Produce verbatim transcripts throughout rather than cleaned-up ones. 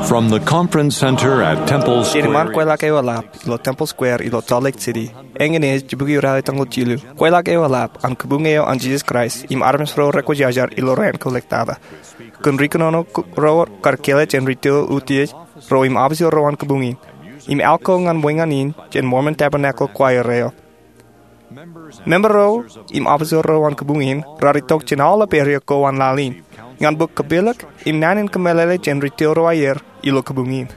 From the conference center at Temple Square. Jān iṃaan kweilọk eo eḷap ilo Temple Square ilo Salt Lake City, eñin ej jibukwi ralitōñoul jilu, kweilọk eo eḷap an Kabuñ eo an Jisōs Kraist im armej ro rekwōjarjar ilo raan ko lektata. Kōn ri kōnono ro kar kāālōt jān ri tōl utiej ro im officer ro an kabuñ in, im al ko ñan ṃweeññan in jān Mormon Tabernacle Choir eo. Member ro im officer ro an kabuñ in raar itok jān aolep area ko an laḷ in ñan bōk kapilōk im naan in kōmeḷeḷe jān ri tōl ro aer ilo kabuñ in.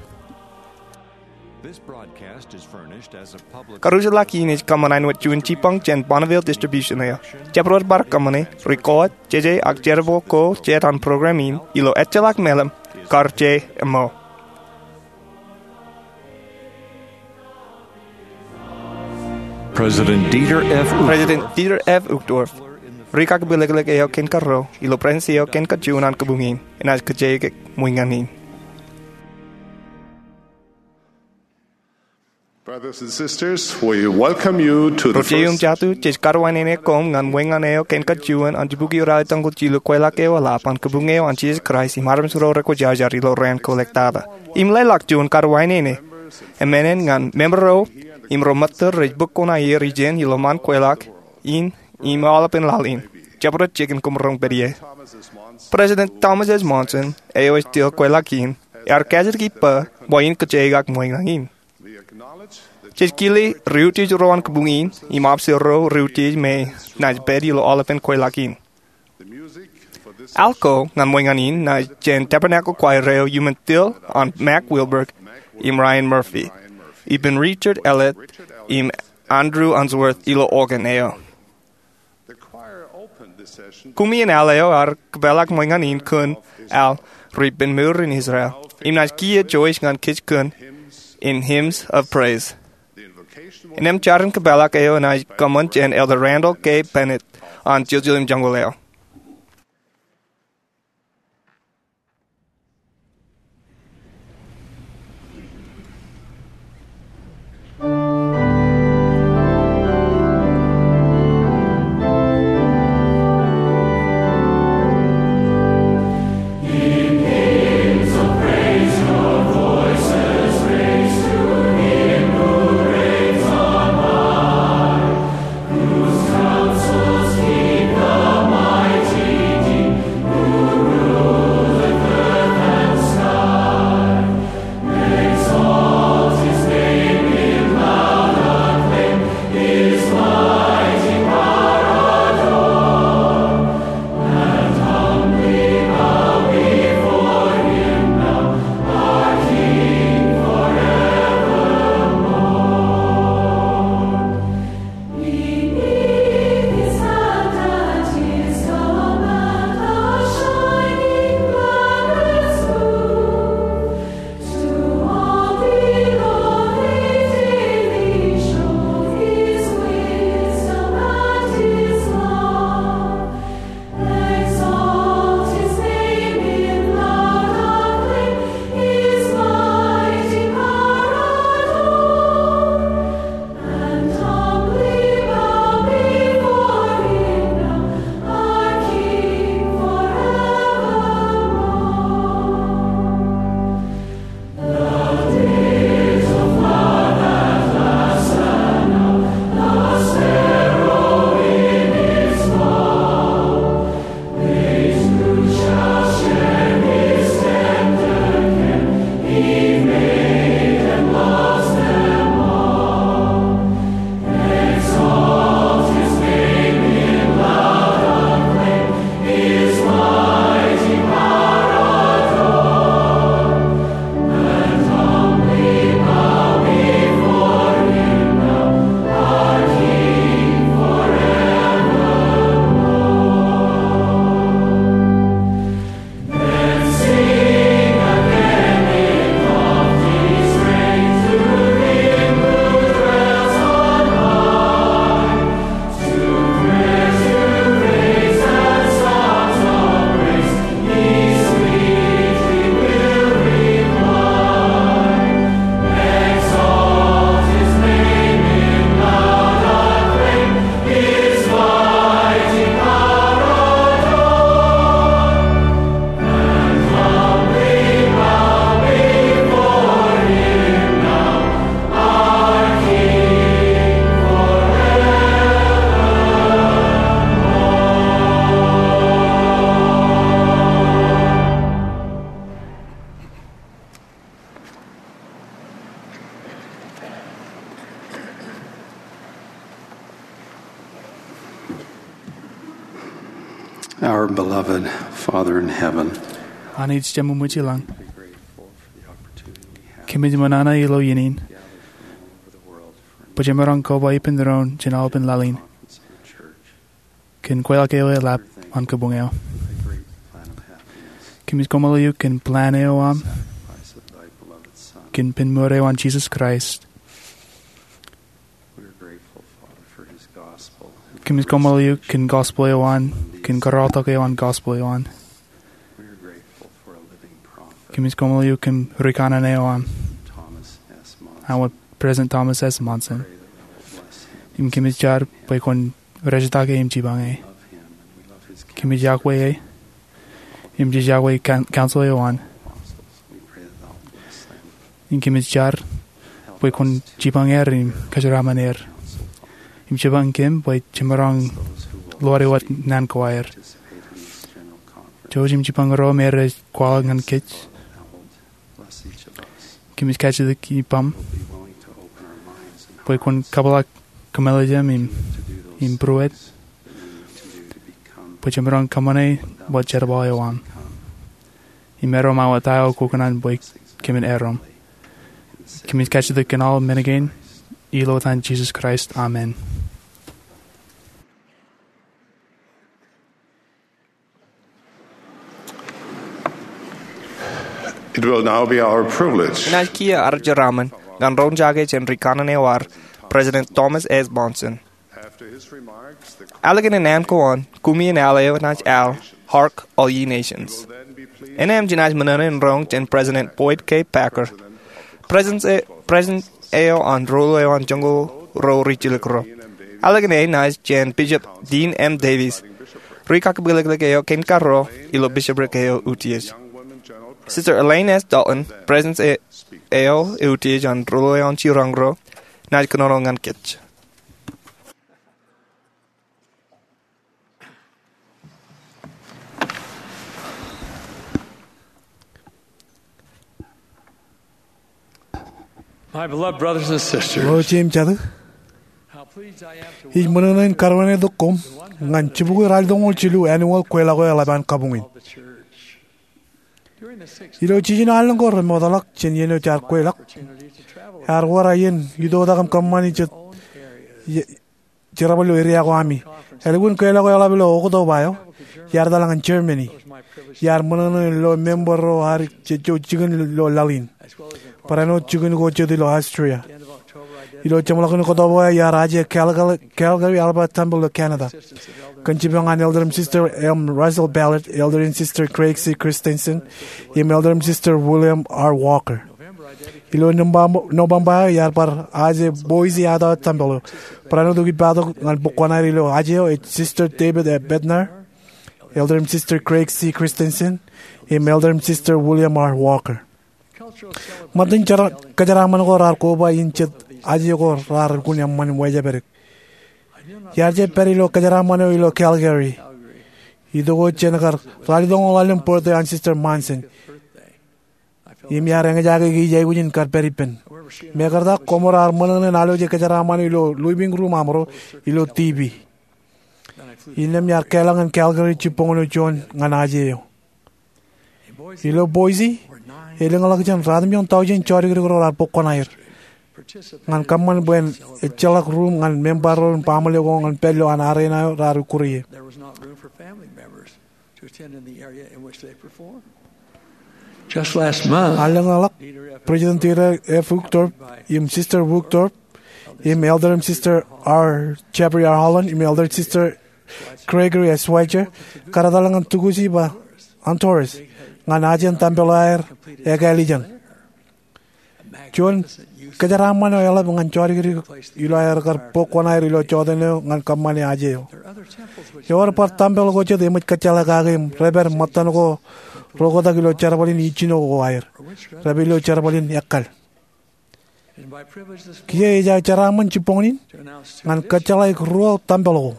Karuj ḷọk in ej kōṃṃan āinwōt juon jibboñ jān Bonneville Distribution eo. Jabdewōt bar kōṃṃane, record, jeje ak jerbal ko jet an program in ilo ejjeḷọk meḷeḷe kar je ṃōo. President Dieter F. Uchtdorf. President Dieter F. Uchtdorf, ri kakipilōklōk eo kōn kōrā ilo Presidency eo kōn kajuon an kabuñ in, enaaj kōjeañ ṃweeññan in. Brothers and sisters, we welcome you to the Ro jeiū im jatū, jej karuwainene koṃ ñan ṃweeññan eo kōn kajuon an jibukwi ralitōñoul jilu kweilọk eo eḷap an Kabuñ eo an Jisōs Kraist im armej ro rekwōjarjar ilo raan ko lektata. Im leḷọk juon karuwainene emān ñan member ro im ro ṃōttōr rej bōk kuṇaer ijin ilo ṃaan kweilọk in im aolepen laḷ in. Jabdewōt jikin koṃ roñ pād ie. President Thomas S. Monson, eo ej tōl kweilọk in, ear kajjitōk ippa bwe in kōjeañ ṃweeññan in. Jej kile ri utiej ro an kabuñ in im officer ro ri utiej me naaj pād ilo aolepen kweilọk in. Al ko ñan ṃweeññan in ej jān Tabernacle Choir eo iuṃwin tōl an Mack Wilberg im Ryan Murphy, ippān Richard Ellet im Andrew Unsworth ilo organ eo. Koṃ in al eo ear kōpeḷḷọk ṃweeññan in kōn al Ri-ippān mour in Israel im naaj kiiō joij ñan kōj kōn in Hymns of Praise. Innām jarin kōpeḷḷọk eo enaaj kōṃṃan jān Elder Randall K. Bennett an Jiljilōm Joñoul eo. Our beloved Father in heaven, Anij Jememwij ilañ, kōmij ṃōṇōṇō ilo iien in bwe jemaroñ koba ippān doon jān aolepān laḷ in kōn kweilọk eo eḷap an kabuñ eo. Kōmij koṃṃool eok kōn plan eo aṃ kōn pen mour eo an Jesus Christ. Kōmij koṃṃool eok kōn gospel eo an, kōn kōrọọltok eo an gospel eo an. Kōmij koṃṃool eok kōn rikanaan eo aṃ, an wōt President Thomas S. Monson. Im kōmij jar bwe kwōn rejetake im jipañe e. Kōmij yokwe e im jej yokwe council eo an. Im kōmij jar bwe kwōn jipañ er im kōjeraaṃṃan er im jipañ kōm bwe jemaroñ lowaan wōt naan ko aer. Jouj im jipañ ro me rej kwaḷọk ñan kōj. Kōmij kajjitōk ippaṃ bwe kwōn kabōḷḷọk kōmālij aṃ im būruod bwe jemaroñ kōṃṃane wōt jerbal eo aṃ. Im erom awa ta eo kwōkōṇaan bwe kōmin erom. Kōmij kajjitōk kōn aolep men kein ilo etan Jesus Christ, amen. It will now be our privilege. Enaaj kiiō ad jeraaṃṃan ñan ro in jake jān rikanaan eo ad, President Thomas S. Monson. Ālikin naan ko an, koṃwin al eo enaaj al Hark, All Ye Nations. Innām jenaaj ṃōṇōṇō in roñ jān President Boyd K. Packer, President e-, President eo an Ruo eo an Joñoul Ruo Rijjilōk Ruo. Ālikin enaaj jān Bishop Dean M. Davies, rikakkapilōklōk eo kein karuo ilo bishopric eo eutiej. Sister Elaine S. Dalton, President e-, eo eutiej an Ruo eo an Jiroñ Ruo, naaj kōnono ñan kōj. My beloved brothers and sisters, ro jeiū im jatū, how pleased I am to ij ṃōṇōṇō in karuwainetik koṃ ñan jibukwi ralitōñoul jilu annual kweilọk eo eḷap an kabuñ in. Ilo jiljino allōñ ko remootḷọk jān iien eo jaar kweilọk, ear wōr aō iien itoitak im kōṃṃani jet jerbal ilo eria ko ami. Ālikin kweilọk eo eḷap ilo Oktoba eo, iar etal ñan Germany. Iar ṃōṇōṇō in lo member ro ad jejjo jikin ilo laḷ in, barāinwōt jikin ko jet ilo Austria. Ilo jeṃḷọkin Oktoba eo iar aje Calgary, Calgary Alberta Temple ilo Canada kōn jipañ an Elder im Sister M. Russell Ballard, Elder im Sister Craig C. Christensen, im Elder im Sister William R. Walker. Ilo November eo iar bar aje Boise Idaho Temple eo. Barāinwōt eo ippaak tok ñan bōk kuṇaer ilo aje eo ej Sister David A. Bednar, Elder im Sister Craig C. Christensen, im Elder im Sister William R. Walker. Ṃōttan kōjeraaṃṃan ko raar koba in jet aje ko raar lukkuun eṃṃan im wāween. Iar jab pād ilo kōjeraaṃṃan eo ilo Calgary itok wōt jān kar ralitōñoul allōñ birthday an Sister Monson. Im iar eñjake ke ij aikuj in kar pād ippān. Mekarta, koṃ raar ṃōṇōṇō in aloje kōjeraaṃṃan eo ilo living room amro ilo TV. Innām iar kālọk ñan Calgary jibboñōn eo juon ñan aje eo. Ilo Boise, elōñḷọk jān ratimjuon tọujin jodikdik ro raar bōk kuṇaer ñan kōṃṃan bwe en ejjeḷọk ruum ñan member ro im baaṃle ko ñan pād ilo an arena eo raar ukkure ie. Allōñḷọk, President Dieter F. Uchtdorf im Sister Uchtdorf im Elder im Sister R. Jeffrey R. Holland im Elder Sister Gregory S. Schweizer kar etal ñan tukusi ba Honduras ñan ajen tempel eo aer ekāālijen. Juon kōjeraaṃṃan eo eḷap ñan jodikdik ilo aer kar bōk kuṇaer ilo jota eo ñan kōṃṃane aje eo. Ewōr bar tempel ko jet eṃōj kōjjeḷā kake im rej pād ṃōttan ko rokotak ilo jerbal in ijjino ko aer. Rej pād ilo jerbal in ekkal. Kiiō ij aō jeraaṃṃan jibboñōn in ñan kōjjeḷā ruo tempel ko,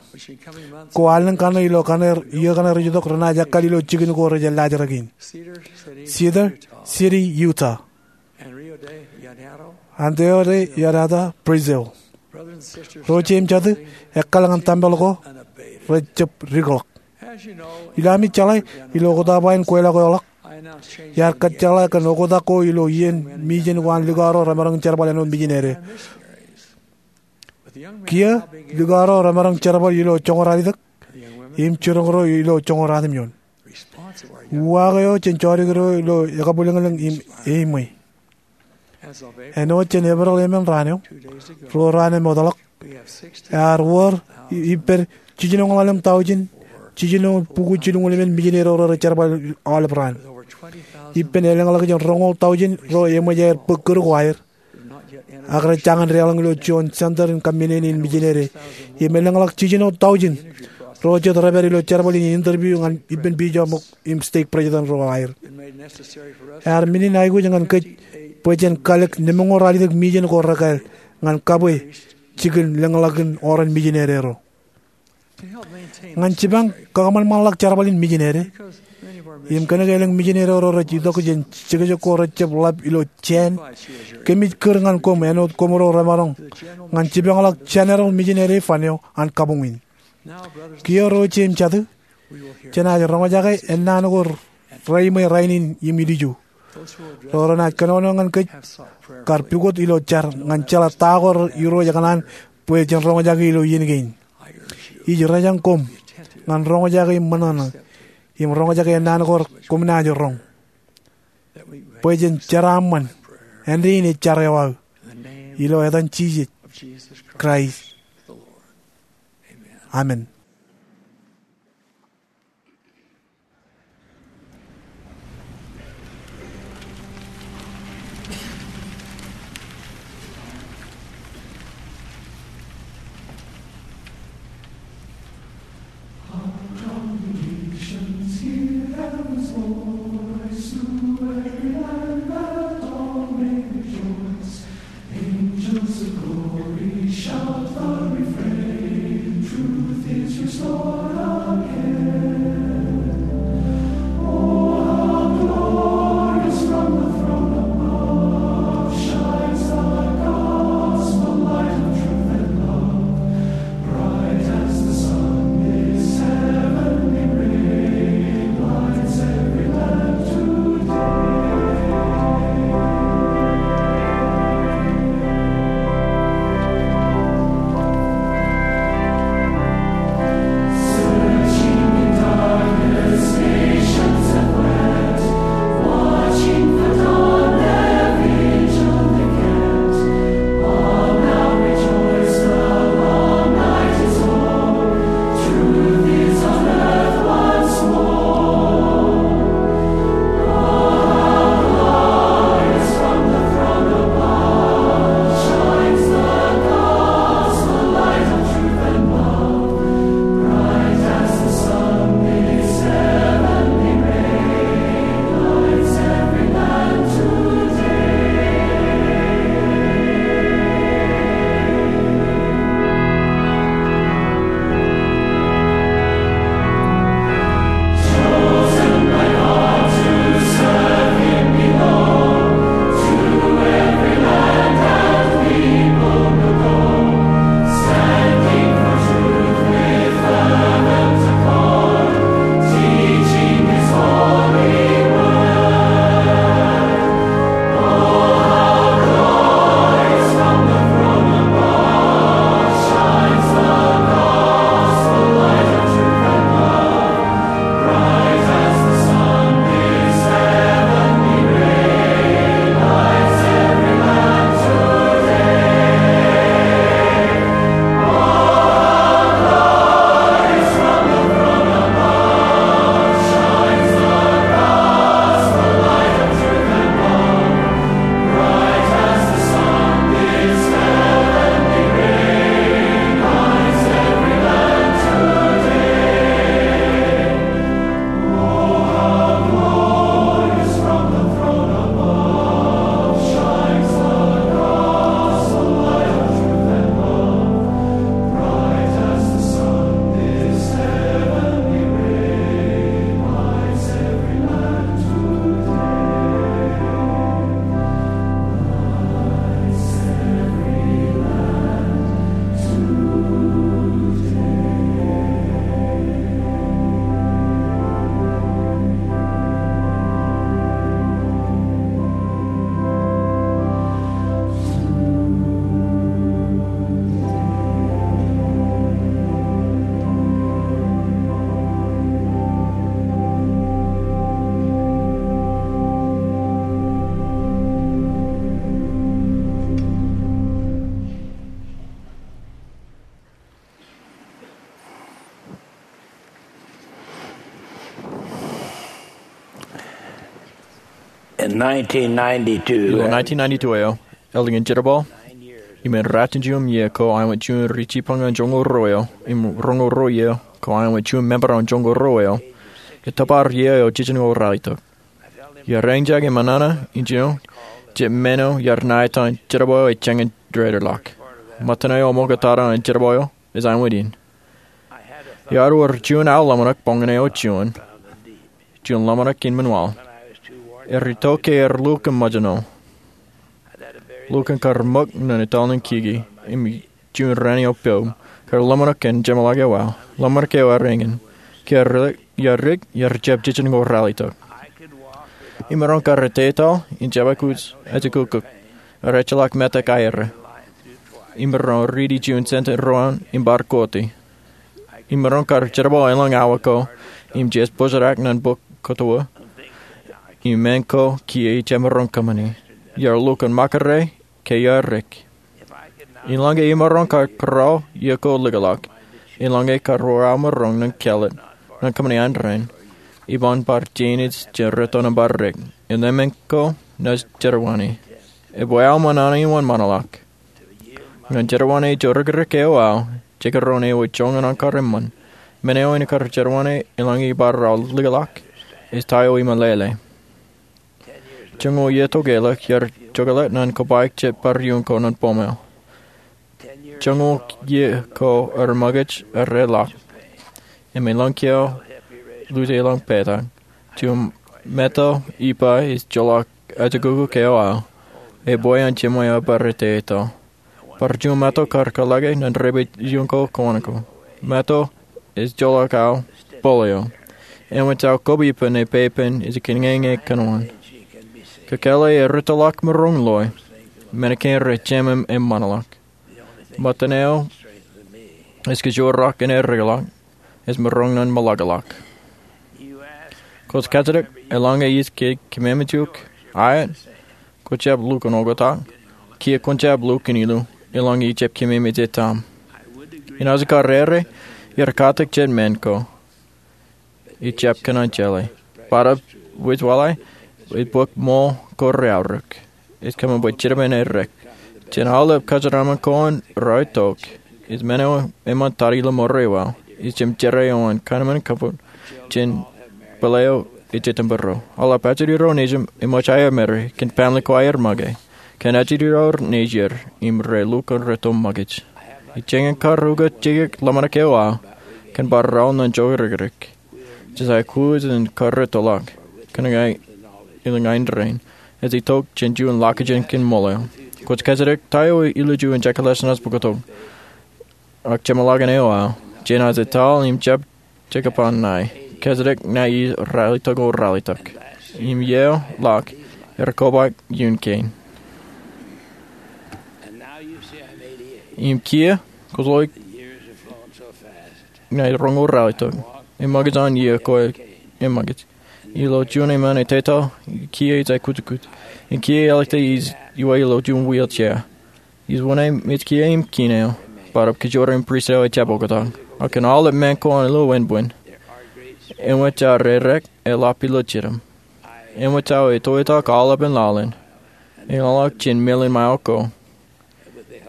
ko allōñ kaṇe ilo kaṇe, iiō kaṇe rej itok renaaj ekkal ilo jikin ko rej laajrak in. Cedar City, Utah. Antonio de Llerena, Brazil. Ro jeiū im jatū, ekkal ñan tempel ko rej jab dikḷọk. Ilo ami jeḷā, ilo oktak bwe en kweilọk eoḷọk, iar kōjjeḷā kōn oktak ko ilo iien mejān ko an likao ro remaroñ jerbal āinwōt mijinere. Kiiō, likao ro remaroñ jerbal ilo joñoul ralitōk im jiroñ ro ilo joñoul ratimjuon. Uwaak eo jān jodikdik ro ilo ekabwilōñlōñ im eimwe. Āinwōt jān Epril emān raan eo, ruo raan im ṃōtḷọk, ear wōr ippān jiljinoñḷalem taujin jiljino bukwi jilñuul emān mijinere ro rej jerbal aolep raan. Ippān elōñḷọk jān roñoul taujin ro eṃōj aer bōk kūr ko aer, ak rej jañin deḷọñ ilo juon center in kaṃṃinene in mijinere. Im elōñḷọk jiljino taujin ro jet rej pād ilo jerbal in interview ñan ippān bijoṃōk im stake president ro aer. Ear men in aikuj ñan kōj bwe jen kalōk nemoñoul ralitōk mejān ko rekāāl ñan kabwe jikin lōñḷọkin oran mijinere ro. Ñan jipañ kakōṃanṃanḷọk jerbal in mijinere, im kōnke elōñ mijinere ro rej itok jān jekjek ko rejjab ḷap ilo jāān, kōmij kūr ñan koṃ āinwōt koṃro remaroñ ñan jipañḷọk jeneral mijinere fan eo an kabuñ in. Kiiō ro ijin im jatū, jenaaj roñjake ennaan ko reimwe rainin im ilju. Ro renaaj kōnono ñan kōj kar pukot ilo jar ñan jeḷā ta ko Irooj ekōṇaan bwe jen roñjake ilo iien kein. Ij rōjañ koṃ ñan roñjake im ṃōṇōṇō im roñjake ennaan ko koṃ naaj roñ bwe jen jeraaṃṃan āindein ej jar eo aō. Ilo etan Jisōs Kraist, amen. In nineteen ninety-two, ilo nineteen ninety-two eo, eḷap an jerbal, im en ratimjuon iiō ko aṃ wōt juon ri jibboñ ñan joñoul ruo eo, im roñoul ruo iiō ko aṃ wōt juon member an joñoul ruo eo, etōpar iiō eo jiljino ralitōk. Iar eñjake ṃōṇōṇō, injino, jet men eo iar ṇa etan jerbal eo ej jañin dedeḷọk. Ṃōttan eo ṃokta an jerbal eo, ej aṃ wōt in. Iar wōr juon aō ḷōmṇak boñōn eo juon, juon ḷōmṇak kein ṃaanḷọk. Erreo ke er lukkuun ṃōjṇọ. Lukkuun kar ṃōk ñan etal in kiki, im juon raan eo pojak, kar ḷōmṇak kōn jeṃḷọk eo aō. Ḷōmṇak eo ear eñin. Ke iar ri-, iar ri-, iar jab jiljino ralitōk. Imaroñ kar etetal, im jab aikuj ejukukuk. Rej jeḷā metak aer. Imaroñ riiti juon sentence ro an, im bar koti. Imaroñ kar jerbal elōñ awa ko, im jes bōjrak ñan bok kōto. Im men ko kiiō ij jab maroñ kōṃṃani. Iar lukkuun ṃakūrā, ke iar ri-. Eḷaññe imaroñ kar kōrā iiō ko likūtḷọk. Eḷaññe kar wōr aō maroñ ñan kāālōt, ñan kōṃṃani an rein. Iban bar jein ej jen rūtto im bar ri-. Im men ko naaj jerbal in. Ebwe aō ṃōṇōṇō iuṃwin ṃaanḷọk. Ñan jerbal in ejjeḷọk ri-, ri-, eo aō, jekdọọn eo ej joñan an kar eṃṃan. Men eo en kar jerbal in eḷaññe ibar aō likūtḷọk, ej ta eo iṃōn lele. Joñoul iiō tok eo ḷọk iar jokḷọk ñan kobaik jet bar iuṃwin ko ñan bōmwōj. Joñoul iiō ko er ṃōkaj er ḷọk. Im eḷaññe kiiō lukkuun eḷaññe petak. Juon meto iba ej jeḷā ejukukuk eo aō. Ebwe an jeṃḷọk eo bar etetal. Bar juon meto kar kōḷḷāke ñan repe iuṃwin ko kōṇaan ko. Meto ej jeḷā aō polio. Eṃōj aō kab ippān e pepen ej kōnñōñā kōn wōn. Kōkāāle e rūttoḷọk maroñ loe. Men kein rej jemem im ṃaanḷọk. Ṃōttan eo ej kōjparok in elikḷọk, ej maroñ ñan ṃōḷakḷọk. Kwōj kajjitōk, eḷaññe ij ke kememej eok, aet, kwō jab lukkuun oktak, kiiō kwōn jab lukkuun ilu, eḷaññe ij jab kememej etaṃ. Inaaj kar ere, iar katak jet men ko. Ij jab kōṇaan jeḷā. Bōtab wōj waḷọk, ej bōk ṃool ko reaorōk. Ej kōṃṃan bwe jitōnbōn e ri-. Jān aolep kōjeraaṃṃan ko an rej itok. Ej men eo eṃṃan tata ilo mour eo aō. Ej jemjerā eo an kōnono im kōpooje jān bōl eo ej jitōnbōro. Aolep ajri ro nejūṃ eṃōj aer mare, kōn family ko aer make. Kōn ajri ro nejier, im rej lukkuun rūtto ṃōkaj. Ij jañin kar ukōt jekōṇaan ḷōmṇak eo aō, kōn bar raoḷ ñan jokrakrak. Jisōs ej kōj in kar rūttoḷọk, kōn ña, ilo ñan rein. Ej itok jān juon ḷọkjeṇ kōn ṃool eo. Kwōj kajjitōk ta eo ilo juon jekḷaj naaj bōktok. Ak jeṃḷọkin eo aō. Jenaaj etal im jab jekōṇaan ṇae. Kajjitōk ṇae ij ralitōk eo ralitōk. Im iiō ḷọk, er kobaik iuṃwin kein. Im kiiō, kwōj loe ña ij roñoul ralitōk. Eṃōkaj an iiō ko eṃōkaj. Ilo juon eṃṃan etetal, kiiō ij aikuj kōkōt. Im kiiō eḷak ij iwe ilo juon wheelchair. Ij wōṇāān im ij kiiō im kiin eo. Bōtab kōjparok im pristut eo ejjab oktak. Ak kōn aolep men ko an ilo wāween. Eṃōj aō rerak eḷap ilo jitōṃ. Eṃōj aō etoitak aolepen laḷ in. Eḷaññe jān mālōtlōt eo ko.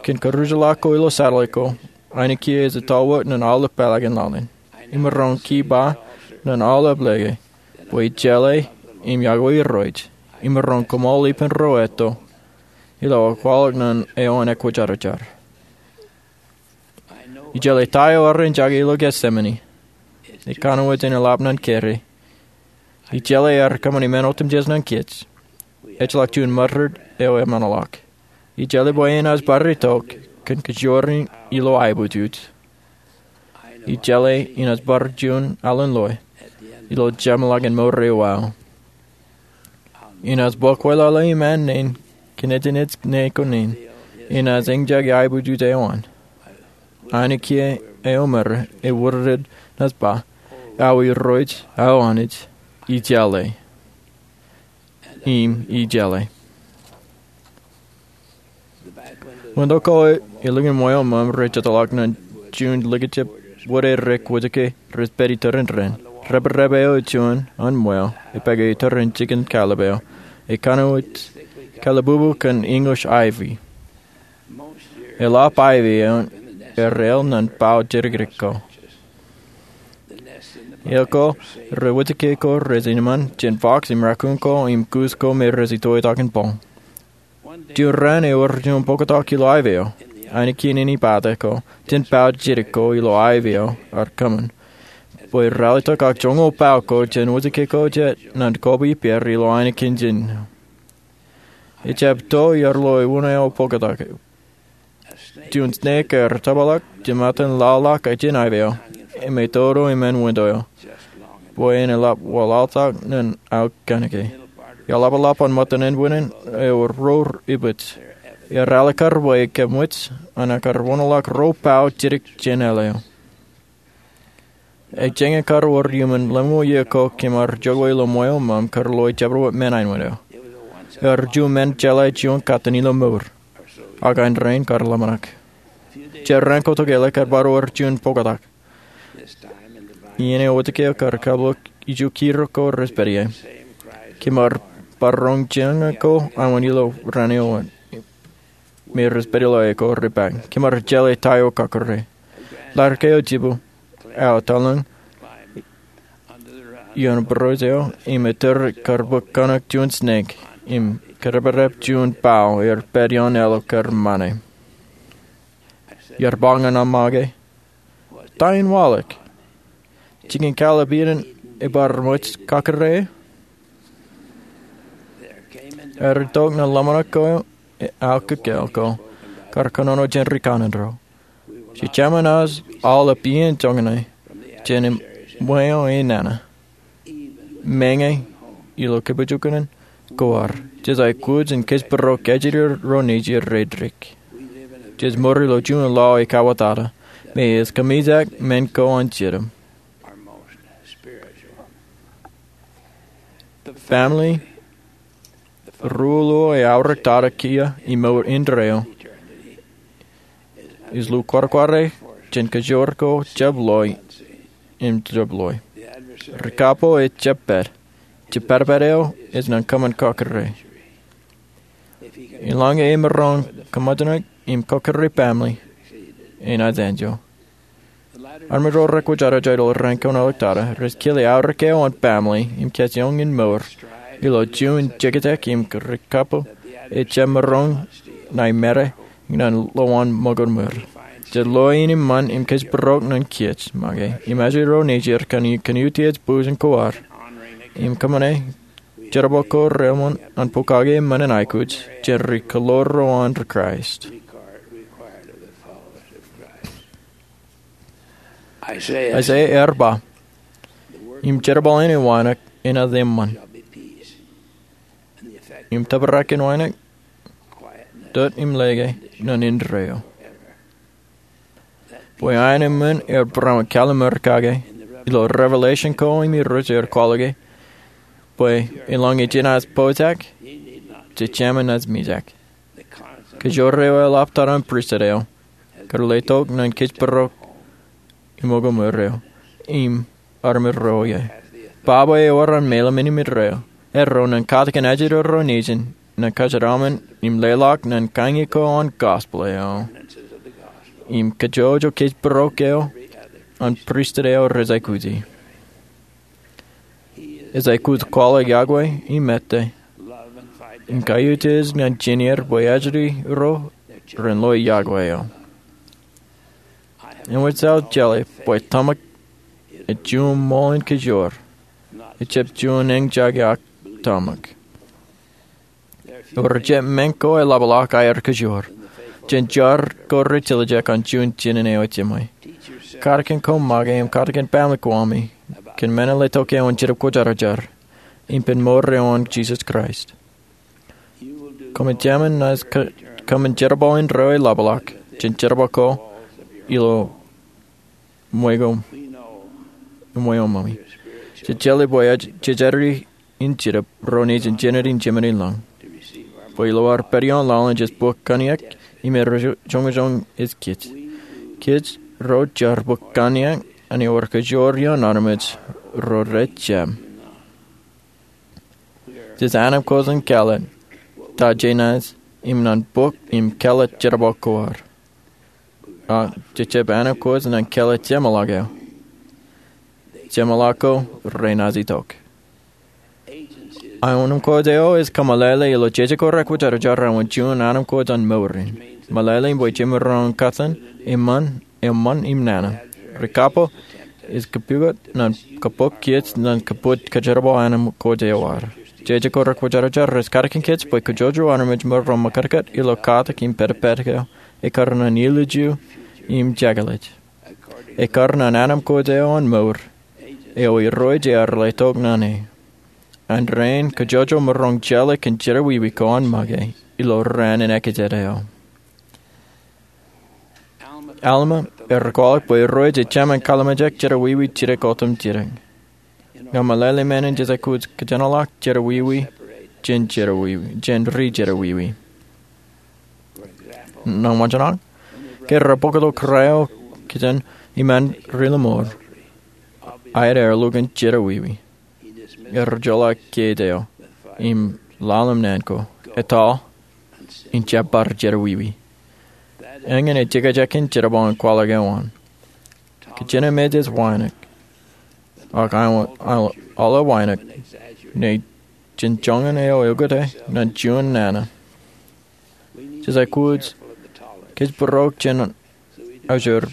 Kōn kōrujḷọk ko ilo satellite ko, aenōk kiiō ej tōl wōt ñan aolep pālākin laḷ in. Imaroñ ke ba ñan aolep lōke bwe ij jeḷā im yokwe Irooj. Imaroñ koṃṃool ippān ro etto ilo aō kwaḷọk ñan eo an ekwōjarjar. Ij jeḷā ta eo ear eñjake ilo Gethsemane. Ekanooj in eḷap ñan kōrā. Ij jeḷā ear kōṃṃani men otemjej ñan kōj. Ejjeḷọk juon ṃōrōd eo eṃṃanḷọk. Ij jeḷā bwe enaaj bar itok kōn kōjparok ilo aebōjoj. Ij jeḷā enaaj bar juon alen loe ilo jeṃḷọkin mour eo aō. Enaaj bōk wōt lale im an naan kōn ejin ej ṇe ko naan. Enaaj eñjake aebōjoj eo an. Aenōk kiiō eo ṃōrā ewōr rej naaj ba, Aō Irooj, aō Anij, ij jeḷā. Im ij jeḷā. Wūnto ko ilo ṃweo ṃōṃ rej jitōḷọk ñan juon likjab wōt e ri-kwōjake rej pād itōrin raan. Reprep eo juon an ṃweo epāke itōrin jikin kallib eo. ekanooj kallibubuk kōn English ivy. Eḷap ivy eo er āl ñan bao jidikdik ko. Āl ko, rej wōjke ko rej jino ṃaan jān fox im raccoon ko im goose ko me rej itoktak in boñ. Juon raan ewōr juon bōktak ilo ivy eo, ainikien āne pata ko, jān bao jidik ko ilo ivy eo ear kōṃṃan. Bwe raar letok ak joñoul bao ko jān wōjke ko jet ñan kobwi ippāer ilo ainikien jān. Ejjab to iar lo ewōṇāō bōktak. Juon snake ear tōbalḷọk jemātan laḷḷọk jān ivy eo im etodo iṃaan window eo bwe en eḷap waḷaḷtak ñan aō kanōk e. Iaḷapḷap an ṃōttan ānbwinnin ewōr rour ibōj. Ear alikkar bwe kōmwōj an ekkar wōnḷọk ro bao jidik jān āl eo. Ej jañin kar wōr iuṃwin lemñoul iiō ko kōm ar jokwe ilo ṃweo ṃōṃ kar lo ejabdewōt men ainikien eo. Ear juon men jeḷā juon katan ilo mour. Ak āindein kar ḷōmṇak. Jet raan ko tokālik ear bar wōr juon bōktak. Iien eo wōjke eo kar kaplok iju kiro ko rej pād ie. Kōm ar bar roñ jeañ ko aṃwin ilo raan eo wōt me rej pād ilo aō ko repañ. Kōm ar jeḷā ta eo kakōrā. Ḷadik eo jibū, aō tōl ioon būruōj eo im ettōr kar bōk kanōk juon snake im kōdepdep juon bao ear pād ioon āl eo kar ṃane. Iar ba ñan aṃ make, ta in waḷọk? Jikin kaḷap iien ebar ṃōj kakōrā? Ear itok ñan ḷōmṇak ko aō kōkāāl ko kar kōnono jān ri kanaan ro. Jejāmin aō ḷap iien joñan jān ṃweo enana. Meñe ilo kōpoojkunen ko ad, jej aikuj in kōjparok ajri ro nejū rej dik. Jej mour ilo juon lao ekauwōtata me ej kōmijak men ko an Jetōb. Family ruo eo eaorōk tata kiiō im mour indeeo ej lukwarakwarai jān kōjoor ko jab loe im jab loe. Ri kapo ejjab pād. Jepatpat eo ej ñan kōṃṃan kakōrā. Eḷaññe emaroñ kōṃōjṇak im kakōrā family, enaaj enjeḷ. Armej ro rekwōjarjar ilo raan kein ḷọk tata rej kile aorōk eo an family im kōjeañ in mour ilo juon jekjek im ri kapo ejjab maroñ ṇa emād ñan lowaan ṃōkaj ṃweo. Jej loe in eṃṃan im kōjparok ñan kiiō make im ajri ro nejū kōn kōn utiej bōjjān ko ad im kōṃṃane jerbal ko reṃṃan an pokake men in aikuj jān ri kaḷoor ro an Kraist. Isaiah ear ba, im jerbal in wānōk enaaj eṃṃan, im tōprak in wānōk, dot im lōke ñan indeeo. Bwe aenōṃṃan ear barāinwōt kallimur kake ilo Revelation ko im Irooj ear kwaḷọke bwe eḷaññe jenaaj pojak, jejāmin naaj mijak. Kōjoor eo eḷap tata an pristut eo kar letok ñan kōjparok ṃōkaj ṃweo im armej ro ie. Baba eo ewōr an meḷeḷe im indeeo, erro ñan katakin ajri ro nejin ñan kōjeraṃṃan im leḷọk ñan kañin ko an gospel eo im kōjwōj kōjparok eo an pristut eo rej aikuji. Ej aikuj kwaḷọk yokwe im ettā im kaiutiej ñan jineer bwe ajri ro ren loe yokwe eo. Eṃōj aō jeḷā bwe tōmak ej juon ṃool in kōjoor, ejjab juon eñjake ak tōmak. Ewōr jet men ko eḷapḷọk aer kōjoor jān jar ko rej tiljek an juon jinen eo ejjab ṃōj. Katakin koṃ make im katakin family ko ami kōn men in letok eo an Jetōb Kwōjarjar im pen mour eo an Jisōs Kraist. Koṃwin jerbal indeeo eḷapḷọk jān jerbal ko ilo ṃweo, ṃweo ṃōmi. Jej jeḷā bwe jej jatūri in Jetōb ro nejin jān āne in jemān in lañ bwe ilo ad pād ioon laḷ in jej bōk kōnniōk im joñojoñ ej kōj. Kōj ro jar bōk kōnniōk an ewōr kōjoor ioon armej ro rejjab. Jejjab ānbkooj in kāālōt ta jenaaj im nan bok im kāālōt jerbal ko ad. Ak jejjab ānbkooj in kāālōt jeṃḷọk eo. Jeṃḷọk ko renaaj itok. Ānbkooj eo ej kōmeḷeḷe ilo jeje ko rekwōjarjar āinwōt juon ānbkooj an mour in. Meḷeḷein bwe jemaroñ in kōttan eṃṃan, eṃṃan im nana. Ri kapo ej kapukot ñan kabok kiiō ñan kabwaj kōjerbal ānbkooj eo ad. Jeje ko rekwōjarjar ej katakin kōj bwe kōjojro armej maroñ in makatkāt ilo katak im pād pād ko ekkar ñan ilju im jekḷaj. Ekkar ñan ānbkooj eo an mour eo Irooj ear letok ñan e. Āindein kōjojro maroñ jeḷā kōn jerọwiwi ko an make ilo raan in ekōjkan eo. Alma ear kwaḷọk bwe Irooj ej Jemān kalimjek jerọwiwi jidik otem jidik. Ña meḷeḷe men in jej aikuj kōjenolọk jerọwiwi jān jerọwiwi jān ri jerọwiwi. Ñan wōnṃaanḷọk, ke rej bōk ilo kōrā eo kōn iṃaan ri lọmọọr, aet ear lukkuun jerọwiwi. Ear joḷọk kiiō eo im ḷalem naan ko, etaḷ in jab bar jerọwiwi. Eñin ej jekjek in jerbal in kwaḷọk eo an. Kōjenmej ej wānōk, ak aolep wānōk, ñe jen joñan eo eokute ñan juon nana. Jej aikuj kōjparok jān aujor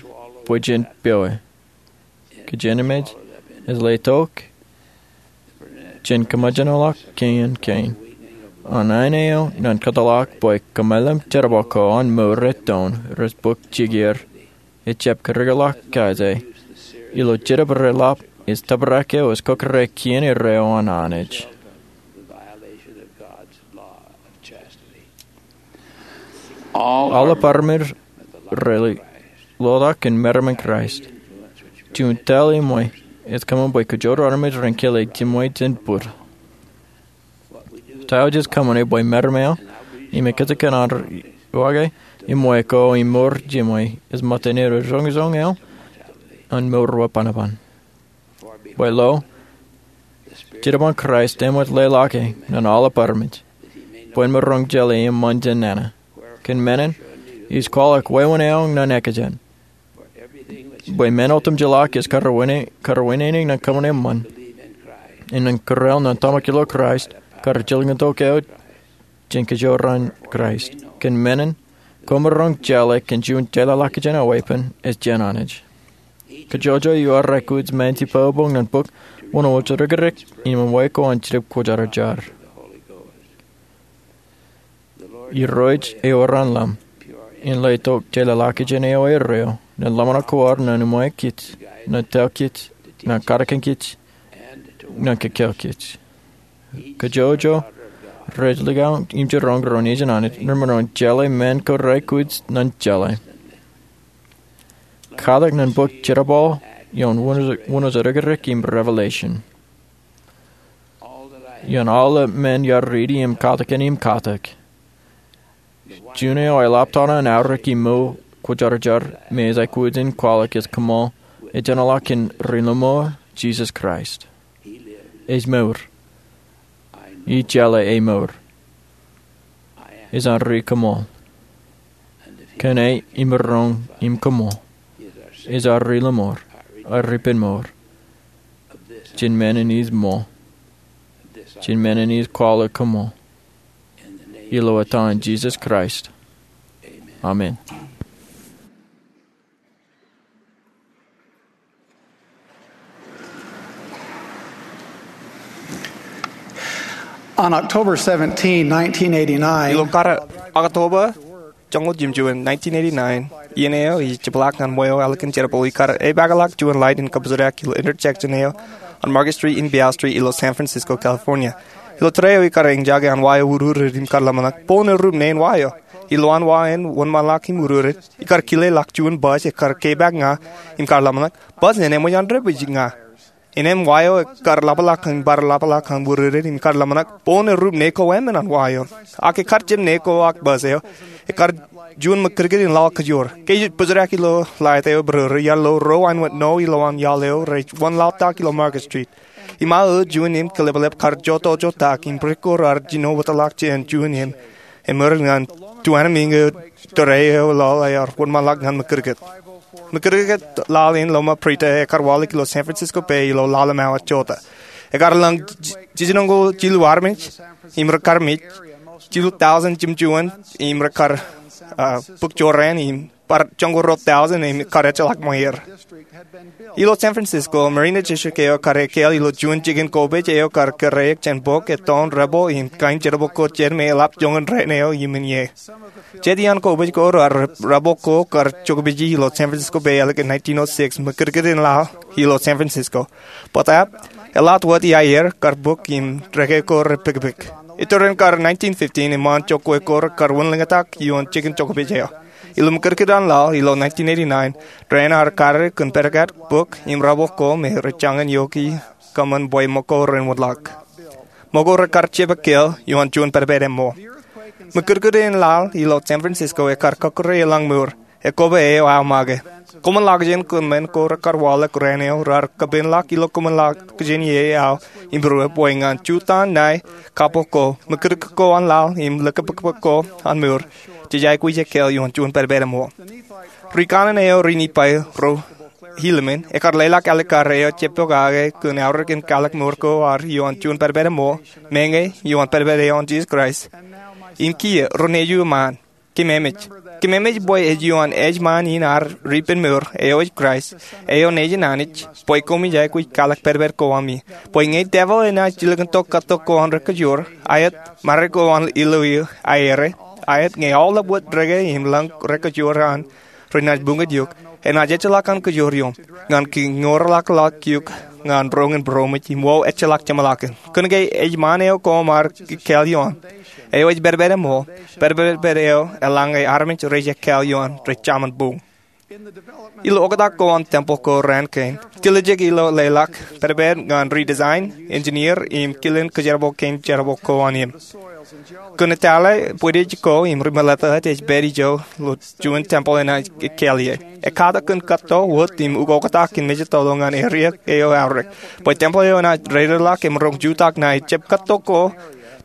bwe jen pewe. Kōjenmej ej letok jān kōmōjenolọk kein kein. An āne eo ñan kōtḷọk bwe kōmālim jerbal ko an mour ej toon rej bōk jikier ejjab kōrōkḷọk kōjatdikdik. Ilo Jetōb Reḷap ej tōprak eo ej kōkōrā kien erreo an Anij. Aolep armej rej lotak in meram in Kraist. Juon tōl eṃṃan ej kōṃṃan bwe kōjro armej ren kile jiṃwe jān bōd. Ta eo jej kōṃṃane bwe meram eo im ekkejek an ar uwaake eṃṃan ko im mour jiṃwe ej ṃōttan eo joñojoñ eo an mour wōt bōnbōn. Bwe lo, Jetōb in Kraist eṃōj leḷọke ñan aolep armej bwe en maroñ jeḷā eṃṃan jān nana. Kōn menin, ij kwaḷọk wāween eo ñan ekōjkan. Bwe men otemjeḷọk ej kar wāween, kar wāween ñan kōṃṃan eṃṃan. Im ñan kōrā eo ñan tōmak ilo Kraist, kar jilkintok eo jān kōjro an Kraist. Kōn menin, kwōmaroñ jeḷā kōn juon jeḷāḷọkjeṇ eo weeppān ej jān Anij. Kōjro eo aikuj men jibboñbōñ ñan bōk wōnṃaanḷọk ri-kōrā im eṃṃan ko an Jetōb Kwōjarjar. Irooj ewōr an ḷōṃ in letok jeḷāḷọkjeṇ eo erreo ñan ḷōmṇak ko ad ñan eṃṃan kōj, ñan tōl kōj, ñan katakin kōj, ñan kōkōl kōj. Kōjro rej likao im jiroñ ro nejin Anij, remaroñ jeḷā men ko reaikuj ñan jeḷā. Katak ñan bōk jerbal ioon wōnṃaanḷọk ri-kōrā im Revelation. Ioon aolep men iar riiti im katakin im katak, juon eo eḷap tata an aorōk im mour kwōjarjar me ej aikuj in kwaḷọk ej kōṃṃan, ej jeḷāḷọk kōn ri lọmọọr Jisōs Kraist. Ej mour. Ij jeḷā e mour. Ej an ri kōṃṃan. Kōn e imaroñ im kōṃṃan, ej an ri lọmọọr, an ri ippān mour. Jān menin ij ṃōk. Jān menin ij kwaḷọk kōṃṃan. Ilo etan Jisōs Kraist. Amen. On October seventeenth, nineteen eighty-nine, ilo kar October joñoul jimjuon, nineteen eighty-nine, iien eo ij jepḷaak ñan ṃweo ālikin jerbal eo ikar epaakḷọk juon light in kabuserak ilo intersection eo an Market Street im Beale Street ilo San Francisco, California. Ilo tōre eo ikar eñjake an wa eo urur im kar ḷōmṇak, bōn erup ṇe in wa eo. Ilowaan wa in wōnṃaanḷọk im urur, ikar kileḷọk juon bus ekkar kepaak ña im kar ḷōmṇak, bus in eṃōj an debwij ña. Innem wa eo ekkar ḷapḷọk im bar ḷapḷọk an wūrūrū im kar ḷōmṇak boñ errup ne ko emān an wa eo. Ak ekkar jab ne ko ak bōs eo, ekkar juon ṃakūtkūt in laḷ kajoor. Ke ij bōjrak ilo ḷaet eo eprooro, iar lo ruo āinwōt ṇo ilowaan iaḷ eo rej wōnlaḷtak ilo Market Street. Im aō juon im kōḷapḷap kar jotojotak im brik ko raar jino wōtlọk jān juon im eṃōr ñan tuanmiiñ eo tōre eo laḷ ear wōnṃaanḷọk ñan ṃakūtkūt. Ṃakūtkūt laḷ in lọmọọr Brita ekkar waḷọk ilo San Francisco Bay ilo ḷalem awa jota. Ekkar lōñ jiljinoñoul jilu armej im rekar mej, jilu thousand jemjuon im rekar bōk jorrāān im bar joñoul ruo thousand im kar ejjeḷọk ṃweer. Ilo San Francisco, Marina District eo kar ekkāāl ilo juon jikin kopej eo kar kōrā jān bōk ettoon rebel im kain jerbal ko jān me eḷap joñan rainin eo iṃōn ie. Jet iaan kopej ko raar rebel ko kar jokpeje ilo San Francisco Bay ālikin nineteen oh six, ṃakūtkūt in laḷ ilo San Francisco. Bōtaab, eḷaat wōt iaer kar bōk im reke ko rej pekpek. Iturin kar nineteen fifteen eṃṃaan jokwe ko rekar wūnlōñtak ioon jikin jokpej eo. Ilo ṃakūtkūt an laḷ ilo nineteen eighty-nine, raan ear kar kōn pedkat, bōk im rebel ko me rej jañin iọkwe kōṃṃan bwe ṃōko ren wōtlọk. Ṃōko rekar jab ekkāāl ioon juon pedped eṃṃool. Ṃakūtkūt in laḷ ilo San Francisco ekkar kọkkure eḷaññe mour. Ekkoba eo aō make. Koṃwin ḷak jān kōṃṃan ko rekar waḷọk raan eo raar kōpeeṇḷọk ilo koṃwin ḷak jān ie aō im būruō bwe ñan jutak ṇae kappok ko, ṃakūtkūt ko an laḷ im likpikpik ko an mour, jej aikuj ekkāāl ioon juon pedped eṃṃool. Ri kanaan eo ri-Nifai ro Hilamon ekkar leḷọk ālikin kar eo jepokake kōn aorōk in kwaḷọk mour ko ad ioon juon pedped eṃṃool, meñe ioon pedped eo an Jisōs Kraist. Im kiiō ro nejū eṃṃaan, kōmeemej. Kōmeemej bwe ej ioon ejṃaan in ad ri-ippān mour, eo ej Kraist, eo nejin Anij, bwe koṃij aikuj kwaḷọk pedped ko ami. Bwe ñe devil enaaj jilkintok kōttok ko an rekajoor, aet, mare ko an ilo eō aere, aet, ñe aolep wōt reke im lōñ rekajoor an renaaj buñjake eok, enaaj ejjeḷọk an kajoor ioō, ñan kiñourḷọk ḷọk eok ñan roñ in būroṃōj im wōt ejjeḷọk jeṃḷọkin. Kōnke ejṃaan eo koṃ ar ekkāāl ioon, eo ej pedped eṃṃool, pedped eo eḷaññe armej rej ekkāāl ioon rej jaṃin buñ. Ilo oktak ko an tempeḷ ko raan kein, tiljek ilo leḷọk pedped ñan ri-design, engineer, im kilen kōjerbal kein jerbal ko an im. Kōn etale bwidej ko im ri-meḷeḷe ej pād ijo ilo juon tempeḷ enaaj ekkāāl ie. Ekkatak kōn kōtto wōt im ukoktak in mejatoḷọk ñan area eo aorōk, bwe tempeḷ eo enaaj reireḷọk im roñ jutak ṇae jab kōtto ko,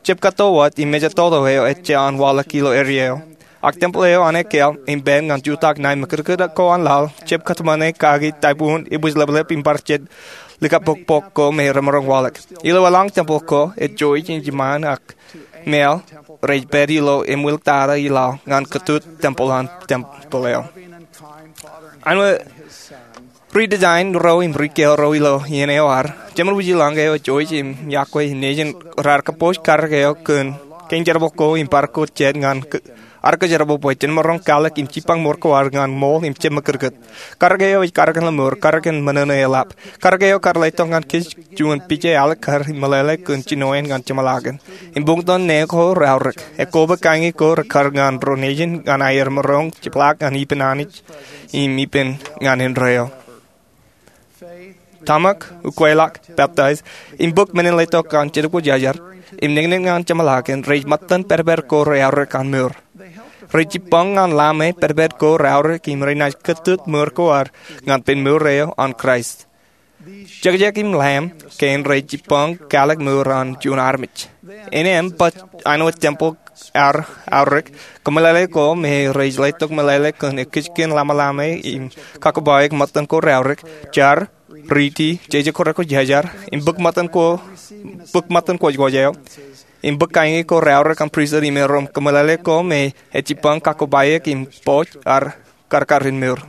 jab kōtto wōt im mejatoḷọk eo ejja an waḷọk ilo area eo. Ak tempeḷ eo an ekkāāl im pād ñan jutak ṇae ṃakūtkūt ko an laḷ, jab kōtmāne kaki typhoon, ibwijleplep im bar jet likapokpok ko me remaroñ waḷọk. Ilo eḷaññe tempeḷ ko, ejjeḷọk ejṃaan ak māāl rej pād ilo eṃwiltata i laḷ ñan kōtut tempeḷ an tempeḷ eo. Āinwōt ri-design ro im ri-ekkāāl ro ilo iien eo ad, jemān wūjlañ eo ejjeḷọk im yokwe nejin raar kōpooj karōk eo kōn kein jerbal ko im bar ko jet ñan k-, ad kōjerbal bwe jen maroñ kwaḷọk im jipañ mour ko ad ñan ṃool im jab ṃakūtkūt. Karōk eo ej karōk in ḷōṃur, karōk in ṃōṇōṇō eḷap. Karōk eo kar letok ñan kōj juon pija ālikin kar meḷeḷe kōn jinoin ñan jeṃḷọkin. Im buñtōn ṇe ko reaorōk. Ekkoba kañi ko rekar ñan ro nejin ñan aer maroñ jepḷaak ñan ippān Anij im ippān ñan indeeo. Tōmak, ukweḷọk, peptaij, im bōk men in letok an Jetōb Kwōjarjar, im niñniñ ñan jeṃḷọkin rej ṃōttan pedped ko reaorōk an mour. Rej jipañ ñan ḷame pedped ko reaorōk im renaaj kōtut mour ko ad ñan pen mour eo an Kraist. Jekjek im ḷam kein rej jipañ kwaḷọk mour an juon armej. Innem baj āinwōt tempeḷ ad aorōk, kōmeḷeḷe ko me rej letok meḷeḷe kōn ekijkin ḷamaḷama im kakōbaik ṃōttan ko reaorōk, jar, riiti, jeje ko rekwōjarjar, im bōk ṃōttan ko, bōk ṃōttan kwōjkwōj eo, im bōk kañi ko reaorōk an pristut im erom kōmeḷeḷe ko me ej jipañ kakōbaik im poj ad karkar in mour.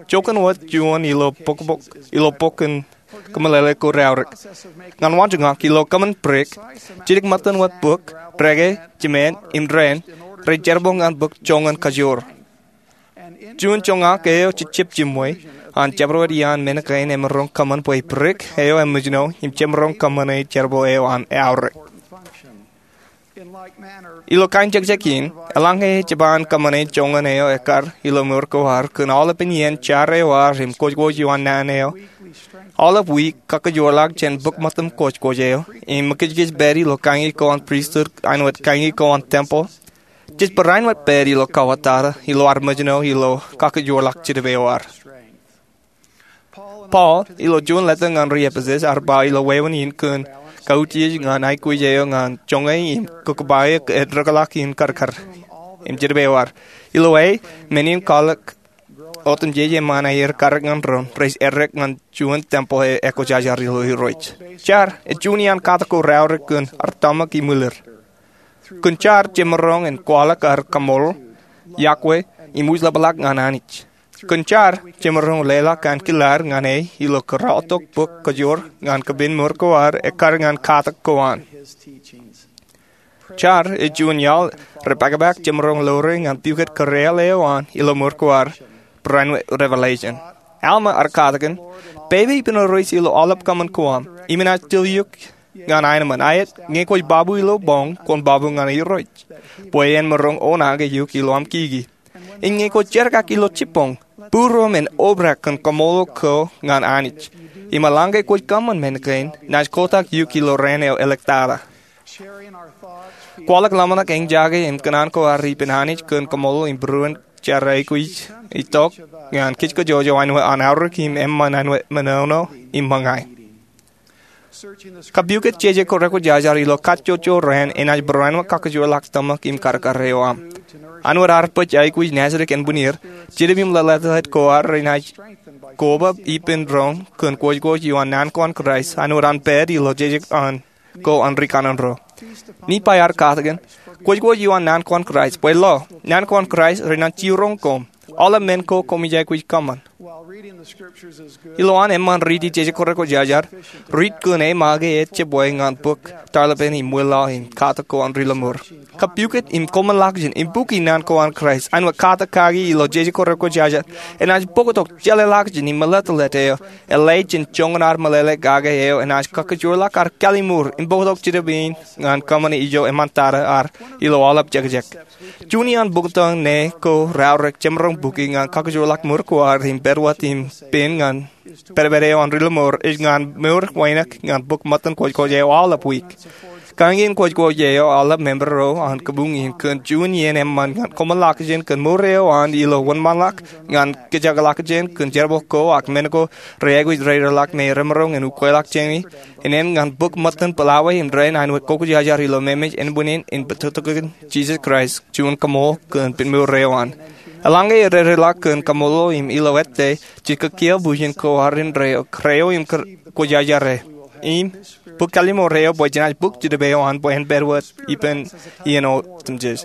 Jokwe wōt juon ilo bok, bok, ilo bok in kōmeḷeḷe ko reaorōk. Ñan waanjoñak ilo kōṃṃan brik, jidik ṃōttan wōt bōk, reke, jemān, im dān, rej jerbal ñan bōk joñan kajoor. Juon joñak eo jejjab jiṃwe, an jabdewōt iaan men kein emaroñ kōṃṃan bwe brik eo emōjṇọ im jemaroñ kōṃṃane jerbal eo an aorōk. Ilo kain jekjek in, eḷaññe ej jab kōṃṃane joñan eo ekkar ilo mour ko ad kōn aolepen iien jar eo ad im kwōjkwōj eo an naan eo, Aolep wiik, kakkōjoorḷọk jān bōk ṃōttan kwōjkwōj eo im mukijkij pād ilo kañin ko an pristut āinwōt kañin ko an tempeḷ jej barāinwōt pād ilo kauwōtata ilo ad mejān ilo kakkōjoorḷọk jidik eo ad. Paul ilo juon leta ñan ri-Epesōs ear ba ilo wāween in kōn kautiej ñan aikuj eo ñan joñe im kōkpae ed rōkḷọk in karkar im jidik eo ad. Ilo aō, men in kwaḷọk otemjej eṃṃan aer karōk ñan doon rej errek ñan juon tempeḷ eo ekwōjarjar ilo Irooj. Jar ej juon iaan katak ko raorōk kōn ad tōmak im ṃwilir. Kōn jar jemaroñ in kwaḷọk ad kaṃṃoolol, yokwe, im wūjlepḷọk ñan Anij. Kōn jar jemaroñ leḷọk ankilaad ñan e ilo kōrọọltok bōk kajoor ñan kapen mour ko ad ekkar ñan katak ko an. Jar ej juon iaḷ rej pākpak jemaroñ lowere ñan pukot kōrāāl eo an ilo mour ko ad, barāinwōt revelation. Alma ear katakin, Pepe ippān Irooj ilo aolep kōṃṃan ko aṃ, im enaaj til eok ñan aenōṃṃan. Aet, ñe kwōj babu ilo boñ, kwōn babu ñan Irooj, bwe en maroñ oṇaake eok ilo aṃ kiki. Im ñe kwōj jerkak ilo jibboñ, būruōm en obrak kōn kaṃṃoolol ko ñan Anij. Im eḷaññe kwōj kōṃṃan men kein, naaj kotak eok ilo raan eo eliktata. Kwaḷọk ḷōmṇak, eñjake im kōṇaan ko ad ippān Anij kōn kaṃṃoolol im būruon jar aikuj itok ñan kōjkōjojọ āinwōt an aorōk im eṃṃan āinwōt menono im ṃōñā. Kapukot jeje ko rekwōjarjar ilo kajjojo raan enaaj barāinwōt kakkōjoorḷọk tōmak im karkar eo aṃ. Āinwōt ad bōk aikuj naajdik ānbwinnid, jidip im lōtlōtḷọk ko ad renaaj koba ippān roñ kōn kwōjkwōj ioon naan ko an Kraist āinwōt an pād ilo jejek an ko an rikanaan ro. Nephi ear katakin, Kwōjkwōj ioon naan ko an Kraist, bwe lo, naan ko an Kraist renaaj jiroñ koṃ, aolep men ko koṃij aikuj kōṃṃan. Ilowaan eṃṃan riiti jeje ko rekwōjarjar, riit kōn e make ejjab ñan bōk tarlepen im ṃwilaḷ im katak ko an Ri Lọmọọr. Kapukot im koṃṃan ḷọkjeṇ im bukwi naan ko an Kraist āinwōt katak kaki ilo jeje ko rekwōjarjar enaaj bōktok jeḷāḷọkjeṇ im meḷeḷeḷe eo eḷap jān joñan ad meḷeḷe kake eo enaaj kakkōjoorḷọk ad kallimur im bōktok jidip in ñan kōṃṃani ijo eṃṃantata ad ilo aolep jekjek. Juon iaan bōktok ṇe ko raorōk jemaroñ bukwi ñan kakkōjoorḷọk mour ko ad im pād wōt im pen ñan pedped eo an Ri Lọmọọr ej ñan mour wānōk ñan bōk ṃōttan kwōjkwōj eo aolep wiik. Kañin kwōjkwōj eo aolep member ro an kabuñ in kōn juon iien eṃṃan ñan koṃṃan ḷọkjeṇ kōn mour eo an ilo wōnṃaanḷọk ñan kōjatḷọkjeṇ kōn jerbal ko ak men ko rej aikuj reideḷọk me remaroñ in ukweḷọk jāne in eṇ ñan bōk ṃōttan pālawe im dān āinwōt kwōjarjar ilo memeej ānbwinnin in bōktokin Jisōs Kraist juon kaṃool kōn pen mour eo an. Eḷaññe ededeḷọk kōn kaṃṃoolol im ilo ettā, jej kiiō bwijin ko ad indeeo, kōrā eo im kwōjarjar e. Im bōk kallimur eo bwe jenaaj bōk jidip eo an bwe en pād wōt ippān iien otemjej.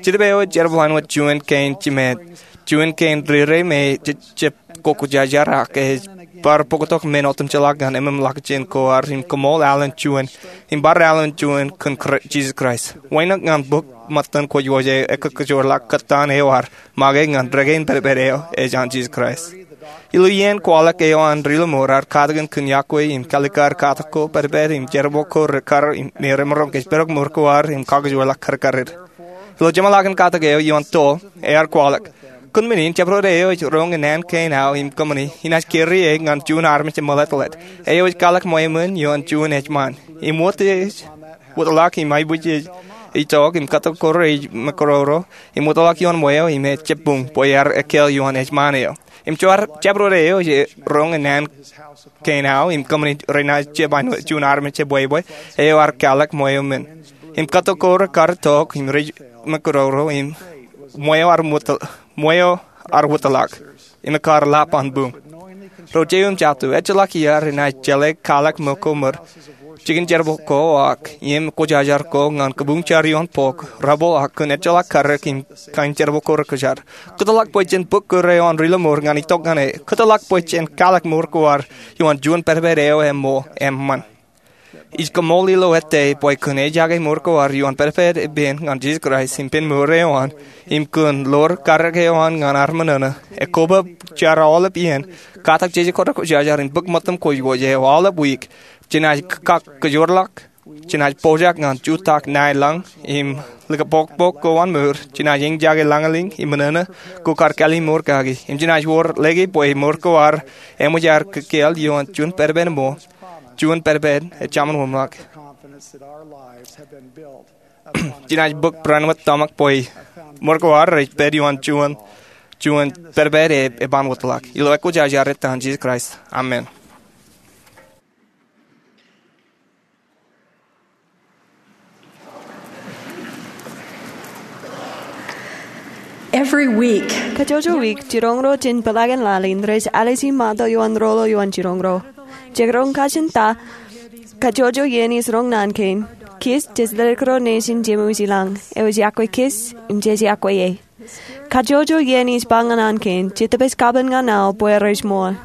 Jidip eo ej jerbal āinwōt juon kein jimet, juon kein rire me jejjab kwōjarjar ak ej bar bōktok men otemjeḷọk ñan ememḷọkjeṇ ko ad im kaṃool alen juon im bar alen juon kōn Jisōs Kraist. Wānōk ñan bōk ṃōttan kwōjkwōj eo ekajoorḷọk kōttan eo ad make ñan dān kein pedped eo ej an Jisōs Kraist. Ilo iien kwaḷọk eo an Ri Lọmọọr ear katakin kōn yokwe im kalikkar katak ko pedped im jerbal ko rekar me remaroñ kōjparok mour ko ad im kakkōjoorḷọk karkarid. Ilo jeṃḷọkin katak eo ioon toḷ, ear kwaḷọk, Kōn men in, jabdewōt eo ej roñ in naan kein aō im kōṃṃani enaaj kōrā e ñan juon armej emeḷeḷe. Eo ej kwaḷọk ṃweo men ioon juon ejṃaan. Im wōt ej wōtlọk im aebwijej ej itok im kōttok ko rej ṃōkrōkrō im wōtlọk ioon ṃweo im ejjab buñ bwe ear ekkāāl ioon ejṃaan eo. Im jabdewōt eo ej roñ in naan kein aō im kōṃṃani renaaj jab āinwōt juon armej ebwebwe. Eo ear kwaḷọk ṃweo men im kōttok ko rekar itok im rej ṃōkrōkrō im ṃweo ear wōt ṃweo ear wōtlọk im ekar lap an buñ. Ro jeiū im jatū, ejjeḷọk iaad enaaj jeḷā kwaḷọk ṃōko ṃōd, jikin jerbal ko ak iien kwōjarjar ko ñan kabuñ jar ioon bok, rebel ak kōn ejjeḷọk karōk im kain jerbal ko rekwōjarjar. Kōtḷọk bwe jen bōk kōrā eo an Ri Lọmọọr ñan itok ñan e. Kōtḷọk bwe jen kwaḷọk mour ko ad ioon juon pedped eo eṃṃan. Ij kaṃool ilo ettā bwe kōn ejake mour ko ad ioon pedped ippān ñan Jisōs Kraist im pen mour eo an im kōn ḷoor karōk eo an ñan ad ṃōṇōṇō, ekoba jar aolep iien, katak jeje ko rekwōjarjar im bōk ṃōttan kwōjkwōj eo aolep wiik, jenaaj kakkōjoorḷọk Jenaaj pojak ñan jutak ṇae lañ im likapokpok ko an mour. Jenaaj eñjake lañlōñ im ṃōṇōṇō ko kar kallimur kaki. Im jenaaj wōr lōke bwe mour ko ad eṃōj aer kōkāāl ioon juon pedped ṃool, juon pedped ej jaṃinwōnṃaak. Jenaaj bōk barāinwōt tōmak bwe mour ko ad rej pād ioon juon, juon pedped ej, ej ban wōtlọk. Ilo ekwōjarjar eo an Jisōs Kraist, amen. Every week. Kajjojo wiik, jiroñ ro jān peḷaakin laḷ in rej alwōj im mado ioon roḷoḷ ioon jiroñ ro. Jekdọọn kajin ta, kajjojo iien ij roñ naan kein, Kiss, Jej Ledik Ro Nation Jemwōj Ilañ, eo ej iọkwe Kiss im jej iọkwe e. Kajjojo iien ij ba ñan naan kein, Jetōb ej kapen ñan aō bwe rej ṃool.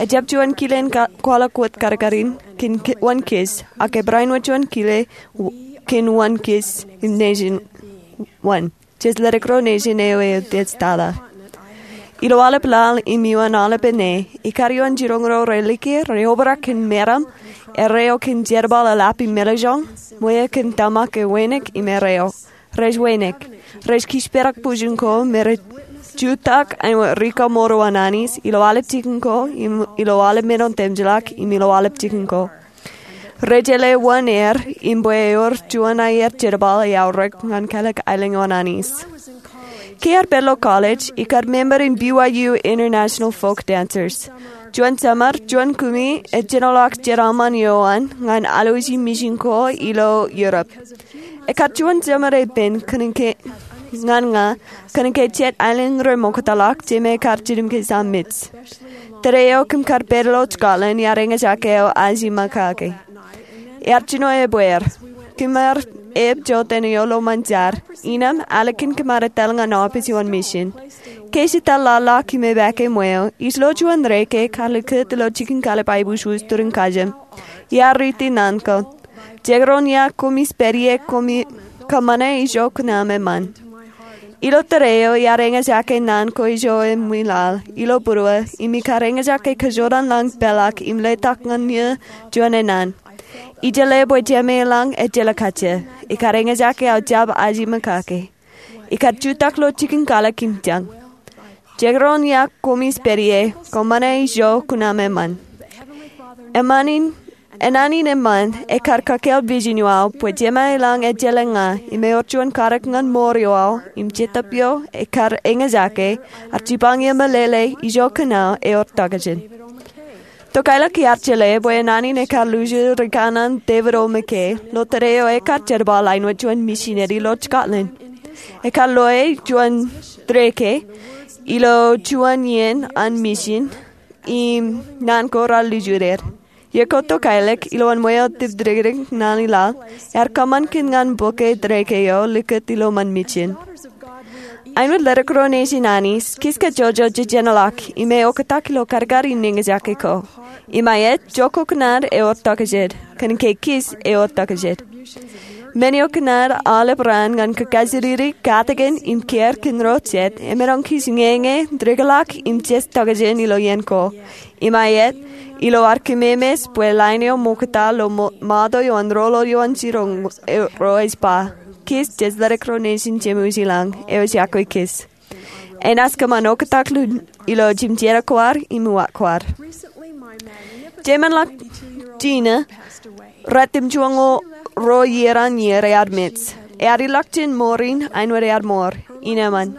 Ejjab juon kilen ka-, kwaḷọk wōt kadkadin kōn ki-, wōn Kiss, ak ebarāinwōt juon kile w-, kōn wōn Kiss im Nation wōn. Jej Ledik Ro Nation eo ej tata. Ilo aolep laḷ im iuṃwin aolep ṇe, ikar ioon jiroñ ro relike, reobrak kōn meram, erreo kōn jerbal eḷap im meḷejoñ, ṃweo kōn tōmak ewōnōk im erreo. Rej wōnōk. Rej kōjparok bwijin ko me rej jutak āinwōt rikaṃ mour eo an Anij, ilo aolep jikin ko, im ilo aolep men otemjeḷọk, im ilo aolep jikin ko. Rej jeḷā wōn er, im bwe ewōr juon aier jerbal eaorōk ñan kālōk aelōñ eo an Anij. Ke iar pād ilo college, ikar member in B Y U International Folk Dancers. Juon summer, juon kumi ej jenoḷọk jeraaṃṃan eo an ñan alwōji mission ko ilo Europe. Ekar juon summer epen kōnke ñan ña, kōnke jet aelōñ remoktata ḷọk, jemān ekar jilkintok Miss. Tōre eo kōm kar pād ilo Scotland, iar eñjake aō ajima kake. Iar jino ebbeer. Kōm ar eb jota eo ilo ṃōn jar. Innām, ālikin kōm ar etal ñan office eo an mission. Ke ij etal laḷ ḷọk im epaake ṃweo, ij lo juon reke kar likūt ilo jikin kallib aiboojoj turin kajem. Iar riiti naan ko. Jekdọọn ia koṃij pād ie, koṃi kōṃṃane ijo kuṇaṃ eṃṃan. Ilo tōre eo iar eñjake naan ko ijo eṃwilaḷ ilo būruō, im ikar eñjake kōjorrāān lañ peḷḷọk im letok ñan ie juon enaan. Ij jeḷā bwe Jemān ilañ ejjeḷọk kajjien. Ikar eñjake aō jab ajima kake. Ikar jutak ilo jikin kallib im jañ. Jekdọọn ia koṃij pād ie, kōṃṃane ijo kuṇaṃ eṃṃan. Eṃṃan in, enaan in eṃṃan, ekar kakāāl vision eo aō, bwe Jemān ilañ ejjeḷọk ña, im ewōr juon karōk ñan mour eo aō, im Jetōb eo ekar eñjake, ar jipañ ie meḷeḷe, ijo kuṇaō ewōr tokjān. Tokālik iar jeḷā bwe enaan in ekar luju rikōṇaan David O. McKay, ilo tōre eo ekar jerbal āinwōt juon misineri ilo Scotland. Ekar loe juon reke, ilo juon iien an mission, im naan ko raar luju er. Iiō ko tokālik, ilowaan ṃweo tūbdikdik naan i laḷ, ear kōṃṃan kōn ñan bōk e reke eo likūt ilo ṃōn mission. Āinwōt ledik ro nation Anij, Kiss kajjojo jejenḷọk, im eoktak ilo kadkad in eñjake ko. Im aet, jokoknaad ewōr tokjān, kōnke Kiss ewōr tokjān. Men eo kōṇaan aolep raan ñan kōkajjitōk katakin im kiiō kōn ro jet, emaroñ kiiō ñeñe, dikḷọk im jet tokjān ilo iien ko. Im aet, ilo ad kōmemeḷeḷe bwe line eo ṃokta ilo mo-, ṃato eo an roḷoḷ eo an jiroñ ro ej ba, Kiss, Jej Ledik Ro Nation Jemwōj Ilañ, eo ej iọkwe Kiss. Enaaj kōṃṃan oktak lukkuun ilo jimjeṇ ko ad im uwaak ko ad. Jemān ḷọk Tina, ratimjuonñoul ruo iiō an iiō, ear mej. Ear ilọk jān mour in āinwōt ear mour, innām eṃṃan.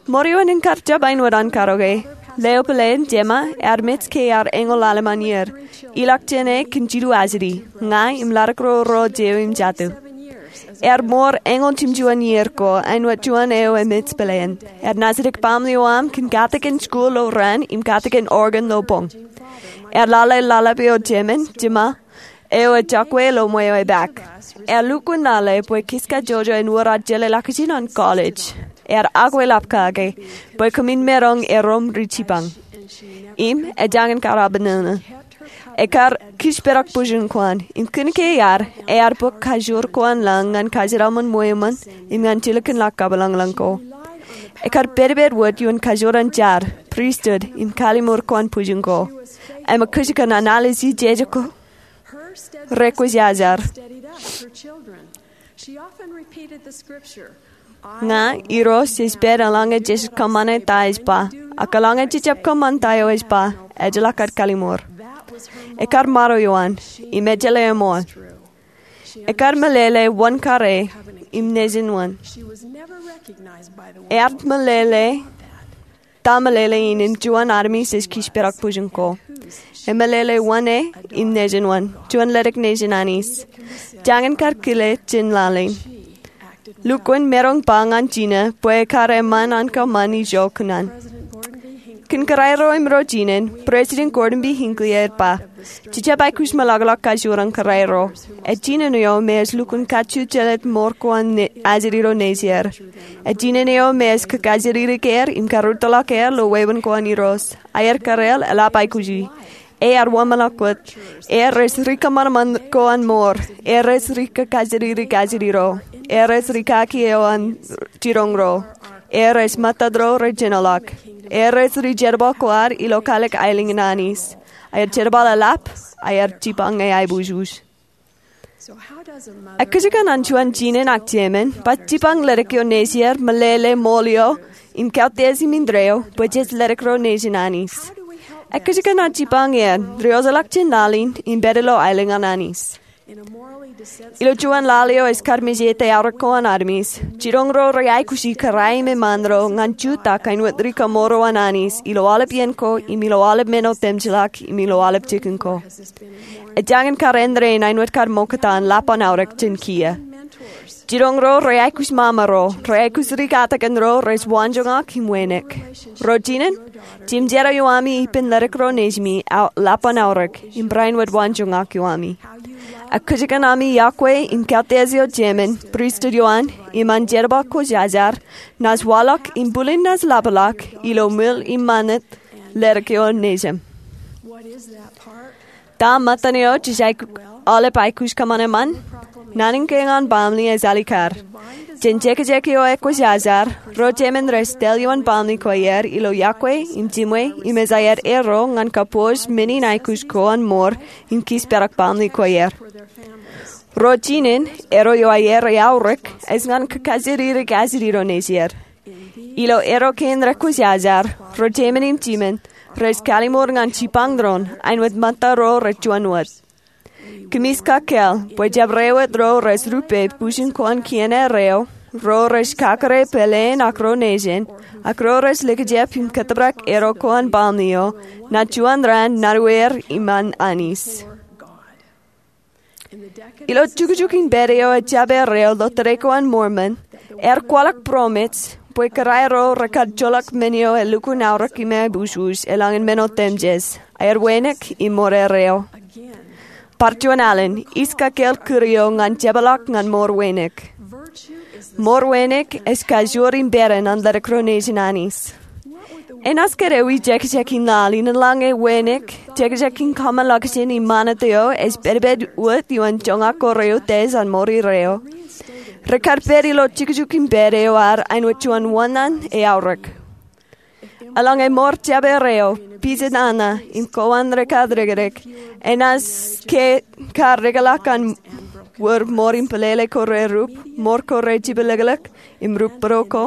Mour eo en kar jab āinwōt an karoke. Leo peleen, Jema, ear mej ke ear eñoul ḷalem an iiō. Ilọk jān e kōn jilu ajri, ña im ḷadik ro ro jeiū im jatū. Ear mour eñoul jimjuon iiō ko, āinwōt juon eo emej peleen. Ear naajdik baaṃle eo aṃ kōn katakin skuul ilo raan im katakin organ ilo boñ. Ear lale ḷōḷḷap eo jemān, Jema, eo ejjab kwe ilo ṃweo epaak. Ear lukkuun lale bwe Kiss kajjojo en wōr ad jeḷā ḷọkjeṇ an college. Ear akweḷap kake bwe kōmin maroñ erom ri jipañ. Im ejañin kar abṇōṇō. Ekar kōjparok bwijin ko an, im kōnke ear, ear bōk kajoor ko an lañ ñan kōjeraaṃṃan ṃweo ṃōn, im ñan jilkinḷọk kabwilōñlōñ ko. Ekar pedped wōt ioon kajoor an jar, priesthood, im kalliṃur ko an bwijin ko. Im kōjkan analogy jeje ko rekwōjarjar. Ña, Irooj, ej pād eḷaññe jej kōṃṃane ta ej ba. Ak eḷaññe jejjab kōṃṃan ta eo ej ba, ejjeḷọk kar kallimur. Ekar maroñ ioan, im ejjeḷọk eṃool. Ekar meḷeḷe wōn kar e, im nejin wōn. Ear meḷeḷe ta meḷeḷe in im juon armej ej kōjparok bwijin ko. Emeḷeḷe wōn e, im nejin wōn. Juon ledik nejin Anij. Jañin kar kile jān laḷ in. Lukkuun maroñ ba ñan Jina bwe ekar eṃṃan an kōṃṃan ijo kōṇaan. Kōn kōrā ro im ro jinen, President Gordon B. Hinckley ej ba, jejjab aikuj meḷọkḷọk kajoor an kōrā ro. Ej jinen eo me ej lukkuun kajju jelōt ṃoor ko an ajri ro nejier. Ej jinen eo me ej kajjirikjake er im karūttoḷọk er ilo wāween ko an Irooj. Aer kōrā eḷap aikuji. Ear wōnṃaanḷọk wōt. Ear rej ri kōṃanṃan ko an ṃoor. Ear rej ri kajjirikjake ajri ro. Ear rej ri kaki eo an jiroñ ro. Ear rej ṃōttad ro rej jinoḷọk. Ear rej ri jerbal ko ad ilo kalikkar aelōñ in Anij. Aer jerbal eḷap, aer jipañ e aiboojoj. Ekkōjkan an juon jinen ak jemān, baj jipañ ledik eo nejier, meḷeḷe ṃool eo, im kautiej im indeeo, bwe jej ledik ro nejin Anij. Ekkōjkan an jipañ er, ri-ojeḷọk jān laḷ in, im pād ilo aelōñ an Anij. Ilo juon laḷ eo ej kar mejete aorōk ko an armej, jiroñ ro rej aikuji kōrā im eṃṃaan ro ñan jutak āinwōt ri kaṃooro an Anij, ilo aolep iien ko, im ilo aolep men otemjeḷọk, im ilo aolep jikin ko. Ej jañin kar āindein āinwōt kar ṃoktata an lap an aorōk jān kiiō. Jiroñ ro rej aikuj ṃaṃa ro, rej aikuj ri katakin ro rej waanjoñak im wānōk. Ro jinen, jemjerā ioami ippān ledik ro nejimi lap an aorōk, im barāinwōt waanjoñak ioami. Ekkōjkan ami yokwe im kautiej eo jemān, pristut ioan, im an jerbal ko jajar, naaj waḷọk im bwilin naaj lapḷọk, ilo ṃwil im ṃanit, ledik eo nejim. Ta ṃōttan eo jej aolep aikuj kōṃṃan eṃṃan? Naan in ke ñan baaṃle ej alikar. Jān jekjek eo ekwōjarjar, ro jemān rej tōl ioon baaṃle ko aer ilo yokwe im jimwe im ej aer erro ñan kabbokbok men in aikuj ko an ṃoor im kōjparok baaṃle ko aer. Ro jinen, erro eo aer eaorōk ej ñan kajjirikjake ajri ro nejier. Ilo erro kein rekwōjarjar, ro jemān im jimān rej kalliṃur ñan jipañ doon āinwōt ṃōtta ro rej juon wōt. Kōmij kakāāl bwe jabdewōt ro rej rupe bwijin ko an kien erreo, ro rej kakōrā pāleen ak ro nejin, ak ro rej likjab im kōtōprak erro ko an baaṃle eo, ṇa juon raan Nāruer im an Anij. Ilo jukjuk in pād eo ejjab erreo ilo Tōre ko an Mormon, ear kwaḷọk būroṃōj bwe kōrā ro rekar joḷọk men eo elukkuun aorōk im aiboojoj eḷaññe men otemjej, aer wānōk im ṃoor erreo. Bar juon alen, ij kakāāl kūr eo ñan jepḷaak ñan ṃoor wānōk. Ṃoor wānōk ej kajoor im pād an ledik ro nejin Anij. Enaaj kōdewi jekjek in laḷ in eḷaññe wānōk, jekjek in kōṃṃan ḷọkjein im ṃanit eo ej pedped wōt ioon joñak ko reutiej an ṃoor erreo? Rekar pād ilo jukjuk in pād eo ad āinwōt juon wōṇāān eaorōk. Eḷaññe ṃoor jab erreo, pije nana, im kowaan rekar dikdik, enaaj ke kar dikḷọk an wōr ṃoor in peḷeḷe ko rerup, ṃoor ko rejepḷọk im rup būruo ko?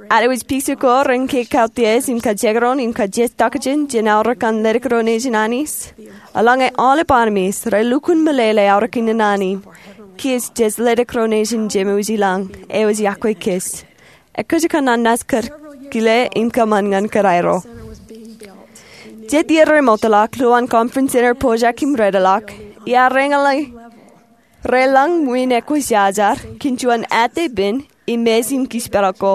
Ad wōj pije ko rein ke kautiej im kajekdọọn im kajejtokjān jān aorōk an ledik ro nejin Anij? Eḷaññe aolep armej rej lukkuun meḷeḷe aorōk in naan in, kōj jej ledik ro nejin Jemem wōj i lañ, ewōj yokwe kōj. Ekkōjkan an naaj kile im kōṃṃan ñan kōrā ro. Jet iiō remootḷọk, lowaan Conference Center pojak im redlọk, iar reñḷọk relōñ ṃwiin ekwōjarjar kōn juon ate pen im mej im kōjparok ko.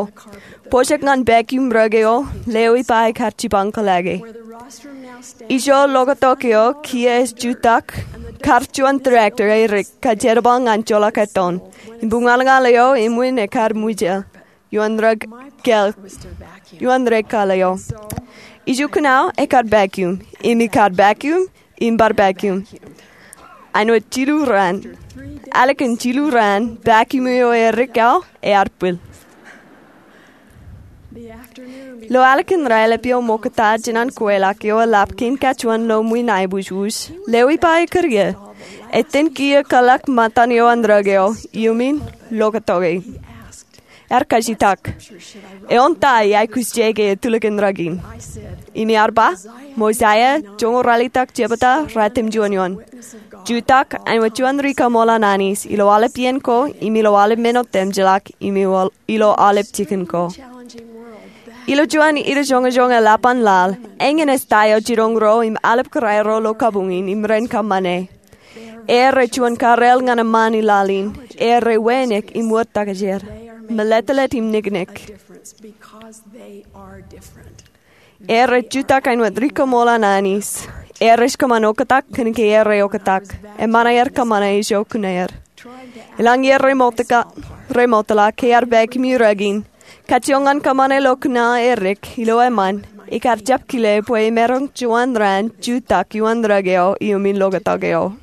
Pojak ñan vacuum rōk eo, leo ippa ekar jipañ kōḷḷāke. Ijo lokatok eo kiiō ej jutak, kar juon tractor erik kajjerbal ñan joḷọk ettoon. Im buñalñal eo eṃṃan ekar ṃwijeḷ. Ioon rōk kāl, ioon rōk kāl eo. Iju kōṇaan ekar vacuum, im ikar vacuum, im bar vacuum. Āinwōt jilu raan. Ālikin jilu raan, vacuum eo erik aō ear bwil. Ilo ālikin raelep eo ṃoktata jān an kweilọk eo eḷap kein kajuon ilo ṃwiin aiboojoj, leo ippa ekkar iiō. Etan kiiō kōḷḷā ṃōttan eo an rōk eo iuṃwin loktok e. Ear kajitak, "Eoon ta iar aikuj jeke etulōk in rōk in?" Im iar ba, "Mosaia joñoul ralitōk jebta ratimjuon eoon. Jutak āinwōt juon rikaṃool an Anij ilo aolep iien ko im ilo aolep men otemjej ḷọk im ilo aolep jikin ko." Ilo juon idajoñojoñ eḷap an laḷ, eñin ej ta eo jiroñ ro im aolep kōrā ro ilo kabuñ in im ren kōṃṃane. Erro rej juon kareel ñan eṃṃaan i laḷ in. Erro rej wānōk im wōr tōkjeer, mālōtlōt im niknik. Erro rej jutak āinwōt rikaṃool an Anij. Erro rej kōṃṃan oktak kōn ke erro rej oktak. Eṃṃan aer kōṃṃane ijo kōn er. Eḷaññe erro rej ṃokta ke ear pākimi rōk in, kajjioñ ñan kōṃṃane ilo kōṇaan edik ilo eṃṃan, ikar jab kile bwe emaroñ juon raan jutak ioon rōk eo iuṃwin loktok eo.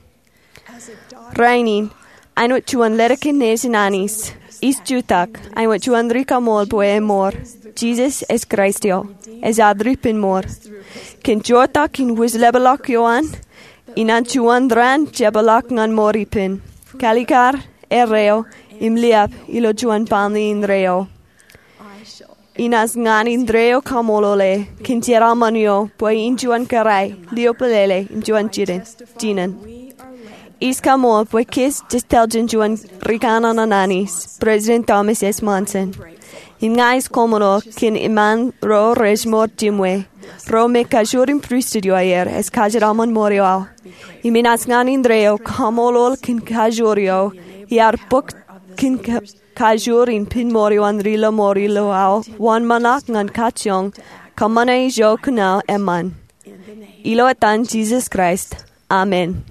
Rainin, āinwōt juon ledik in nejin Anij, ij jutak āinwōt juon rikaṃool bwe emour, Jisōs ej Kraist eo, ej ad Ripenmour. Kōn jotak in wūjlepḷọk ioan, inaaj juon raan jepḷọk ñan mour ippān, kalikar, erreo, im liab ilo juon baaṃle indeeo. Inaaj ñan indeeo kaṃṃoolol e kōn jeraaṃṃan eo bwe in juon kōrā, liobōlele im juon jinen. Ij kaṃṃoolol bwe kōj jej tōl jān juon ri kanaan an Anij, President Thomas S. Monson. Im ña ij kaṃṃoolol kōn eṃṃaan ro rej mour jimwe, ro me kajoor in pristut eo aer ej kajeraṃṃan mour eo aō. Im inaaj ñan indeeo kaṃṃoolol kōn kajoor eo iar bōk kōn ka- kajoor in pen mour eo an ri lọmọọr ilo aō wōnṃaanḷọk ñan kajjioñ kōṃṃane ijo kōn aō eṃṃan. Ilo etan Jisōs Kraist, amen.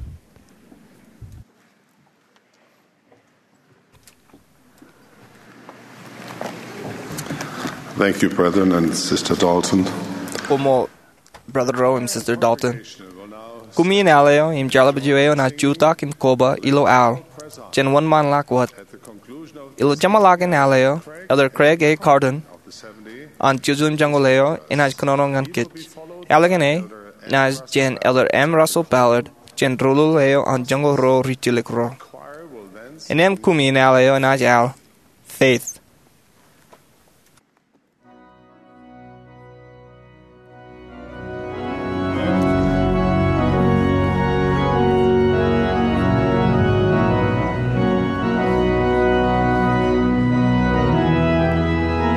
Thank you, brethren and Sister Dalton. Koṃṃool, Brother Rowe im Sister Dalton. Kumi in al eo im jeḷapaj eo enaaj jutak im koba ilo al jān wōnṃaanḷọk wōt. Ilo jeṃḷọkin al eo, Elder Craig A. Carton an Jerusalem Joñoul eo enaaj kōnono ñan kōj. Al eo enaaj jān Elder M. Russell Ballard jān Rūḷuḷ eo an Joñoul Ruo Ri-Jilkinro. Innām kumi in al eo enaaj al Faith.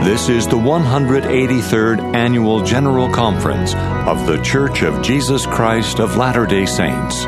This is the one hundred eighty-third Annual General Conference of The Church of Jesus Christ of Latter-day Saints.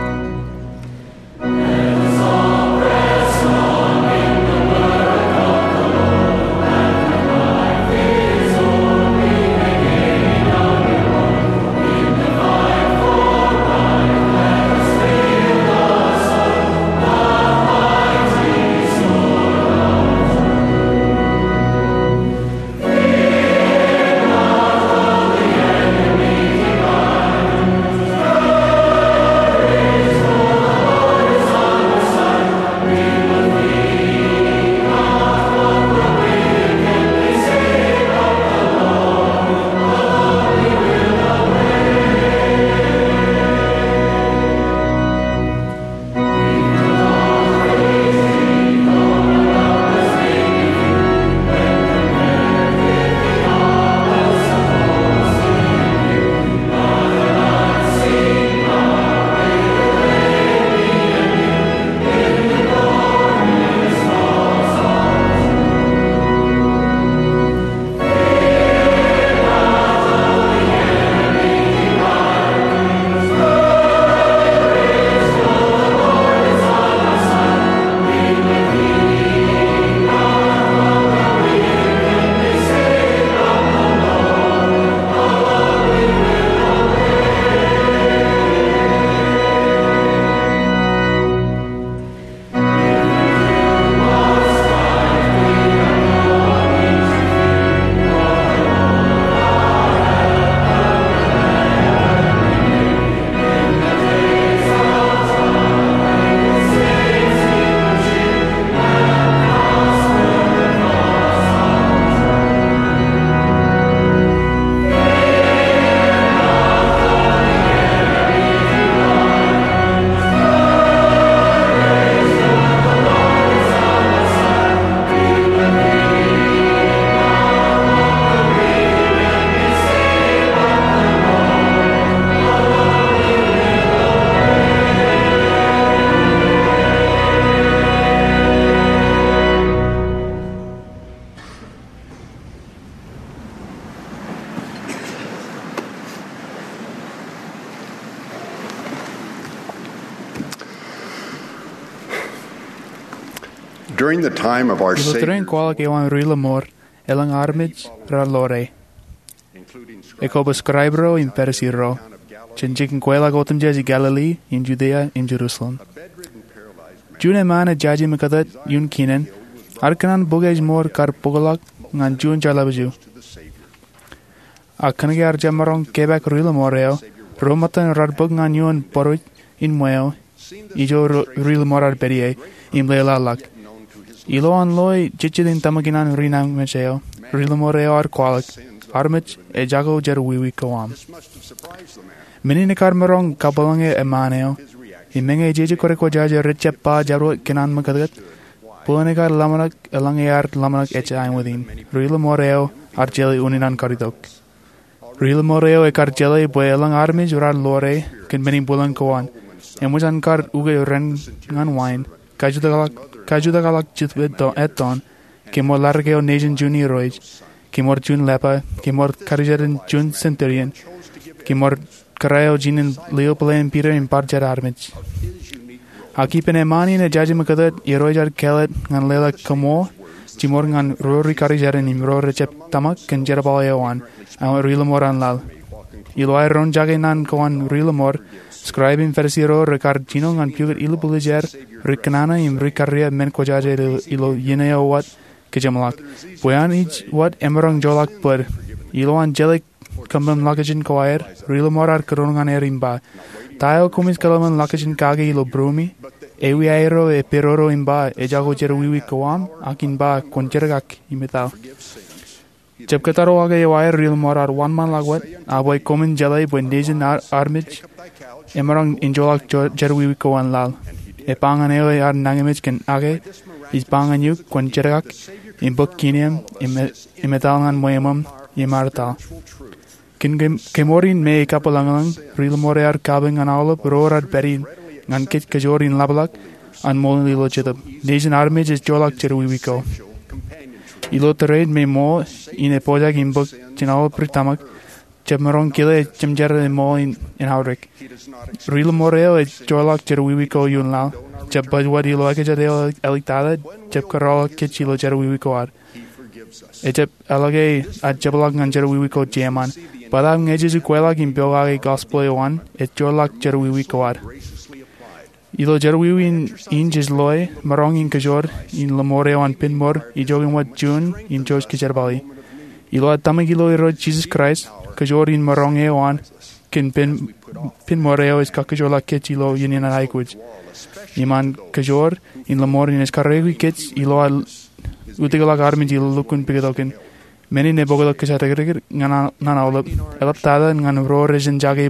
During the time of our Ilo tōre in Savior's kwaḷọk eo an ri-lōṃor, elōñ armej raar ḷoore, ekwe bwe scribe ro im Pharisee ro, jān jikin kweilọk otemjej Galilee im Judea im Jerusalem. Juon eṃṃaan ej jaje ṃōkatōt ioon kinen ear kōṇaan bōk ājmour kar bōkḷọk ñan juon jeḷāḷọkjeṇ. Ak kōnke ear jab maroñ kepaak ri-lōṃor eo, ro ṃōttan raar bōk ñan ioon bōruj in ṃweo ijo ri-lōṃor ear pād ie im lelōḷọk. Ilo an loe jejjet in tōmak in an ri-nāñinmej eo, ri-lōṃor eo ear kwaḷọk, "Armej, ejako jerọwiwi ko aṃ." Men in ekar maroñ kabwilōñe eṃṃaan eo, im eñin jeje kōrā kwōjaje rej jab ba jabdewōt kōnnaan ṃōkatōt, bōlen ekar ḷōmṇak eḷaññe ear ḷōmṇak ejja āinwōt in. Ri-lōṃor eo ear jeḷā unin an karitok. Ri-lōṃor eo ekar jeḷā bwe elōñ armej raar ḷoore kōn men in bwilōñ ko an, eṃōj an kar uke ren ñan wain, kajutakḷọk, kajutakḷọk jitōb etto-, ettoon, kemour ladik eo nejin juon irooj, kemour juon leper, kemour karijeran juon centurion, kemour kōrā eo jinen lio bōlen Piter im bar jet armej. Ak ippān eṃṃaan in ej jaje ṃōkatōt, irooj ear kāālōt ñan leḷọk kaṃṃool jimour ñan ro ri-karijeran im ro rej jab tōmak kōn jerbal eo an, āinwōt ri-lōṃor an laḷ. Ilo aer roñjake naan ko an ri-lōṃor, scribe im Pharisee ro rekar jino ñan pukot ilubwiljāer, ri-kōṇaan im ri-karreoik men kwōjaje ilo, ilo iien eo wōt kōjeṃḷọk. Bwe an ij wōt emaroñ joḷọk bōd. Ilo an jeḷā kōṃṃan ḷọkjeṇ ko aer, ri-lōṃor ear kōnono ñan er im ba, "Ta eo koṃij kōḷmānḷọkjeṇ kake ilo būruemi?" Ewi aerro epedodo im ba, "Ejako jerọwiwi ko aṃ," ak in ba, "Kwōn jerkak im etal." Jab kōttarro ke eo aer ri-lōṃor ear wōnṃaanḷọk wōt, a bwe koṃwin jeḷā bwe nejin ar-, armej emaroñ in joḷọk jo-, jerọwiwi ko an laḷ. Ej ba ñan eo ear nāñinmej kōn ake, "Ij ba ñan eok, kwōn jerkak, im bōk kine eo aṃ, im e-, im etal ñan ṃweo aṃ, im ear etal." Kōn ke-, kemour in me kabwilōñlōñ, ri-lōṃor ear kabuñ ñan aolep ro raar pād in ñan kōj kōjoor in ḷapḷọk an ṃool ilo jetōb. Nejin armej ej joḷọk jerọwiwi ko. Ilo tōre in me ṃool in ej pojak im bōk jān aolep ri-tōmak, jab maroñ kile jemjerā ṃool in, in aorōk. Ri-lōṃor eo ej joḷọk jerọwiwi ko ioon laḷ, jab baj wōt ilo ekajet eo eḷiktata, jab kōrọọlḷọk kōj ilo jerọwiwi ko ad. Ejab eḷak ke ear jepḷọk ñan jerọwiwi ko jeṃaan. Bōtaab ñe jej kweilọk im pokake gospel eo an, ej joḷọk jerọwiwi ko ad. Ilo jerọwiwi in, in jej loe, maroñ in kōjoor in lōṃor eo an pen mour, ijoke ṃōt juon, im jouj kōjerbali. Ilo ad tōmak ilo Irooj Jisōs Kraist, kōjoor in maroñ eo an, kōn pen, pen mour eo ej kakkōjoorḷọk kōj ilo iien in aikuj. Im an kōjoor in lōṃor in ej karreoiki kōj ilo ad utikḷọk armej ilo lukkuun pukot kein. Men in ej bōktok kōjatdikdik ñan, ñan aolep. Eḷaptata ñan ro rej jake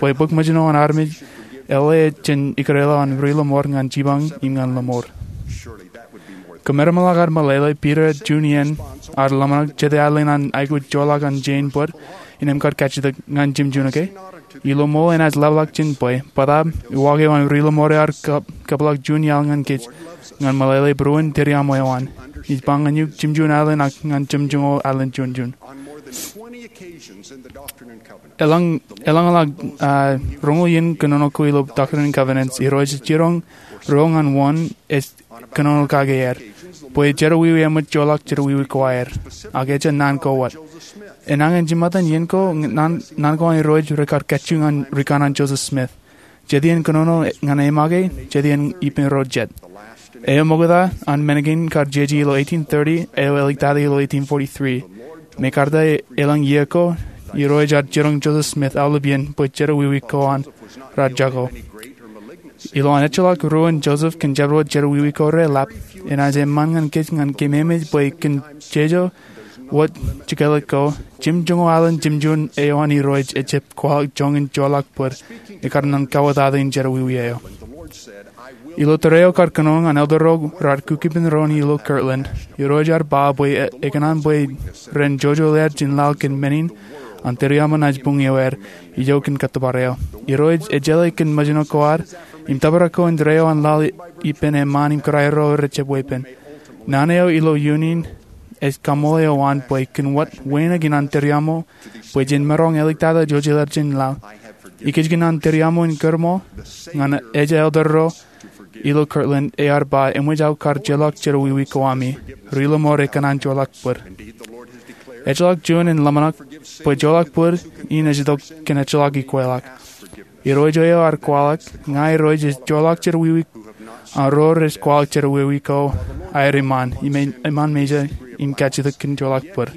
bwe bōk ṃōjin eo an armej eḷap jān ikōrā ḷọk an ri-lōṃor ñan jipañ im ñan lōṃor. Kōmeramḷọk ad meḷeḷe Piter juon iien ear ḷōmṇak jete alen an aikuj joḷọk an jein bōd in im kar kajjitōk ñan jimjuon ke. Ilo ṃool enaaj ḷapḷọk jān bwe, bōtaab, uwaak eo an ri-lōṃor ear kab-, kabwilọk juon iaḷ ñan kōj, ñan meḷeḷe būruon tūriaṃo eo an. Ij ba ñan eok jimjuon alen ak ñan jimjuon alen juon juon. Eḷaññe, eḷaññe, ah, roñoul iien kōnono ko ilo Doctrine and Covenants, Irooj ej jiroñ ruo ñan wōn ej kōnono kake er, bwe jerọwiwi eṃōj joḷọk jerọwiwi ko aer, ak ejja naan ko wōt. Enañin jiṃṃatan iien ko, naan, naan ko an Irooj rekar kajju ñan rikanaan Joseph Smith. Jet iien kōnono ñan e make, jet iien ippān ro jet. Eo ṃokta an men kein kar jeje ilo eighteen thirty, eo eḷiktata ilo eighteen forty-three. Im karta elōñ iiō ko, Irooj ear jiroñ Joseph Smith aolep iien bwe jerọwiwi ko an raar jako. Ilo an ejjeḷọk ruo in Joseph kōn jabdewōt jerọwiwi ko reḷap, enaaj eṃṃan ñan kōj ñan kememej bwe kōn jeje wōt jekōḷḷe ko, jimjuon alen jimjuon eo an Irooj ejjab kwaḷọk joñan joḷọk bōd, ekar naan kauwōtata in jerọwiwi eo. Ilo tōre eo kar kōnono ñan elder ro raar kukkuun ro in ilo Kirtland, Irooj ear ba bwe e-, ekōṇaan bwe ren jojoḷeer jān laḷ kōn men in, an tūriaṃo naaj buñ ioer, ijo kōn kōttōpar eo. Irooj ej jeḷā kōn ṃōjin ko ad, im tōprak ko in tōre eo an laḷ ippān eṃṃaan im kōrā ro rej jab weeppān. Naan eo ilo iien in ej kaṃṃoolol eo an bwe kōn wōt wānōk in an tūriaṃo, bwe jen maroñ eḷiktata jojoḷeer jān laḷ. Ikijjien an tūriaṃo in kōrṃool ñan ejja elder ro ilo Kirtland ear ba eṃōj aō kar joḷọk jerọwiwi ko ami. Ri-lọmọọr ekōṇaan joḷọk bōd. Ejjeḷọk juon in ḷōmṇak bwe joḷọk bōd in ej itok kōn ejjeḷọk ikweḷọk. Irooj eo ear kwaḷọk, ña Irooj ej joḷọk jerọwiwi an ro rej kwaḷọk jerọwiwi ko aer iṃaan, iṃaan, iṃaan mejān im kajjitōk kōn joḷọk bōd.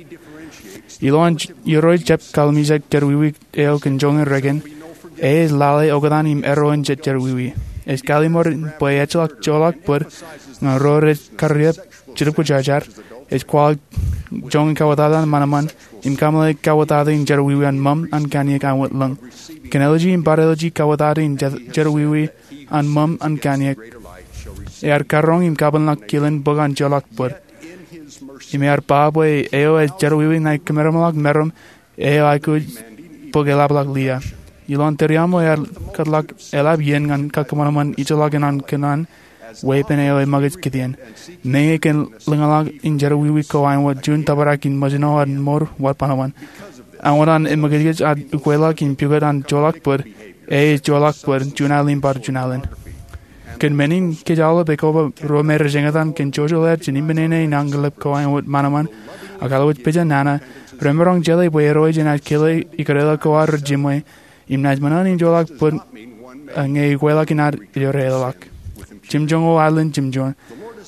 Ilowaan Irooj jab kallimjek jerọwiwi eo kōn joñan rikōn, e ej lale oktan im erro in jet jerọwiwi. Ej kallimur bwe ejjeḷọk joḷọk bōd ñan ro rej karreoik, jetōb kwōjarjar, ej kwaḷọk joñan kawōtata an ṃanṃan, im kameḷeḷe kawōtata in jerọwiwi an ṃōṃ an kaniōk aṃ wōtlōñ. Kōn āliji im bar āliji kawōtata in je-, jerọwiwi an ṃōṃ an kaniōk, ear karroñ im kabōnḷọk kilen bōk an joḷọk bōd. Im ear ba bwe eo ej jerọwiwi ṇae kōmemeḷọk meram eo aikuj bōk eḷapḷọk lia. Ilowaan Tūriaṃo ear kōtḷọk eḷap iien ñan kakkōṃanṃan ijellọkin an kōnono weeppān eo eṃōkaj kidiōn. Meñe kōn lōñḷọk in jerọwiwi ko āinwōt juon tōprak in ṃōjṇọ an mour wōt banoban. Āinwōt an eṃōkajkōj ad ukweḷọk im pukot an joḷọk bōd, e ej joḷọk bōd, juon alen im bar juon alen. Kōn men in kōj aolep ekoba ruo me rej eñtaan kōn jojoḷ aer jān ippān ṇe in añkilep ko āinwōt ṃanṃan ak alwōj pejān nana, remaroñ jeḷā bwe Irooj enaaj kile ikōtḷọk ko ad rej jiṃwe, im naaj ṃōṇōṇō in joḷọk bōd, a, ñe ikweḷọk in ad ej reḷọk. Jemjoñoul alen jemjoñ,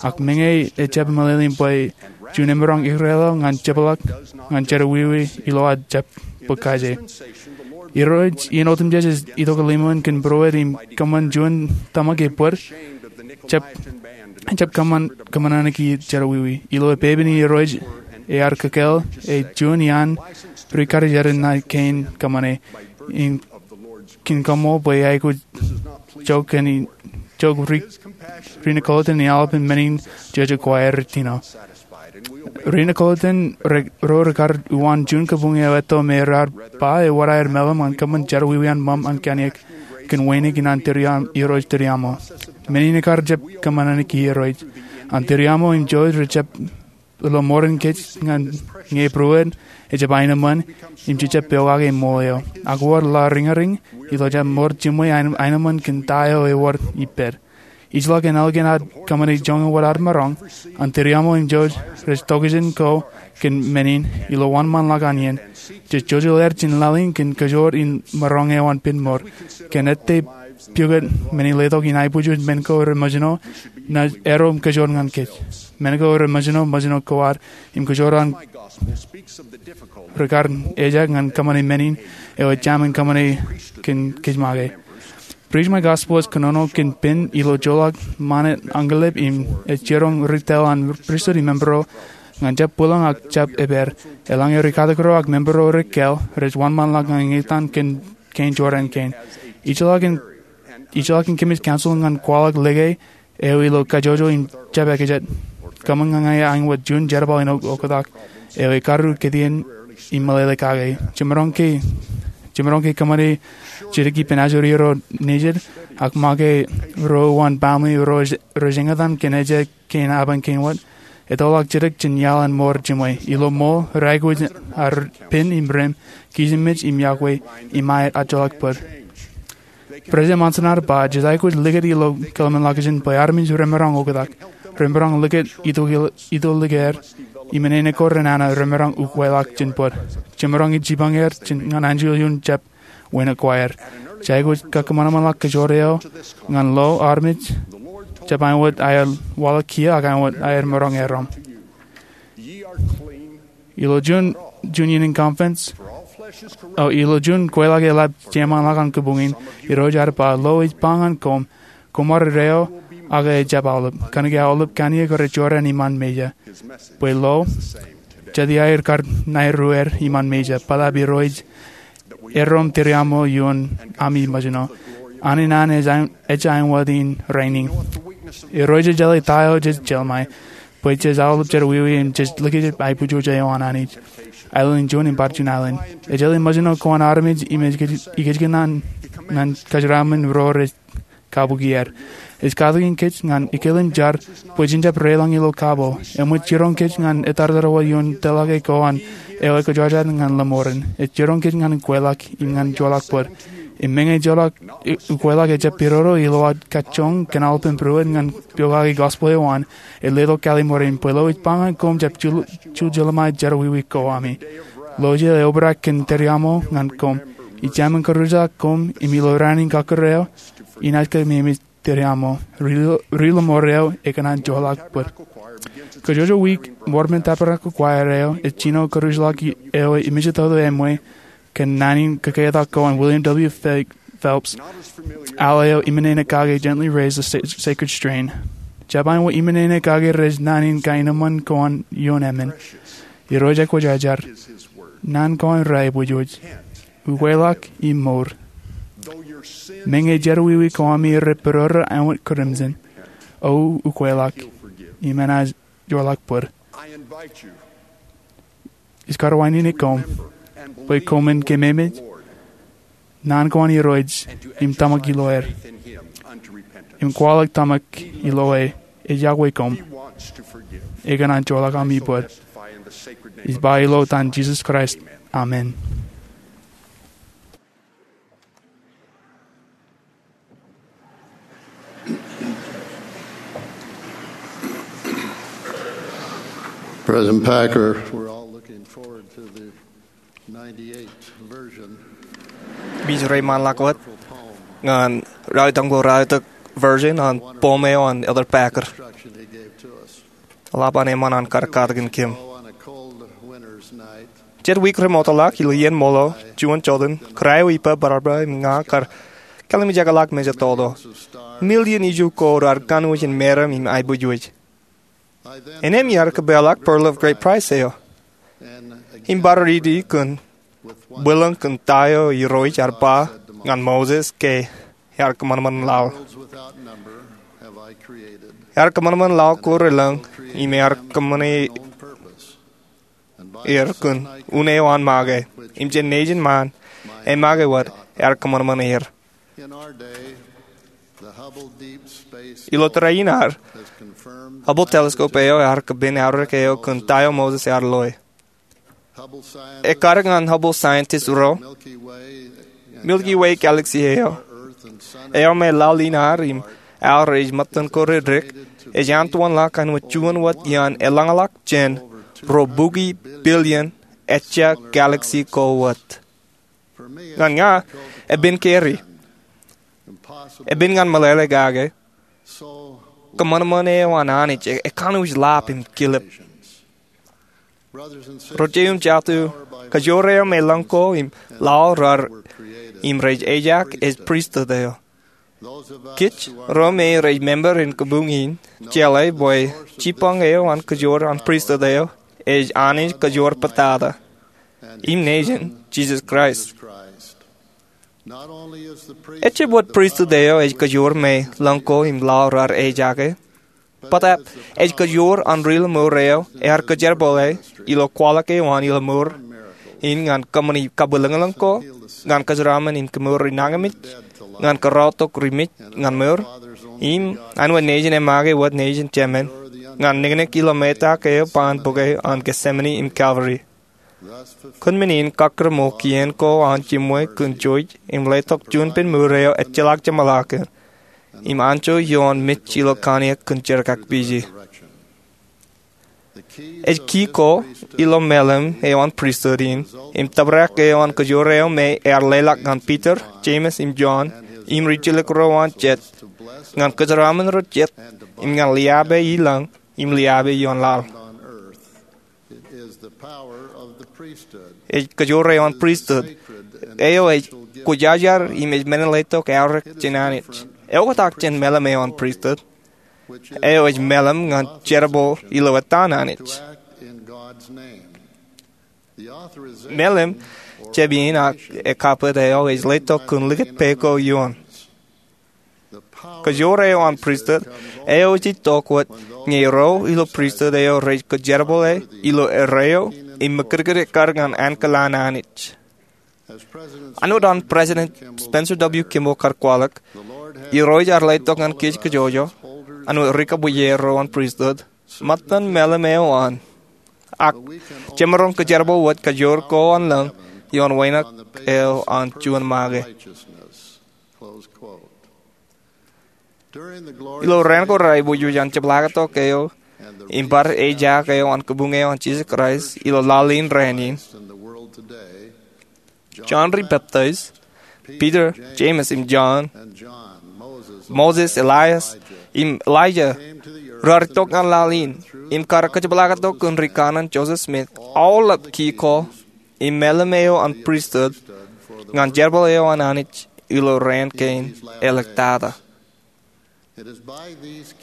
ak meñe ejjab meḷeḷein bwe juon emaroñ ikōtḷọk ñan jepḷọk ñan jerọwiwi ilo ad jab bōk kaje. Irooj iien otemjej ej itok limoin kōn būruod im kōṃṃan juon tōmak e bōd, jab, jab kōṃṃan, kōṃṃan ṇe ki jerọwiwi. Ilo epepen in Irooj ear kōkāāl, e juon iaan ri-karijer enaaj kein kōṃṃane, im kōn koṃṃool bwe aikuj jook kōn in, jook ri, ri-Nicolaitan in aolepān men in jejjet ko aer tino. Ri-Nicolaitan ro rekar uwaan juon kabuñ eo etto me raar ba ewōr aer meḷeḷe ñan kōṃṃan jerọwiwi an ṃōṃ an kaniōk kōn wānōk in an Tūriaṃo, Irooj Tūriaṃo. Men in ekar jab kōṃṃan ṇe ki Irooj. An Tūriaṃo im Irooj rej jab ilo mour in kōj ñan ñe būruod ejab aenōṃṃan im jejab pokake ṃool eo. Ak wōr ḷaḷ riñriñ ilo jab mour jiṃwe aenōṃ, aenōṃṃan kōn ta eo ewōr ippād. Ijellọk en ālikin ad kōṃṃane joñan wōt ad maroñ, an Tūriaṃo im Irooj rej tokjān ko kōn men in ilo wōnṃaanḷọk an iien. Jej jojoḷ aer jān laḷ in kōn kōjoor in maroñ eo an pen mour. Kōn ettā pukot men in letok in aibwijooj men ko reṃōjṇọ, naaj erro im kōjoor ñan kōj. Men ko reṃōjṇọ, ṃōjṇọ ko ad im kōjoor an rekar ejjab ñan kōṃṃane men in eo ejjab kōṃṃane kōn kōj make. Preach My Gospel ej kōnono kōn pen ilo joḷọk ṃanit añkilep im ej jiroñ ri-tōl an pristut im member ro ñan jab bwilōñ ak jab epād. Eḷaññe ri-katak ro ak member ro rej kāāl, rej wōnṃaanḷọk ñan eñtaan kōn kein jorrāān kein. Ijellọkin, ijellọkin kōmij counsel ñan kwaḷọk lōke eo ilo kajjojo im jab ekajet. Kōṃṃan ñan ña āinwōt juon jerbal in ok-, oktak eo ekaruo kidiōn im meḷeḷe kake. Jemaroñ ke, jemaroñ ke kōṃṃane jidik ippān ajri ro nejid, ak make ro uwaan baaṃle ro rej, rej eñtaan kōn ejja kein apañ kein wōt. Ettoḷọk jidik jān iaḷ an mour jiṃwe. Ilo ṃool, rej aikuj ad pen im rem, kijenmej im iọkwe, im aet ajjoḷọk bōd. President Monson ear ba, jej aikuj likūt ilo kōḷmānḷọkjeṇ bwe armej remaroñ oktak. Remaroñ likūt ito, ito likier im āinwōt ko renana remaroñ ukweḷọk jān bōd. Jemaroñ jipañ er jān ñan anjel ioon jab wānōk ko aer. Jej aikuj kakkōṃanṃanḷọk kōjoor eo ñan lo armej jab āinwōt aer waḷọk kiiō ak āinwōt aer maroñ erom. Ilo juon, juon iien in conference, o, ilo juon kweilọk eḷap jeṃaanḷọk an kabuñ in, Irooj ear ba, lo ej ba ñan koṃ, koṃ ar deo, ak ejjab aolep. Kōnke aolep kaniōk rej jorrāān iṃaan mejā. Bwe lo, jet iaer kar ṇae ruer iṃaan mejā, bōtaab Irooj erro im tūriaṃo ioon ami ṃōjṇọ. An in an ej āinwōt in rainin. Irooj ej jeḷā ta eo jej jeḷmāe, bwe jej aolep jerọwiwi im jej likūt aiboojoj eo an Anij. Aelōñ in juon im bar juon aelōñ. Ej jeḷā ṃōjṇọ ko an armej im ej ikōjkan ñan kōjeraaṃṃan ro rej kabuki er. Ej katakin kōj ñan ekilin jar bwe jen jab reilọñ ilo kabo. Eṃōj jiroñ kōj ñan etartar wōt ioon tōlḷọke ko an eo ekōjwōjwōj ñan lọmọọren. Ej jiroñ kōj ñan kweilọk im ñan joḷọk bōd. Im meñe ejjeḷọk, ukweḷọk ejjab pidodo ilo aō kajjoñ kōn aolepān būruod ñan pokake gospel eo an, ej letok kaliṃur in bwe lo ej ba ñan koṃ jab jul-, juljilōmṇe jerọwiwi ko ami. Lo ejjeḷọk obrak kōn tōre aṃo ñan koṃ. Ij jab men kōrujḷọk koṃ im ilo raan in kọkkure eo, inaaj kōmemej tōre aṃo, ri-, ri-lọmọọr eo ekōṇaan joḷọk bōd. Kōjwōjwōj wiik, Mormon Tabernacle Choir eo ej jino kōrujḷọk eo ej mejatoto eṃṃan kōn naan in kōketak ko an William W. Phelps, al eo iṃōṇōṇō kake Gently Raise the Sa-, Sacred Strain. Jab āinwōt iṃōṇōṇō kake rej naan in kaenōṃṃan ko an ioon emān. Irooj ekwōjarjar. Naan ko an ra ebōjwōj. Ukweḷọk im mour. Meñe jerọwiwi ko ami rej pedorō āinwōt crimson, O ukweḷọk im enaaj joḷọk bōd. Ij karuwainene koṃ bwe koṃwin kememej naan ko an Irooj im tōmak ilo er. Im kwaḷọk tōmak ilo e, ej yokwe koṃ. Ekōṇaan joḷọk ami bōd. Ij ba ilo etan Jisōs Kraist. Amen. President Packer, we're all looking forward to the ninety-eight version. Ij reiṃaanḷọk wōt ñan ralitōk ko ralitōk version an poem eo an Elder Packer. Instruction he gave to us. Eḷap an eṃṃan an kar katakin kōm. On a cold winter's night, Jet wiik remootḷọk ilo iien ṃool eo, juon joteen, kōrā eo ippān bōrabōr im ña kar kallimjekḷọk mejatoto. Million iju ko raar kanooj in meram im aebōjwōj. Innām iar kōpeḷḷọk Pearl of Great Price eo im bar riiti kōn bwilōñ kōn ta eo Irooj ear ba ñan Moses ke ear kōṃanṃan laḷ. Ear kōṃanṃan laḷ ko relōñ im ear kōṃṃane er kōn un eo an make, im jān nejin ṃaan, e make wōt ear kōṃanṃan er. Ilo tōre in ad, Hubble telescope eo ear kōpin aorōk eo kōn ta eo Moses ear loe. Ekkar ñan Hubble scientist ro, Milky Way galaxy eo, eo me laḷ in ad im aō rej ṃōttan ko reddik, ej antowanḷọk āinwōt juon wōt iaan eḷañḷọk jān ruo bukwi billion ejja galaxy ko wōt. Ñan ña, epen keri. Epen ñan meḷeḷe kake. Kōṃanṃan eo an Anij e, ekanooj ḷap im kilep. Ro jeiū im jatū, kajoor eo me lōñ ko im laḷ raar im rej ejak ej pristut eo. Kōj ro me rej member in kabuñ in, jeḷā bwe jibboñ eo an kajoor an pristut eo ej Anij kajoor pātata im nejin, Jisōs Kraist. Ejjab wōt pristut eo ej kajoor me lōñ ko im laḷ raar ejake, bōtab ej kajoor an ri-lọmọọr eo ear kōjerbale ilo kwaḷọk eo an ri-lọmọọr in ñan kōṃṃani kabwilōñlōñ ko, ñan kōjeraaṃṃan in kemour ri nañinmej, ñan kōrọọltok ri mej ñan mour, im āinwōt nejin e make wōt nejin jemān, ñan niknik ilo metak eo ba an bok eo an Gethsemane im Calvary. Kōn men in kọkkure ṃool kien ko an jiṃwe kōn jouj im letok juon pen mour eo ejjeḷọk jeṃḷọkin, im anjọ ioon mej ilo kaniōk kōn jerkakpije. Ej kiiō ko ilo meḷeḷe eo an pristut in, im tōprak eo an kajoor eo me ear leḷọk ñan Peter, James, im John, im rijjelōk ro an jet, ñan kōjeraaṃṃan ro jet, im ñan liabe ilōñ, im liabe ioon laḷ. Ej kajoor eo an pristut, eo ej kwōjarjar im ej men in letok aorōk jān Anij. Eoktak jān meḷeḷe eo an pristut, eo ej meḷeḷe ñan jerbal ilo etan Anij. Meḷeḷe, jab in ak ekabwet eo ej letok kōn likūt pā ko ioon. Kajoor eo an pristut, eo ej itok wōt ñe ro ilo pristut eo rej kōjerbale ilo erreo im ṃōkūtkūt ekkar ñan ankilaan Anij. Āinwōt an President Spencer W. Kimball kar kwaḷọk, Irooj ear letok ñan kōj kajjojo, āinwōt ri-kōṃṃane ro an pristut, ṃōttan meḷeḷe eo an. Ak jemaroñ kōjerbal wōt kajoor ko an lōñ ioon wānōk eo an juon make. Ilo raan ko reaiboojoj an jepḷaaktok eo im bar ejaak eo an kabuñ eo an Jisōs Kraist ilo laḷ in raan in, Jon ri peptaij, Piter, Jemes im Jon, Moses, Elias, im Elijah raar itok ñan laḷ in im kar kajepḷaaktok kōn ri kanaan Joseph Smith aolep ki ko im mālim eo an pristut ñan jerbal eo an Anij ilo raan kein āliktata.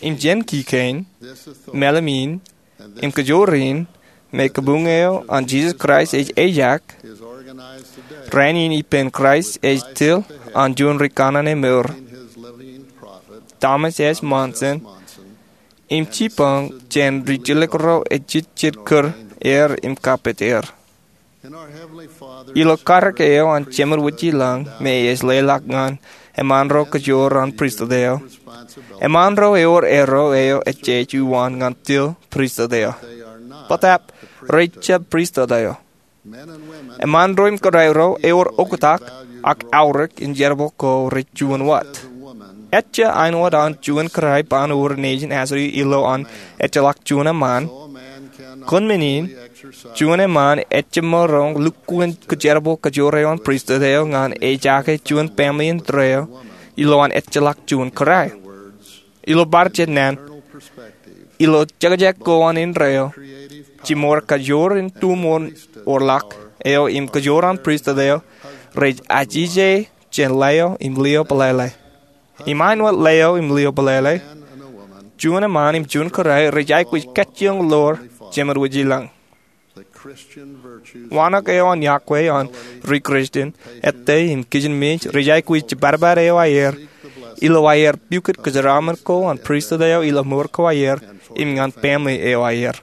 Im jān ki kein, mālim in, im kajoor in, me kabuñ eo an Jisōs Kraist ej ejaak, raan in ippān Kraist ej til an juon ri kanaan emour, Thomas S. Monson, im jibboñ jān ri jilkinḷọk ro ejejjet kūr er im kapit er. Ilo karōk eo an Jemān Wūjilōñ me ej leḷọk ñan eṃṃaan ro kajoor an pristut eo, eṃṃaan ro ewōr erro eo ejjeej uwaan ñan til pristut eo. Bōtab rej jab pristut eo. Eṃṃaan ro im kōrā ro ewōr oktak ak aorōk in jerbal ko rej juon wōt. Ejja āinwōt an juon kōrā eo an wōr nejin asodi ilo an ejjeḷọk juon eṃṃaan, kōn men in, juon eṃṃaan ejjab maroñ lukkuun kajerbal kajoor eo an pristut eo ñan ejaake juon family indeeo ilo an ejjeḷọk juon kōrā. Ilo bar jet naan, ilo jekjek ko an indeeo, jimor kajoor in tumor orḷọk eo im kajoor an pristut eo rej ajije jān laḷ eo im lio bōlālā. Im āinwōt laḷ eo im lio bōlālā, juon eṃṃaan im juon kōrā rej aikuj kajjioñ ḷoor Jemān Wūjilōñ. Wānōk eo an yokwe an ri Kristian ettā im kijenmej rej aikuj jibadbad eo aer ilo aer pukot kōjeraaṃṃan ko an pristut eo ilo mour ko aer im ñan family eo aer.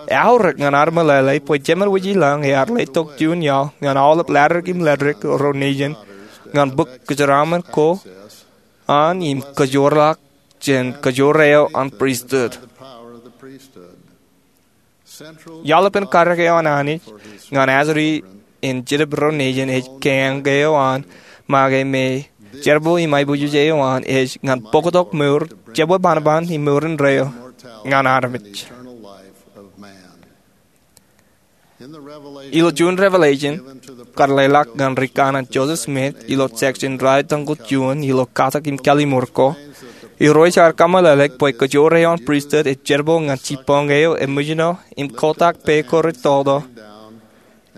Eaorōk ñan ad meḷeḷe bwe Jemān Wūjilōñ ear letok juon iaḷ ñan aolep latdikdik im leddik ro nejin ñan bōk kōjeraaṃṃan ko an im kajoorḷọk jān kajoor eo an pristut. Iaḷ epen karōk eo an Anij ñan asodi in jetōb ro nejin ej kaeñ eo an make me jerbal im aiboojoj eo an ej ñan bōktok mour jebwe bānbān im mour indeeo ñan armej. Ilo juon revelation kar leḷọk ñan ri kanaan Joseph Smith ilo section ralitōñoul juon ilo katak im kālimour ko, Irooj ear kōmeḷeḷeik bwe kajoor eo an pristut ej jerbal ñan jibboñ eo eṃōjṇọ im kotak pā ko retoto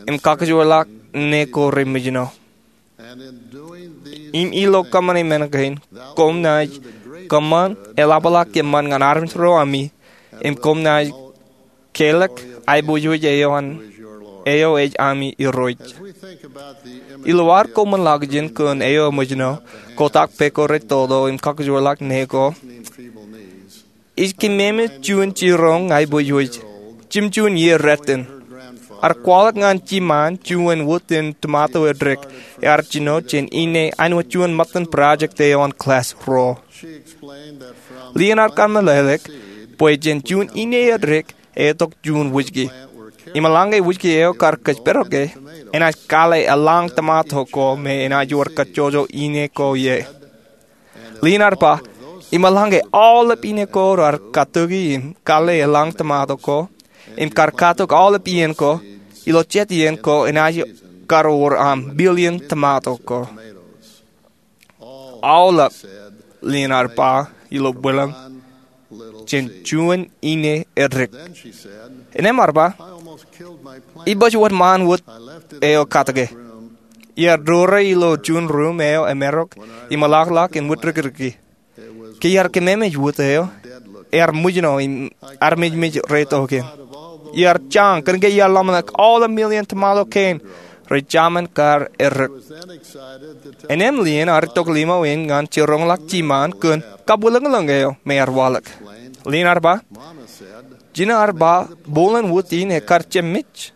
im kakajoorḷọk ṇe ko reṃōjṇọ. Im ilo kōṃṃane men kein, koṃ naaj kōṃṃan eḷapḷọk eṃṃan ñan armej ro ami, im koṃ naaj kelọk aiboojoj eo an, eo ej ami Irooj. Ilo ad koṃṃan ḷọkjeṇ kōn eo eṃōjṇọ, kotak pā ko retoto im kakajoorḷọk ṇe ko, ij kememej juon jiroñ aiboojoj, jimjuon iiō rot in. Ear kwaḷọk ñan jiṃaan juon wūtin tomato edik ear jino jān ine āinwōt juon ṃōttan project eo an class ruo. Lien ear kōmeḷeḷeik bwe jān juon ine edik etok juon wūjki. Im eḷaññe wūjki eo kar kōjparok e, enaaj kale eḷañ tomato ko me enaaj wōr kajjojo ine ko ie. Lien ear ba, im eḷaññe aolep ine ko raar katoki im kale eḷañ tomato ko, im kar katok aolep iien ko, ilo jet iien ko enaaj kar wōr aṃ billion tomato ko. Aolep, lien ear ba ilo bwilōñ, jān juon ine edik. Innām ear ba, ibaj wōt ṃaan wōt eo katoke. Iar doore ilo juon ruum eo emarok im eḷapḷọk in wūtdikdiki. Ke iar kememej wōt eo, ear ṃōjṇọ im armejmej reto kein. Iar jañ kōnke iar ḷōmṇak aolep million tomato kein rej jaṃōn kar edik. Innām lien ear itok limo in ñan jiroñḷọk jiṃaan kōn kabwilōñlōñ eo me ear waḷọk. Lien ear ba, jino ear ba, bōlen wōt in ekar jab mej.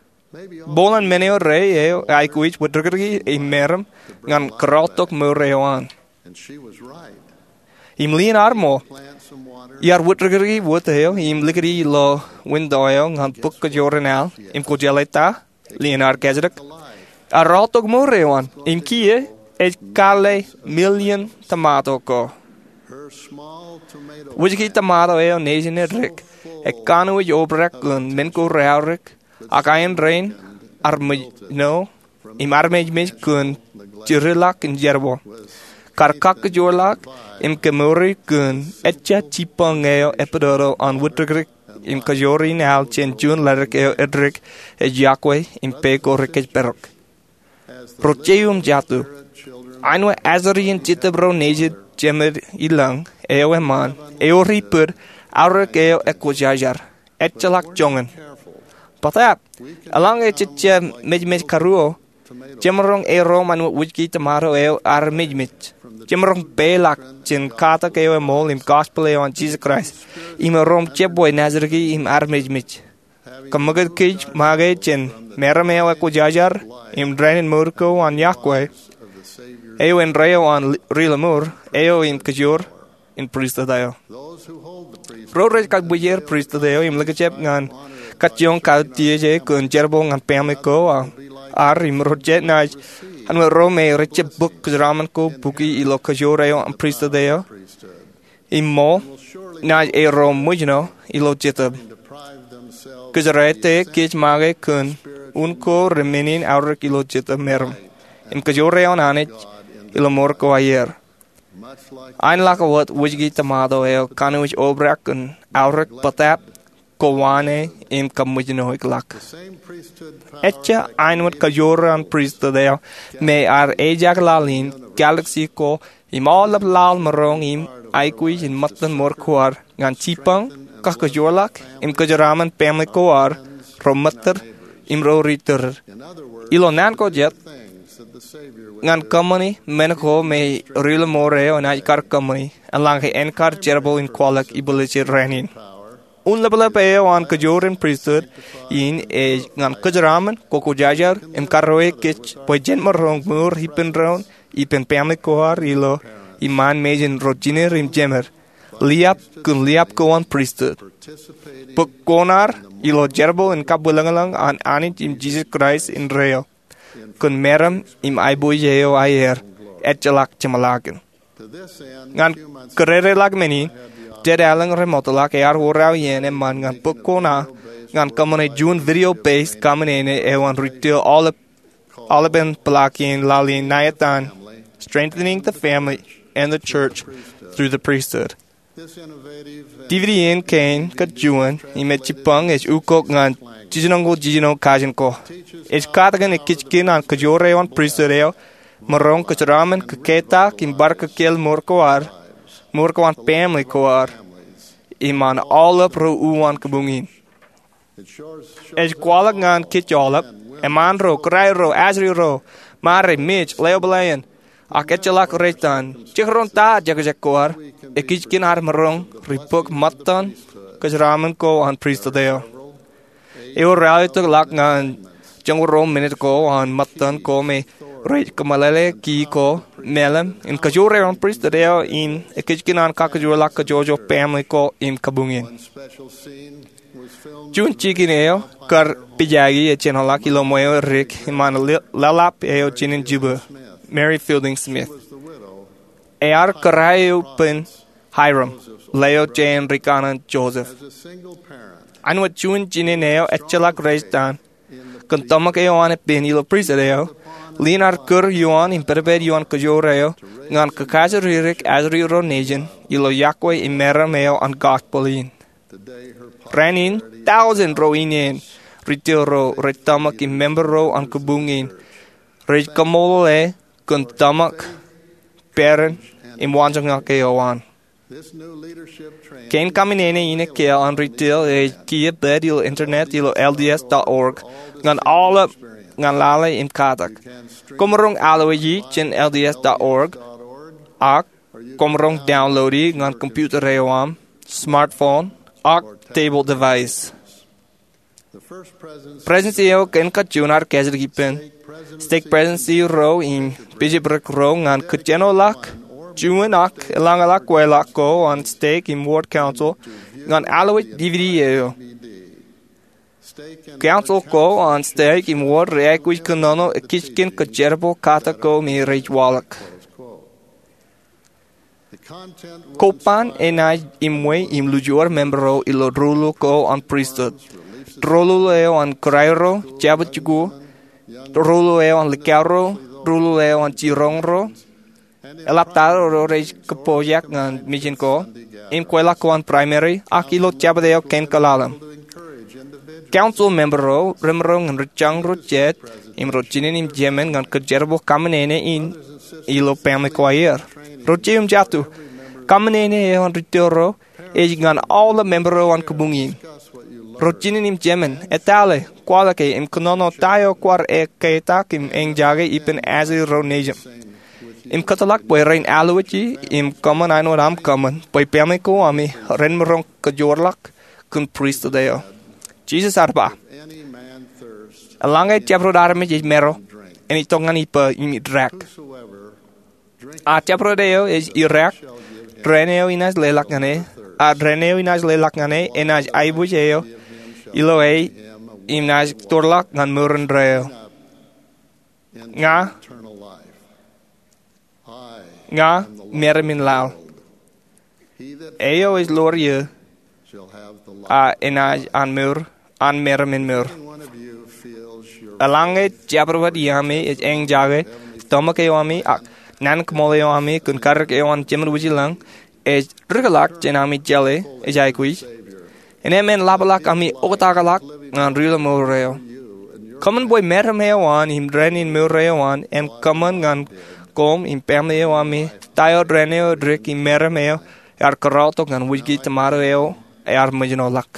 Bōlen men eo rej eo aikuj wūtdikdiki im meram ñan kōrọọltok mour eo an. Im lien ear ṃool. Iar wūtdikdiki wōt eo im likūti ilo winto eo ñan bōk kōjro in al im kwōjeḷā ta Lien ar kajjitōk, ear aortok mour eo an im kiiō ej kalle million tomato ko. Wūjki tomato eo nejin eddik ej kanooj obrak kōn men ko reaorōk, ak ain rein armejno im armejmej kōn jirilọk in jerbal. Kar kakkōjoorḷọk im kemour kōn ejja jibboñ eo eppedodo an wūtōkrōk im kōjoor in al jān juon ledik eo eddik ej yokwe im pe ko ri kōjparok. Ro jeiū im jatū, āinwōt ajri in jetōb ro nejid jemed ilōñ eo eṃṃan, ewōr ipōd aorōk eo ekwōjarjar, ejjeḷọk joñan. Bōtaab, eḷaññe jej jab mejmej karuo, jemaroñ erom āinwōt wūjki tomato eo ear mejmej. Jemaroñ peilọk jān katak eo eṃool im gospel eo an Jisōs Kraist, im erom jebwe naajdik im armejmej. Kōṃṃakūt kōj make jān meram eo ekwōjarjar im dānin mour ko an yokwe, eo indeeo an ri-lọmọọr eo im kōjoor in pristut eo. Ro rej kab bwijer pristut eo im likjab ñan kajjioñ kautiej e kōn jerbal ñan family ko ad im ro jet naaj āinwōt ro me rej jab bōk kōjeraṃṃan ko bukwi ilo kōjoor eo an pristut eo im ṃool, naaj erom ṃōjṇọ ilo jetōb. Kōjeraete kōj make kōn un ko remenin aorōk ilo jetōb meram im kōjoor eo an Anij ilo mour ko aer. Āinḷọk wōt wūjki tomato eo kanooj obrak kōn aorōk, bōtaab kowaan e im kaṃōjṇoik ḷọk. Ejja āinwōt kōjoor an pristut eo me ear ejaak laḷ in galaxy ko im aolep laḷ maroñ im aikuj in ṃōttan mour ko ad ñan jibboñ, kakkōjoorḷọk im kōjeraṃṃan family ko ad, ro ṃōttōr im ro ri tōrōd. Ilo naan ko jet, ñan kōṃṃani men ko me ri-lọmọọr eo enaaj kar kōṃṃani eḷaññe en kar jerbal in kwaḷọk ibwiljel rainin. Un ḷapḷap eo an kōjoor in pristut in ej ñan kōjeraṃṃan, kwōjarjar im karreoik kōj bwe jen maroñ mour ippān doon, ippān family ko ad ilo iṃaan mejān ro jined im jemed, liab kōn liab ko an pristut, bōk koṇaar ilo jerbal in kabwilōñlōñ an Anij im Jisōs Kraist indeeo, kōn meram im aiboojoj eo aer, ejjeḷọk jeṃḷọkin. Ñan kōdōdōḷọk men in, jet aelōñ remootḷọk ear wōr aō iien eṃṃan ñan bōk koṇaar ñan kōṃṃane juon video-based kaṃōṇōṇō eo an ri-tōl aolepān peḷaakin laḷ in ṇa etan Strengthening the Family and the Church Through the Priesthood. D V D in kein kōn juon im ej jibboñ ej ukok ñan jiljinoñoul jiljino kajin ko. Ej katakin ekijkin an kōjoor eo an pristut eo, maroñ kōjeraṃṃan kōketak im bar kōkkāāl mour ko ad, mour ko an family ko ad, im an aolep ro uwaan kabuñ in. Ej kwaḷọk ñan kōj aolep, eṃṃaan ro, kōrā ro, ajri ro, ṃare, mej, ḷeo bōlen, ak ejjeḷọk rej itan, jekdọọn ta jekjek ko ad, ekijkin ad maroñ ri-bōk ṃōttan kōjeraṃṃan ko an pristut eo. Ewōr ralitōk ḷọk ñan joñoul ruo minit ko an ṃōttan ko me rej kōmeḷeḷe ki ko, meḷeḷe in kōjoor eo an pristut eo im ekijkin an kakkōjoorḷọk kōjwōjwōj family ko im kabuñ in. Juon jikin eo kar pijaki ej jenaḷọk ilo ṃweo edik iṃaan leḷap eo jān in jibwe, Mary Fielding Smith. Ear kōrā eo ippān Hyrum, ḷeo jān rikaṇan Joseph. Āinwōt juon jinen eo ejjeḷọk rej itan, kōn tōmak eo an ippān ilo pristut eo, lien ear kūr ioon im pedped ioon kōjoor eo ñan kakajoor ri-ajri ro nejin ilo yokwe im meram eo an gospel in. Rainin, tọujin ro ineen ri-tōl ro rej tōmak im member ro an kabuñ in rej kaṃṃoolol e kōn tōmak, peran, im waanjoñak eo an. Kein kaṃōṇōṇō in ekkā an ri-tōl ej kiiō pād ilo internet ilo L D S dot org ñan aolep ñan lale im katak. Koṃ maroñ alwōji jān L D S dot org, ak koṃ maroñ downloadi ñan computer eo aṃ, smartphone, ak table device. Presidency eo kein kajjioñ ar kajjitōk ippān stake presidency ro im bishopric ro ñan kōjenoḷọk juon ak eḷaññe ḷọk kweilọk ko an stake im ward council ñan alwōj D V D eo. Council ko an stek im wōr rej aikuj kōnono ekijken kōjerbal katak ko me rej waḷọk. Koban enaaj iṃwe im lujuor member ro ilo rōḷḷo ko an pristut. Rōḷḷo eo an kōrā ro, jabdewōt jikuuḷ, rōḷḷo eo an likao ro, rōḷḷo eo an jiroñ ro, eḷaptata ro rej kōpooj ñan mejān ko, im kweilọk ko an primary, ak ilo jabdewōt eo kein kwaḷaḷ. Council member ro remaroñ in ri jañ ro jet im ro jined im jemān ñan kōjerbal kaṃōṇōṇō in ilo family ko aer. Ro jeiū im jatū, kaṃōṇōṇō eo an ri tōl ro ej ñan aolep member ro an kōbuñ in. Ro jined im jemān, etale, kwaḷọke im kōnono ta eo kwaar ekketak im eñjake ippān ajri ro nejūṃ. Im kōtḷọk bwe ren alwōji im kōṃṃan āinwōt aṃ kōṃṃan bwe family ko ami ren maroñ kōjoorḷọk kōn pristut eo. Jisōs ear ba, eḷaññe jabdewōt armej ej maro, en itok ñan ippa im idaak. A jabdewōt eo ej idaak, dān eo inaaj leḷọk ñan e, a dān eo inaaj leḷọk ñan e enaaj aiboojoj eo ilo e im naaj torḷọk ñan mour indeeo. Ña, ña meram in laḷ. Eo ej ḷoor eō, a enaaj an mour an meram in mour. Eḷaññe jabdewōt iaami ej eñjake tōmak eo ami ak naan kōṃṃool eo ami kōn karōk eo an Jemān Wūjlañ ej rūkḷọk jān ami jeḷā ej aikuj, innem en ḷapḷọk ami oktakḷọk ñan ri-mour eo. Kōṃṃan bwe meram eo an im dān in mour eo an en kōṃṃan ñan koṃ im family eo ami ta eo dān eo edik im meram eo ear kōrọọltok ñan wūjke tomato eo ear mejānḷọk.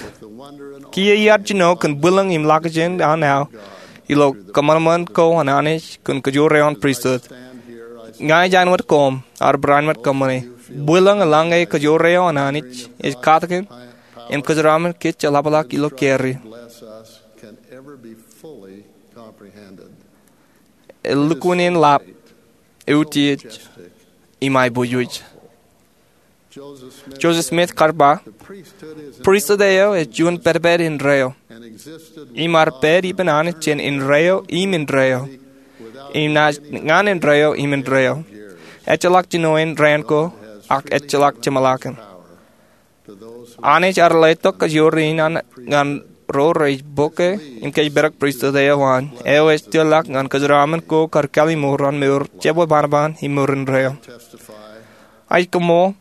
Kiiō iar jino kōn bwilōñ im ḷakjān an aō ilo kōṃanṃan ko an Anij kōn kōjoor eo an pristut. Ña ij āinwōt koṃ, ar barāinwōt kōṃṃane. Bwilōñ eḷaññe kōjoor eo an Anij ej katakin im kōjeraṃṃan kōj jeḷapḷọk ilo carrier. Elukkuun in ḷap, eutiej, im aiboojoj. Joseph Smith kar ba, pristut eo ej juon pedped indeeo, im ear pād ippān Anij jān indeeo im indeeo, im naaj ñan indeeo im indeeo. Ejjeḷọk jinoin raan ko, ak ejjeḷọk jeṃḷọkin. Anij ear letok kōjoor in an ñan ro rej bōke im kōjparok pristut eo an, eo ej tōrḷọk ñan kōjeraṃṃan ko kar kalliṃur an mour jebwe banoban im mour indeeo. Ij koṃṃool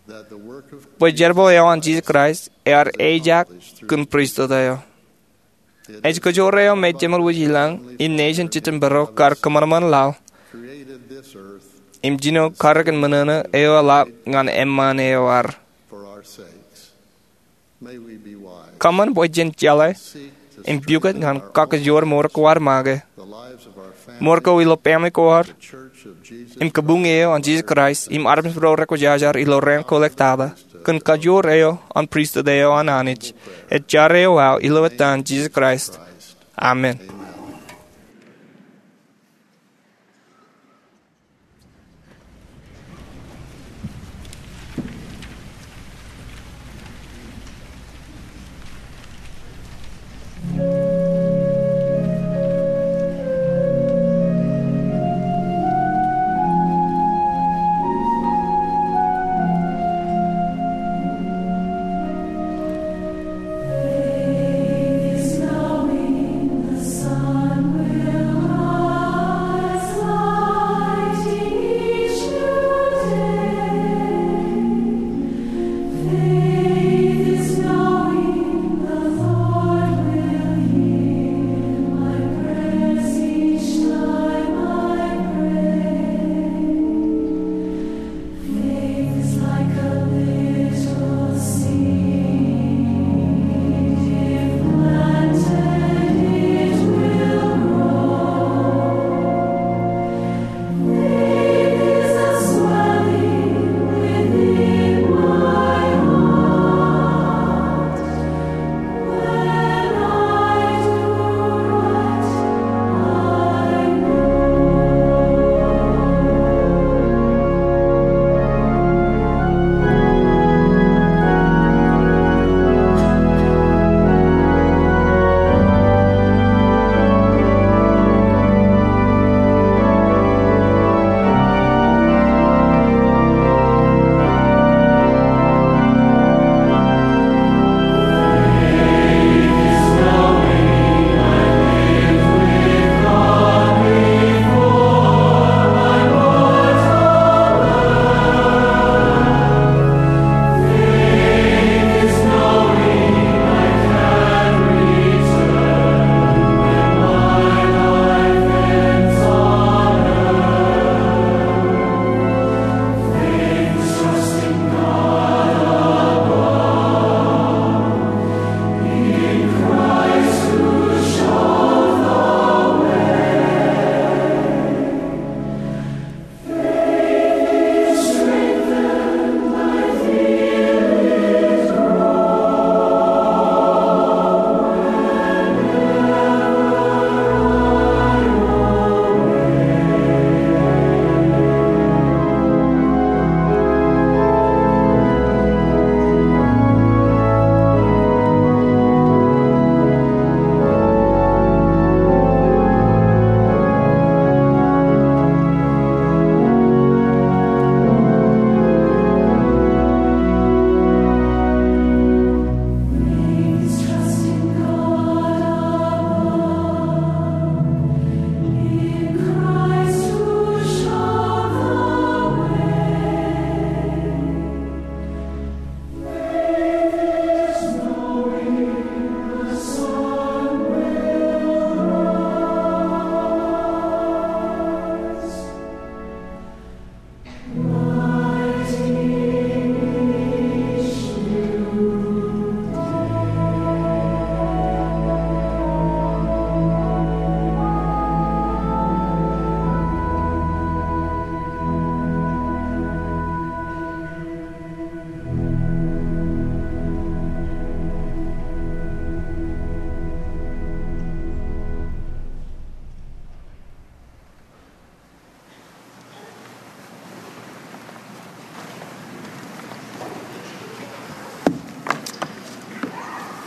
bwe jerbal eo an Jisōs Kraist ear ejaak kōn pristut eo. Ej kōjoor eo me Jemān Wūjlañ im nejin Jetōb Baro kar kōṃanṃan laḷ im jino karōk in ṃōṇōṇō eo eḷap ñan eṃṃaan eo ad. Kōṃṃan bwe jen jeḷā im pukot ñan kakajoor mour ko ad make, mour ko ilo family ko ad, im kabuñ eo an Jisōs Kraist im armej ro rekwōjarjar ilo raan ko ḷọk tata, kōn kajoor eo an pristut eo an Anij. Ij jar eo aō ilo etan Jisōs Kraist. Amen.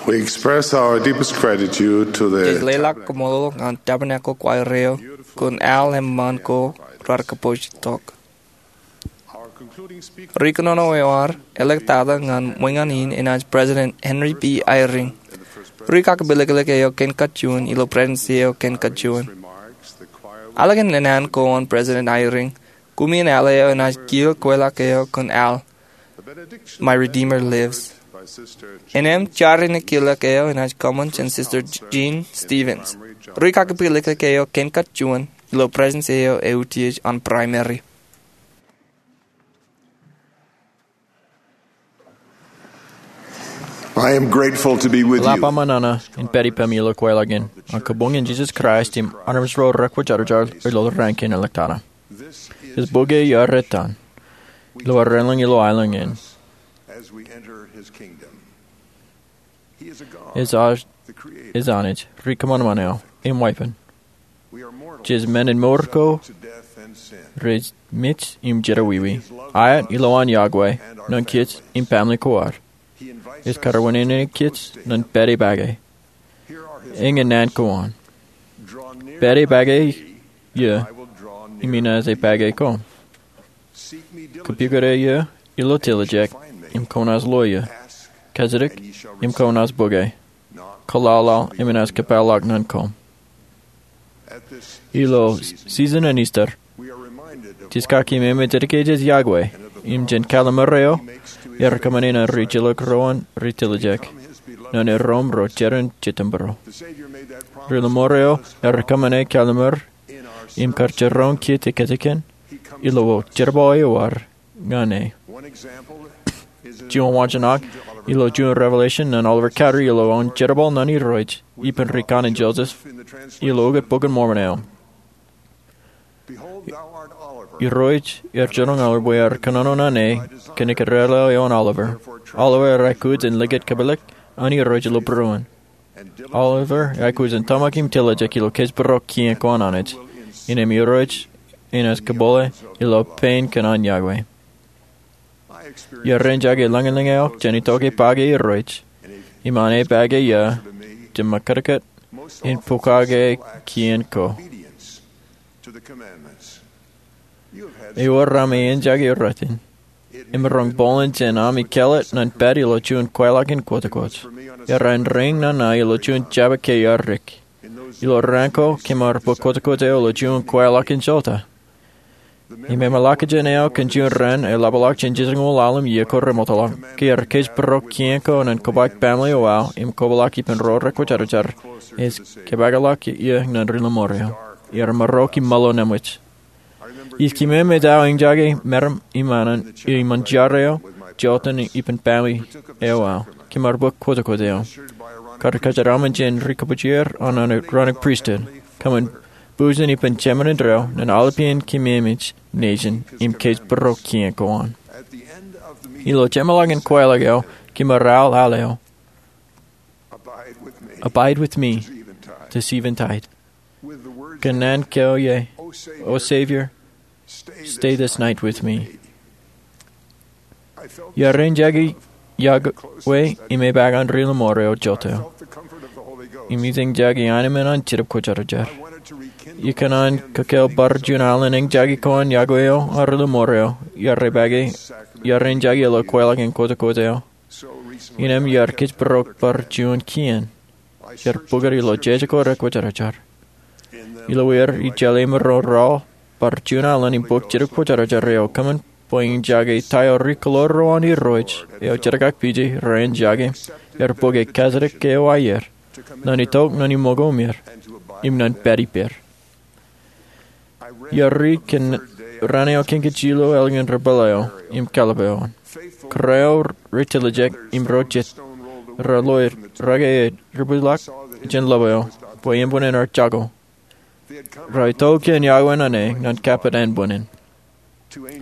We express our deepest gratitude to the Jej leḷọk koṃṃool ñan Tabernacle Choir eo kōn al eṃṃan ko raar kōpooj tok. Ri kōnono eo ad eḷḷọk tata ñan ṃōñā in enaaj President Henry B. Eyring. Ri kakipilōklōk eo kōn kajjien ilo Presidency eo kōn kajjien. Aolep kōn naan ko an President Eyring, kumi in al eo enaaj kiil kweilọk eo kōn al My Redeemer Lives. Innām jar in ekilōk eo enaaj kōṃṃan jān Sister Jean Stevens. Ri kakipilōklōk eo kōn kajjien ilo Presidency eo eutiej an Primary. I am grateful to be with Eḷap you. Aṃ nana in pād ippaṃ ilo kweilọk in. An kabuñ in Jesus Christ im Armej ro Rekwōjarjar ilo raan kein eḷḷọk tata. Ej bōk e iar etan ilo aō relōñ ilo aelōñ in. As we enter his kingdom. Ej Anij, ri kōṃanṃan eo im waipen. Jej men in mour ko rej mej im jerọwiwi. Aet ilowaan Yahweh ñan kōj im family ko ad. Ej karuwinene kōj ñan pād ipake. Eñin naan ko an. Pād ipake ie im inaaj ipake koṃ. Kōpukot ie ilo tiljek im kwōnaaj lo ie. Kōjdik im kwōnaaj bōke. Kōḷaḷḷaḷ im enaaj kōpeḷḷọk ñan koṃ. Ilo season in Easter, jej kaki im eṃōj dedicate Yahweh im jān kallimur eo ear kōṃṃane ñan ri jilkinḷọk ro an ri tiljek ñan erom ro jeran Jetōnbōro. Ri Ḷōṃor eo ear kōṃṃane kallimur im kar jiroñ kōj kajjitōk ilo jerbal eo ad ñan e. Juon waanjoñak ilo juon Revelation ñan Oliver Cowdery ilo aō jerbal ñan Irooj ippān ri kanaan Joseph ilo ukōt Bok in Mormon eo. Irooj ear jiroñ Oliver bwe ear kōnono ñan e kōn ikōrā eo an Oliver. Oliver ear aikuj in likūt kōpeḷḷọk an Irooj ilo būruon. Oliver ear aikuj in tōmak im tiljek ilo kōjparok kien ko an Anij. Innām Irooj enaaj kōbōle ilo pein kōn an Yahweh. Iar ren jake lañlōñ eo jān itok ipake Irooj im an ipake ie, jemān kōtōkōt in pokake kien ko. Ewōr aṃ ejjake rot in. Im roñ bōlen jān ami kāālōt ñan pād ilo juon kweilọk in kwōjkwōj. Ear ren reiñ nana ilo juon jabōt ke ear dik. Ilo raan ko kōm ar bōk kwōjkwōj eo ilo juon kweilọk in jota. Im eṃṃanḷọkjeṇ eo kōn juon raan eḷapḷọk jān jiljino ḷalem iiō ko remootḷọk. Ke ear kōjparok kien ko ñan kōpaak family eo aō im kōpeḷḷọk ippān ro rekwōjarjar, ej kōpeḷḷọk ie ñan ri Ḷōṃor eo. Ear maroñ ke ṃōḷo ñan ṃōj. Ij kōmemej aō eñjake meram im anan ilo ṃōn jar eo jota ippān family eo aō. Kōm ar bōk kwōjkwōj eo. Kar kōjeraaṃṃan jān ri kōpooje er an Aaronic priesthood. Kōṃṃan bujen ippān jeman indeeo ñan aolepān kōmemej nejin im kōjparok kien ko an. Ilo jeṃḷọkin kweilọk eo kōm ar al al eo. Abide with me, deceive and tide. Kōn naan ko ie, O Savior, stay this night with me. Iar ren jake Yahweh im epaak an ri Ḷōṃor eo jota. Im ij ren jake ainemen an Jetōb Kwōjarjar. Ikōṇaan kōkōl bar juon alen eñjake ko an Yahweh eo an ri Ḷōṃor eo. Iar ipake, iar ren jake ilo kweilọk in kwōjkwōj eo. Innām iar kōjparok bar juon kien. Iar bōk er ilo jeje ko rekwōjarjar. Ilo er ij jeḷā im ro raḷ bar juon alen im bōk Jetōb Kwōjarjar eo kōṃṃan bwe in jake ta eo ri kōḷoor ro an Irooj eo jerkakpije ren jake. Iar bōk e kajjitōk eo aer. Ñan itok ñan iṃōko im er. Im ñan pād ippād. Iar ri kōn raan eo kōn kōj ilo ālikin ri pālle eo im kallib eo an. Kōrā eo ri tiljek im ro jet, ra lo rake ri bwilōñ jān ḷap eo, bwe ānbwinnin ear jako. Ra itok jān Yahweh ñan e ñan kappok ānbwinnin.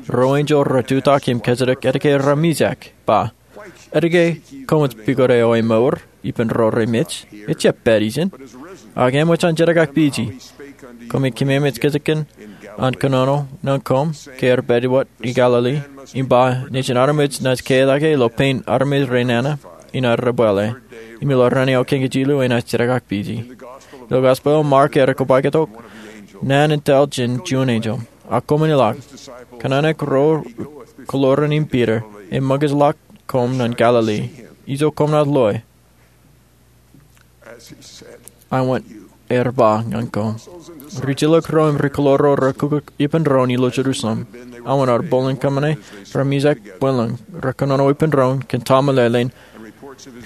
Ruo enjeḷ retutak im kajjitōk etke raar mijak, ba, Etke koṃij pukot eo emour ippān ro remej? Ejjab pād ijin. Ak eṃōj an jerkakpije. Koṃij kōmemej kajjitōk an kōnono ñan koṃ ke ear pād wōt Galili, im ba nejin armej naaj katak e ilo pein armej renana in ad debwāāl e. im ilo raan eo kein kōj ilo enaaj jerkakpeje. Ilo gospel eo Mark ear kobaik tok, naan in taḷ jān juon enjeḷ, ak koṃwin ilọk, kōṇaan eo ro kōḷoran im Piter, eṃōkajḷọk koṃ ñan Galili. Ijo koṃ naaj loe, aṃ wōt aer ba ñan koṃ. Rijilōk ro im rikōḷoorro rekukok ippān doon ilo Jerusalem. Aṃ wōt aer bōlen kōṃṃane, remejañ bōlen, rekōnono ippān doon kōn ta meḷeḷein,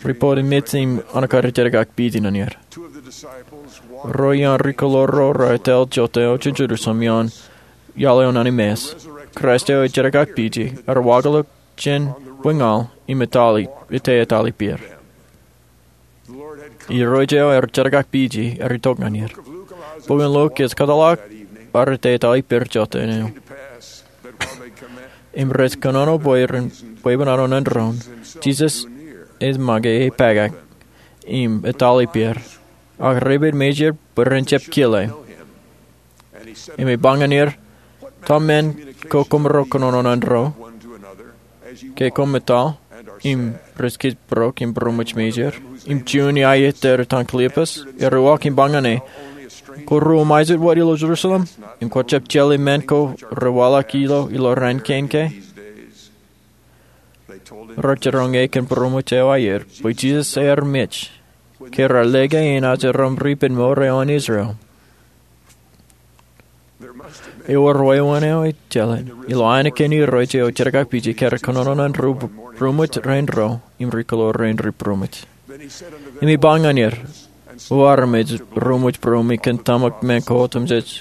ripot im mej im an kar jerkakpeje ñan er. Ruo ioon rikōḷoorro ro etal jote eo jān Jerusalem ioon iaḷ eo ñan Emmaus. Kraist eo ejerkakpeje, ear waḷọk jān bwiñaḷ im etal i-, ete etal ippāer. Irooj eo ear jerkakpeje ear itok ñan er. Bok in Luk ej kōtḷọk ear ete etal ippāer jotein eo. Im rej kōnono bwe ren bwebwenato ñan doon, Jisōs ej make epaakak im etal ippāer, ak reipen mejāer bwe ren jab kile. Im ej ba ñan er, ta men ko koṃro kōnono ñan doon ke koṃ etal? Im rej kōjparok im būroṃōj mejāer. Im juon iiō etaer itan Kliopas ear uwaak im ba ñan e, kwō ruo mejān wōt ilo Jerusalem im kwō jab jeḷā men ko rewaḷọk ilo ilo raan kein ke? Rej jiroñ e kōn būroṃōj eo aier bwe Jisōs ear mej, ke raar lōke enaaj erom ripenmour eo an Israel. Ewōr wāween eo ej jeḷā ilo ainikien irooj eo jerkakpeje ke ear kōnono ñan ri būroṃōj rein ro im rikōḷoorro rein ri būroṃōj. Im ej ba ñan er, o armej, ruo ṃōj būroṃōj kōn tōmak men ko otemjej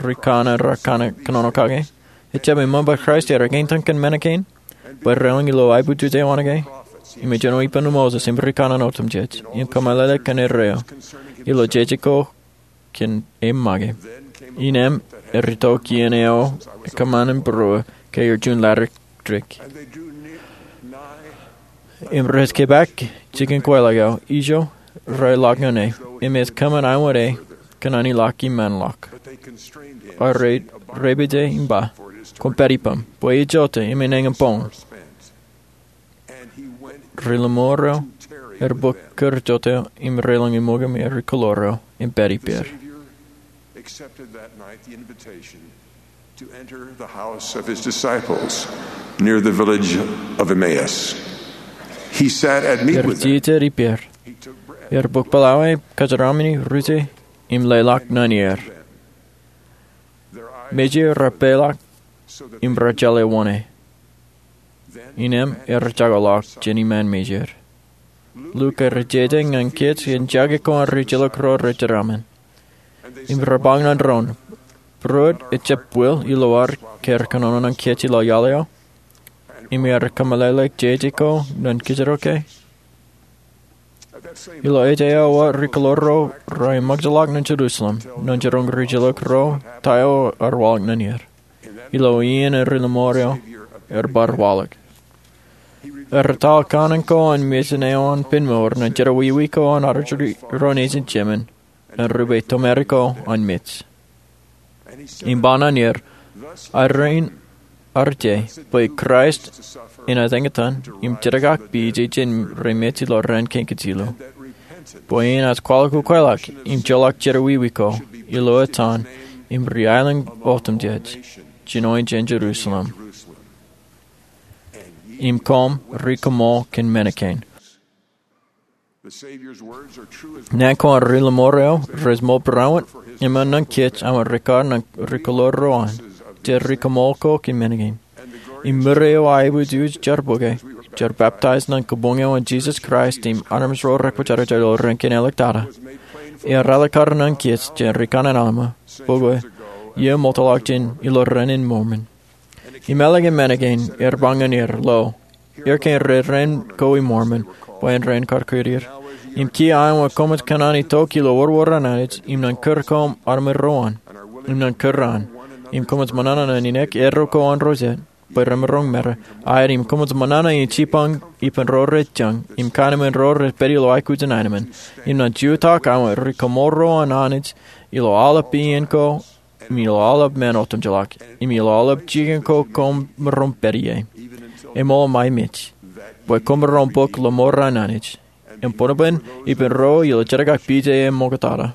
ri kanaan raar kōnono kake? Ejjab eṃṃan bwe Kraist ear ekeintan kōn men kein, bwe relōñ ilo aebujuje oan ke? Im ejenoḷọk ippān Moses im ri kanaan otemjej, im kōmeḷeḷe kōn erreo ilo jeje ko kōn e make. Innām ear itok iien eo ekōṃṃan im būruō ke ear juon ladik. Im rej kepaak jikin kweilọk eo, ijo, rej ḷọk ñan e, im ej kōṃṃan aṃ wōt e kōn an ilọk iṃaan ḷọk. Ak rej repeje im ba, koṃ pād ippaṃ, bwe ej jote im enañin boñ. Ri-lọmọọr eo ear bōk kūr jote eo im relōñ iṃōk im rikōḷoorro im pād ippāer. Accepted that night the invitation to enter the house of his disciples near the village of Emmaus. He sat at meat with them. Ear jeje ippāer. Ear bōk pālae, kōjeraaṃṃan, rije, im leḷọk ñan er. Mejāer raar peḷọk im raar jeḷā wōṇāān. Innām ear jakoḷọk jān iṃaan mejāer. Luk ear jeje ñan kōj jān jake ko an rijilōk ro rej jeraaṃṃan. Im raar ba ñan doon, būruod ejjab bwil ilo ad ke ear kōnono ñan kōj ilo iaḷ eo? Im ear kōmeḷeḷe jeje ko ñan kōjro ke? Ilo ej eo wōt rikōḷoorro ro eṃōkajḷọk ñan Jerusalem ñan jiroñ rijilōk ro ta eo ear waḷọk ñan er. Ilo iien eo ri-lọmọọr eo ear bar waḷọk, ear etal kanaan ko an mejān eo an penmour ñan jerọwiwi ko an armej ro nejin jemān, ñan rup eo tōmari ko an mej. Im ba ñan er, aer rein arje bwe Kraist enaaj eñtaan im jerkakpeje jān ri mej ilo raan kein kōj ilo, bwe enaaj kwaḷọk ukweḷọk im joḷọk jerọwiwi ko ilo etan im ri aelōñ otemjej, jinoin jān Jerusalem. Im koṃ ri kōṃṃool kōn men kein. Naan ko an ri-lọmọọr eo rej mour barāinwōt eṃṃan ñan kōj aṃ wōt rikar ñan rikōḷoorro an, jej ri kōṃṃool ko kōn men kein. Im ṃure eo aebōj uj jar bōke, jar baptaij ñan kabuñ eo an Jisōs Kraist im armej ro rekwōjarjar ilo raan kein āliktata, ear alikkar ñan kōj jān rikanaan Alma, bōkwe, iiō ṃoktōḷọk jān ilo raan in Mormon. Im ālikin men kein ear ba ñan er, lo, er kein rej raan ko i Mormon, bwe en raan kar kūr er. Im kiiō aṃ wōt koṃij kōṇaan itok ilo wōrwōr an Anij, im ñan kūr koṃ armej ro an, im ñan kūr an, im koṃij ṃōṇōṇō ñan ninaik eddo ko an ro jet, bwe remaroñ mera, aet im koṃij ṃōṇōṇō in jipañ ippān ro rej jañ, im kainemān ro rej pād ilo aikuj in aenōṃṃan, im ñan jutak aṃ wōt ri kōṃṃool ro an Anij, ilo aolep iien ko, im ilo aolep men otemjeḷọk, im ilo aolep jikin ko koṃ maroñ pād ie, eṃool ṃae mej, bwe koṃ maroñ bōk lọmọọr an Anij. Im buñbuñ ippān ro ilo jedik ak pija eo ṃoktata,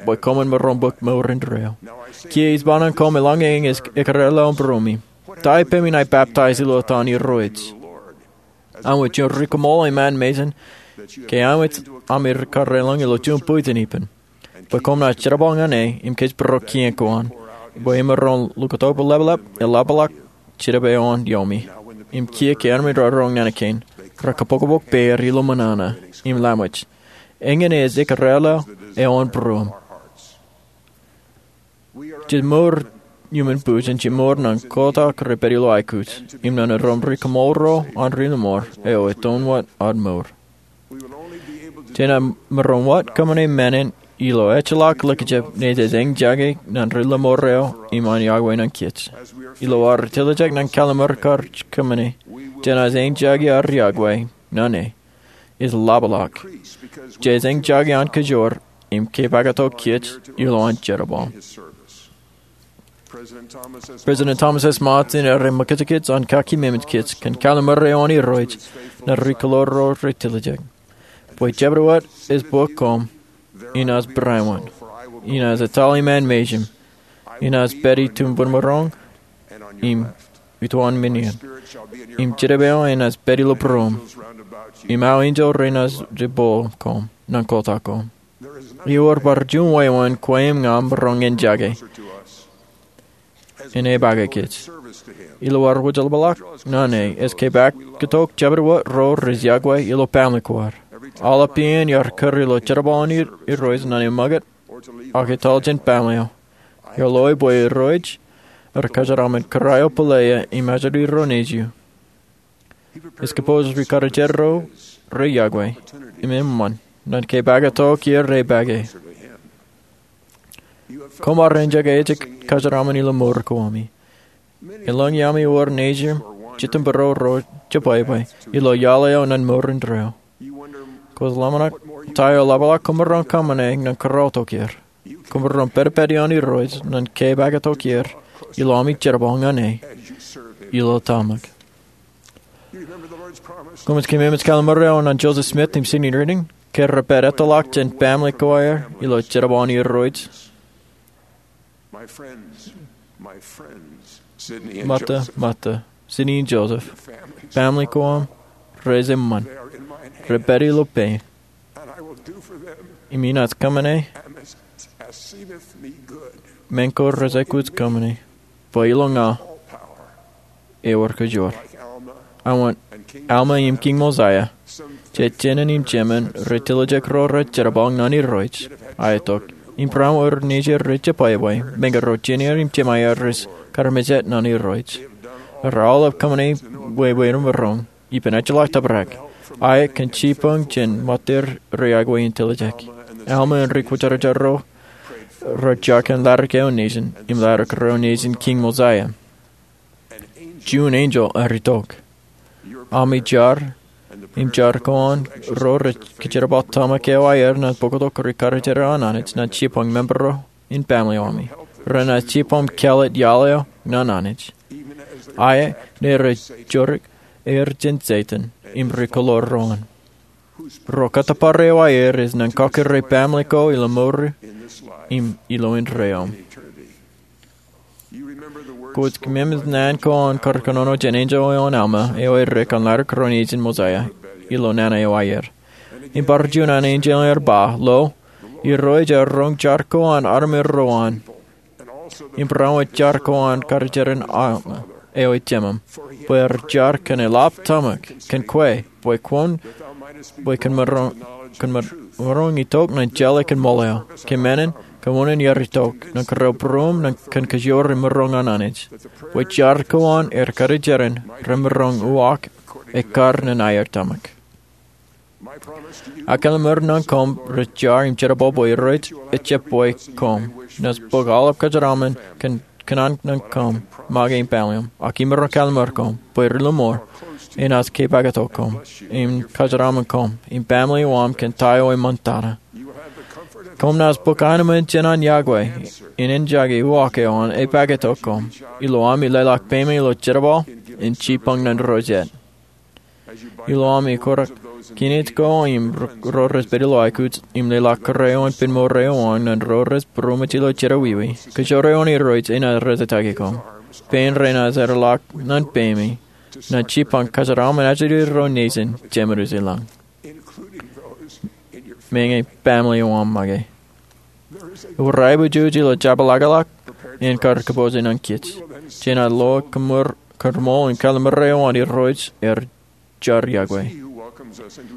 bwe koṃwin maroñ bōk mour indeeo. Kiiō ij ba ñan koṃ eḷaññe eñin ekōrāāl ilo būruōṃ, ta ippemi ña ibaptaiz ilo etan Irooj? Āinwōt juon ri-koṃṃool iṃaan mejān, ke āinwōt ami ri-kōrā ilo juon bwijin ippān, bwe koṃ naaj jerbal ñan e im kōjparok kien ko an, bwe emaroñ lukkuun ḷapḷap eḷapḷọk jerbal eo an iuṃwin. Im kiiō ke armej ro roñ naan kein, rekabokbok peier ilo ṃōṇōṇō im laṃōj. Eñin ej ekōrāāl eo an būruōṃ. Jej mour iuṃwin bwijin, jej mour ñan kotak rej pād ilo aikuj, im ñan aō ri-koṃṃool ro an ri-lọmọọr eo etan wōt ad mour. Jenaaj maroñ wōt kōṃṃane men in ilo ejjeḷọk likjab ṇe jej eñjake ñan ri-lọmọọr eo im an yokwe ñan kōj. Ilo ad tiljek ñan kalliṃur kar kōṃṃane, jenaaj eñjake ad yokwe ñan e. Ej ḷapḷọk. Jej eñjake an kōjoor im kōpaktok kōj ilo an jerbal. President Thomas S. Monson ear ṃōkajkōj an kakememej kōj kōn kalliṃur eo an Irooj ñan ri-kōḷḷoor ro rej tiljek. Bwe jabdewōt ej bōk koṃ, inaaj barāinwōt, inaaj etal iṃaan mejān, inaaj pād itumbōn maroñ im ituwaan men in, im jerbal eo enaaj pād ilo būruōṃ, im aō enjeḷ renaaj jebal koṃ ñan kotak koṃ. Ewōr bar juon wāween kwe im ña maroñ eñjake in epaake kōj. Ilo ad wōjḷapḷọk ñan e, ej kōpaktok jabdewōt ro rej yokwe ilo baaṃle ko ad. Aolep iien iar kūr ilo jerbal an Irooj ñan eṃṃakūt ak etal jān baaṃle eo, iar loe bwe Irooj ej kōjeraaṃṃan kōrā eo bōle eō im ajri ro nejū. Ej kōpooj ri-karijer ro rej yokwe im eṃṃan ñan kōpaktok er epaake. Koṃ ar eñjake ejjab kōjeraaṃṃan ilo mour ko ami. Eḷaññe ami wōr nejū, jitōnbōro ro jebwābwe ilo iaḷ eo ñan mour indeeo. Kwōj ḷōmṇak ta eo ḷapḷọk koṃ maroñ kōṃṃane ñan kōrọọltok er. Koṃ maroñ pād ippān an Irooj ñan kōpaktok er ilo ami jerbal ñan e ilo tōmak. Koṃij kōmemej kalliṃur eo an Joseph Smith im Sidney Rigdon ke rej pād ettoḷọk jān baaṃle ko aer ilo jerbal an Irooj. Mata, mata, Sidney im Joseph, baaṃle ko aṃ rej eṃṃan. Rej pād ilo pein. Im inaaj kōṃṃane men ko rej aikuj kōṃṃane, bwe ilo ña ewōr kōjoor. Āinwōt Alma im Kiiñ Mosiah, jej jān im jemān rej tiljek ro rej jerbal ñan Irooj, aetok, im barāinwōt ro nejū rej jebwābwe, meñe ro jeiū im jemāer rej karmejān ñan Irooj. Rej aolep kōṃṃane wāween maroñ ippān ejjeḷọk tōprak, aet kōn jibboñ jān ṃōttan ri-yokwe in tiljek. Alma im ri-kwōjarjar ro rej jar kōn ḷadik eo nejin im ḷadik ro nejin Kiiñ Mosiah. Juon enjeḷ ear itok. Ami jar im jar ko an ro rej kōjerbal tōmak eo aer ñan bōktok ri-karijer eo an Anij ñan jibboñ member ro im baaṃle eo ami. Renaaj jibboñ kāālōt iaḷ eo ñan Anij, aet ṇe rej jorrik er jān Setan im ri-kōḷḷoor ro an. Ro kōttōpar eo aer ej ñan kọkkure baaṃle ko ilo mour im ilo indeeo. Kwōj kōmemej naan ko an kar kōnono jān enjeḷ eo an Alma eo edik kōn ḷadik ro nejin Mosiah ilo nana eo aer. Im bar juon an enjeḷ ear ba, lo, Irooj ear roñ jar ko an armej ro an, im barāinwōt jar ko an karijeran Alma eo ej jemām, bwe ear jar kōn eḷap tōmak kōn kwe, bwe kwōn, bwe kwōn maroñ, kwōn maroñ itok ñan jeḷā kōn ṃool eo. Kōmānen, kōn unin ear itok ñan kōrā būruōṃ ñan kōn kōjoor im maroñ an Anij, bwe jar ko an aer karijeran remaroñ uwaak ekkar ñan aer tōmak. Aō kalliṃur ñan koṃ rej jar im jerbal bwe Irooj ejjab bwe koṃ. Inaaj bōk aolep kōjeraaṃṃan kōn kōṇaan ñan koṃ make im baaṃle eo. Ak imaroñ kalliṃur koṃ bwe ri-lọmọọr enaaj kōpaktok koṃ im kōjeraaṃṃan koṃ im baaṃle eo aṃ kōn ta eo eṃṃantata. Koṃ naaj bōk aenōṃṃan jān an yokwe in eñjake uwaak eo an epaktok koṃ ilo ami leḷọk peime ilo jerbal im jibboñ ñan ro jet. Ilo ami kōrā Kineej ko im ro rej pād ilo aikuj im leḷọk kōrā eo an pen mour eo an ñan ro rej būroṃōj ilo jerọwiwi. Kōjro eo an Irooj enaaj rejjetaaki koṃ. Pein renaaj erḷọk ñan peimi ñan jipañ kōjeraṃṃan ajri ro nejin Jemed Uji Lañ, meñe baaṃle eo aṃ make. Ewōr aiboojoj ilo jabōḷọkḷọk en kar kōpooj ñan kōj. Jenaaj lo kōṃṃool im kallim̧ur eo an Irooj er jar yokwe.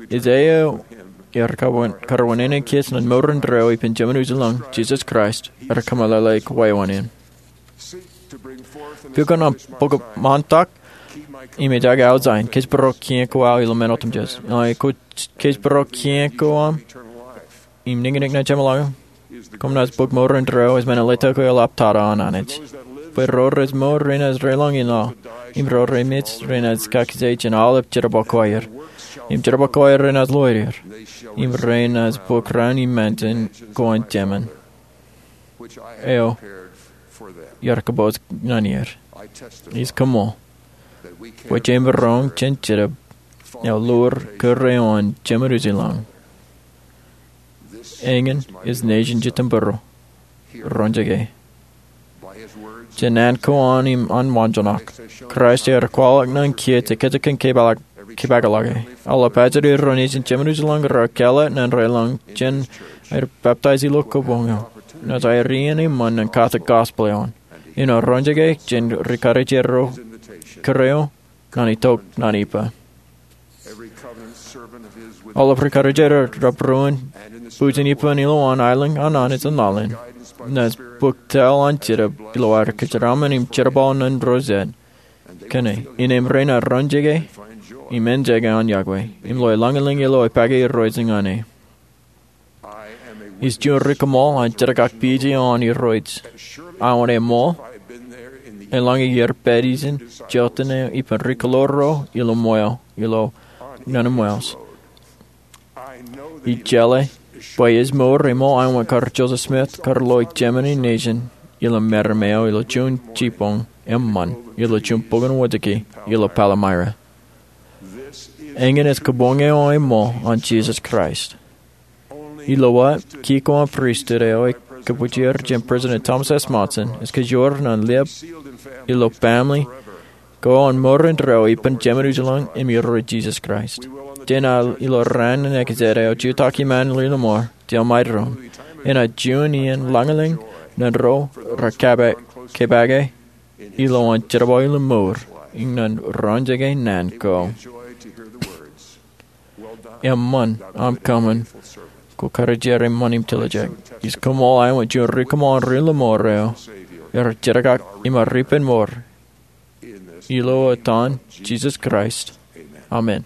Ej eo er kar wānōk kōj ñan mour indeeo ippān Jemed Uji Lañ, Jisōs Kraist, er kōmeḷeḷe kwe wōṇāān. Pukot aṃ bok ṃaantak im ej aō jān kōj būrok kiiō ko aō ilo men otemjej. Eḷaññe kōj būrok kiiō ko aṃ im niñniñ ñan jeṃḷọkin, koṃ naaj bōk mour indeeo ej men in letok eḷap tata an Anij. Bwe ro rej mour renaaj reiḷọk in aō, im ro remej renaaj kakije jān aolep jerbal ko aer. Im jerbal ko aer renaaj loer er, im renaaj bōk raan iṃaan jān ko an Jemān, eo iar kōpooj ñan er. Ij koṃṃool bwe jemaroñ jān Jetōb eo lowaan kōrā eo an Jemed Uji Lañ. Eñin ej nejin Jitōnbōro. Roñjake. Jān an ko an im an waanjoñak, Kraist ear kwaḷọk ñan kōj ekkejek kōn kōpeḷḷọke. Aolep ajri ro nejin Jemed Uji Lañ raar kāālōt ñan reiḷọk jān aer baptaij ilo kabuñ eo. Naaj aer iien eṃṃan ñan katak gospel eo an. Āinwōt roñjake jān ri karijer ro kōrā eo ñan itok ñan ippā. Aolep ri karijer ro rej būruon bwijin ippān ilowaan aelōñ an Anij an laḷ in, naaj bōk tōl an Jetōb ilo aer kōjeraaṃṃan im jerbal ñan ro jet kōn e, innām renaaj roñjake im enjake an yokwe im lo lañlōñ ilo epake Irooj ñan e. Ij juon ri kōṃṃool an jerkakpeje eo an Irooj. Aō eṃṃool, eḷaññe iar pād ijin jota eo ippān ri kōḷḷoor ro ilo ṃweo, ilo ñan ṃweo. Ij jeḷā bwe ej mour eṃṃool aō kar Joseph Smith kar lo ijemān in nejin ilo meram eo ilo juon jibboñ eṃṃan ilo juon bok in wōjke ilo Palmyra. Eñin ej kabuñ eo eṃṃool an Jisōs Kraist. Ilo aō, ki ko an pristut eo ekōbwijer jān President Thomas S. Monson ej kōjro ñan liab ilo baaṃle ko an mour indeeo ippān Jemed Uji Lañ im Irooj Jisōs Kraist. Jenaaj ilo raan in ekjed eo jutak iṃaan ḷemour, jeḷā maroñ, enaaj juon iien lañlōñ ñan ro rej kōpeake ilowaan jerbal ilo mour im ñan roñjake naan ko. Eṃṃan aṃ kōṃṃan kwō karijer eṃṃan im tiljek. Ij koṃṃool aō juon ri kōṃṃool an ri ḷemour eo, er jerkak im ar ippān mour. Ilo etan Jisōs Kraist, amen.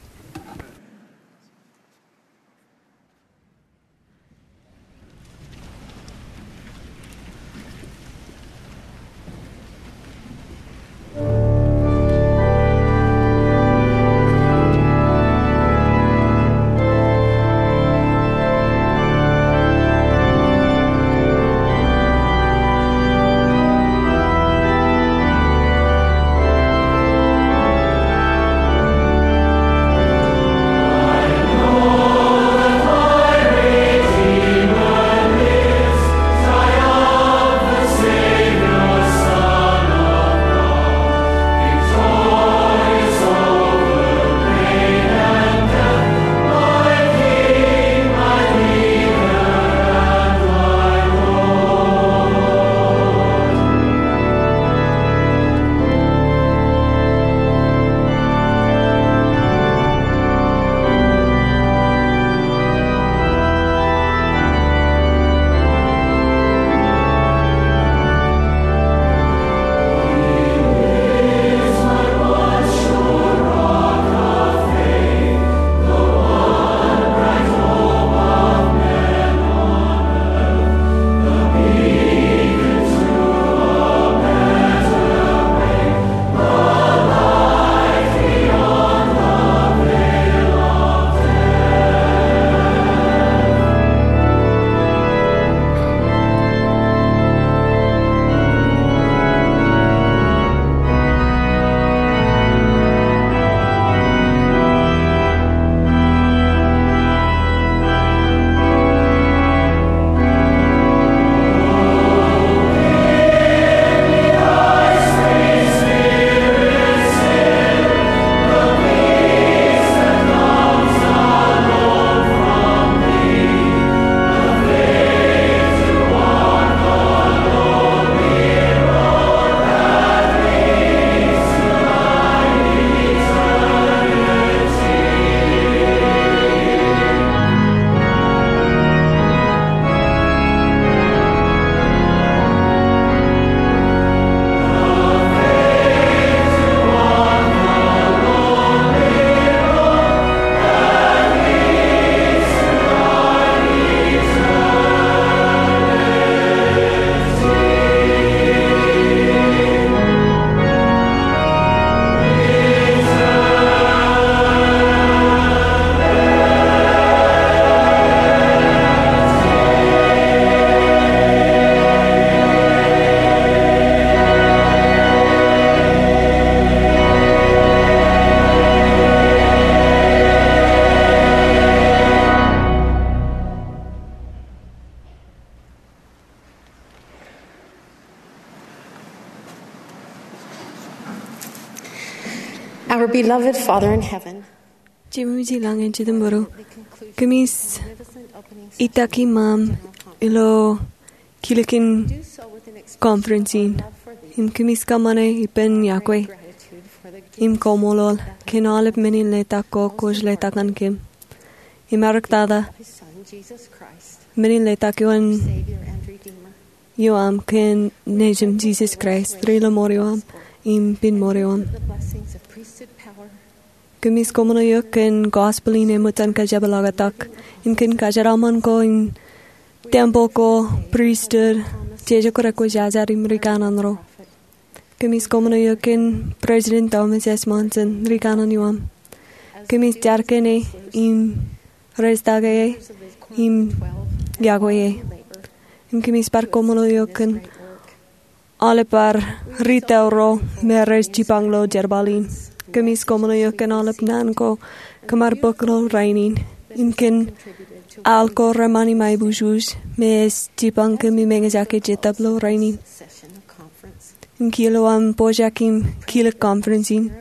Our beloved Father in heaven, Jememej ilañ eo ej itok būruō, kōmij itak iṃaṃ ilo kilikin conference in, im kōmij kōṃṃane ippān yokwe im kaṃṃoolol kōn aolep men in letak ko kwōj letak ñan kōm. Im eḷaptata men in letak eo an ioam kōn Nejūṃ Jisōs Kraist, Ri-lọmọọr ioam im Piṃṃool ioam. Kōmij kaṃṃoolol eok kōn gospel in eṃōj an kōjepḷaaktok im kōn kōjeraṃṃan ko im tempeḷ ko, pristut, jeje ko rekwōjarjar im ri kanaan ro. Kōmij kaṃṃoolol eok kōn President Thomas S. Monson, ri kanaan ioam. Kōmij jar kōn e im rejtake e im yokwe e. Im kōmij bar kaṃṃoolol eok kōn aolep bar ri tōl ro me rej jipañ ilo jerbal in. Kōmij kaṃṃoolol eok kōn aolep naan ko kōm ar bōk ilo rainin im kōn al ko reṃṃan im aiboojoj me ej jipañ kōm im eñjake Jetōb ilo rainin. Im kiiō ilo aṃ pojak im kilik conference in,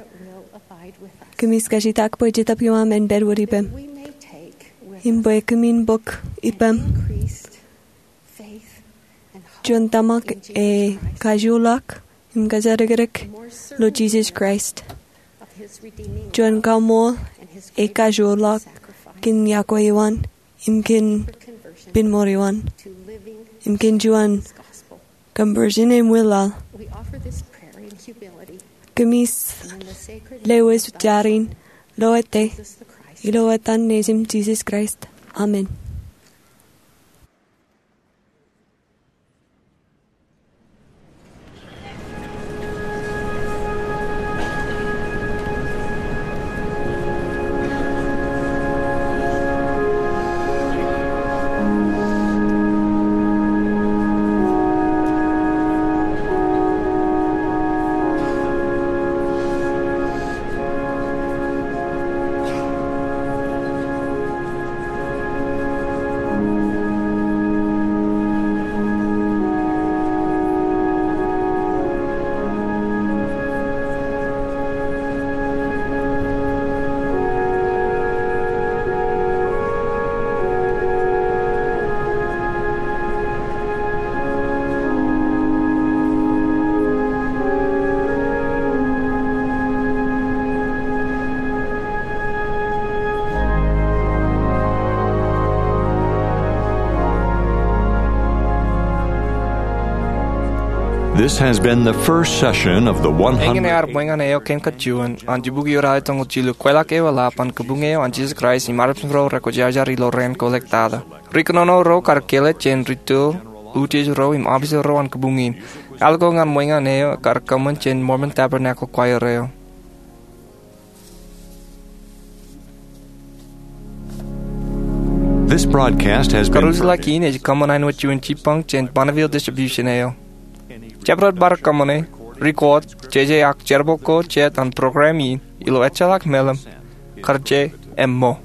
kōmij kajjitak bwe Jetōb ioam en pād wōt ippām im bwe kōmin bōk ippām juon tōmak e kajoorḷọk im kōjatdikdik ilo Jisōs Kraist, juon kaṃool e kajoorḷọk kōn yokwe eo an im kōn piṃṃool eo an im kōn juon conversion im wilaḷ. Kōmij lewōj jar in ilo ettā, ilo etan Nejūṃ Jisōs Kraist, amen. This has been the first session of the one hundred. Eñin ear ṃweñan eo kōn kōj juon an jibukwi eo ralitōñoul jilu, Kweilọk Eoḷap an Kabuñ eo an Jisōs Kraist im Armej ro Rekwōjarjar ilo Rainin Kōḷektata. Ri kōnono ro kar kelej jān ri tōl, utiej ro im officer ro an kabuñ in. Al ko ñan ṃweñan eo kar kōṃṃan jān Mormon Tabernacle Choir eo. This broadcast has been Karuj ḷọk in ej kōṃṃan āinwōt juon jipañ jān Bonneville Distribution eo. Jabdewōt bar kōṃṃane, record, jeje ak jerbal ko jet an program in ilo ejjeḷọk meḷeḷe, kar je emmo.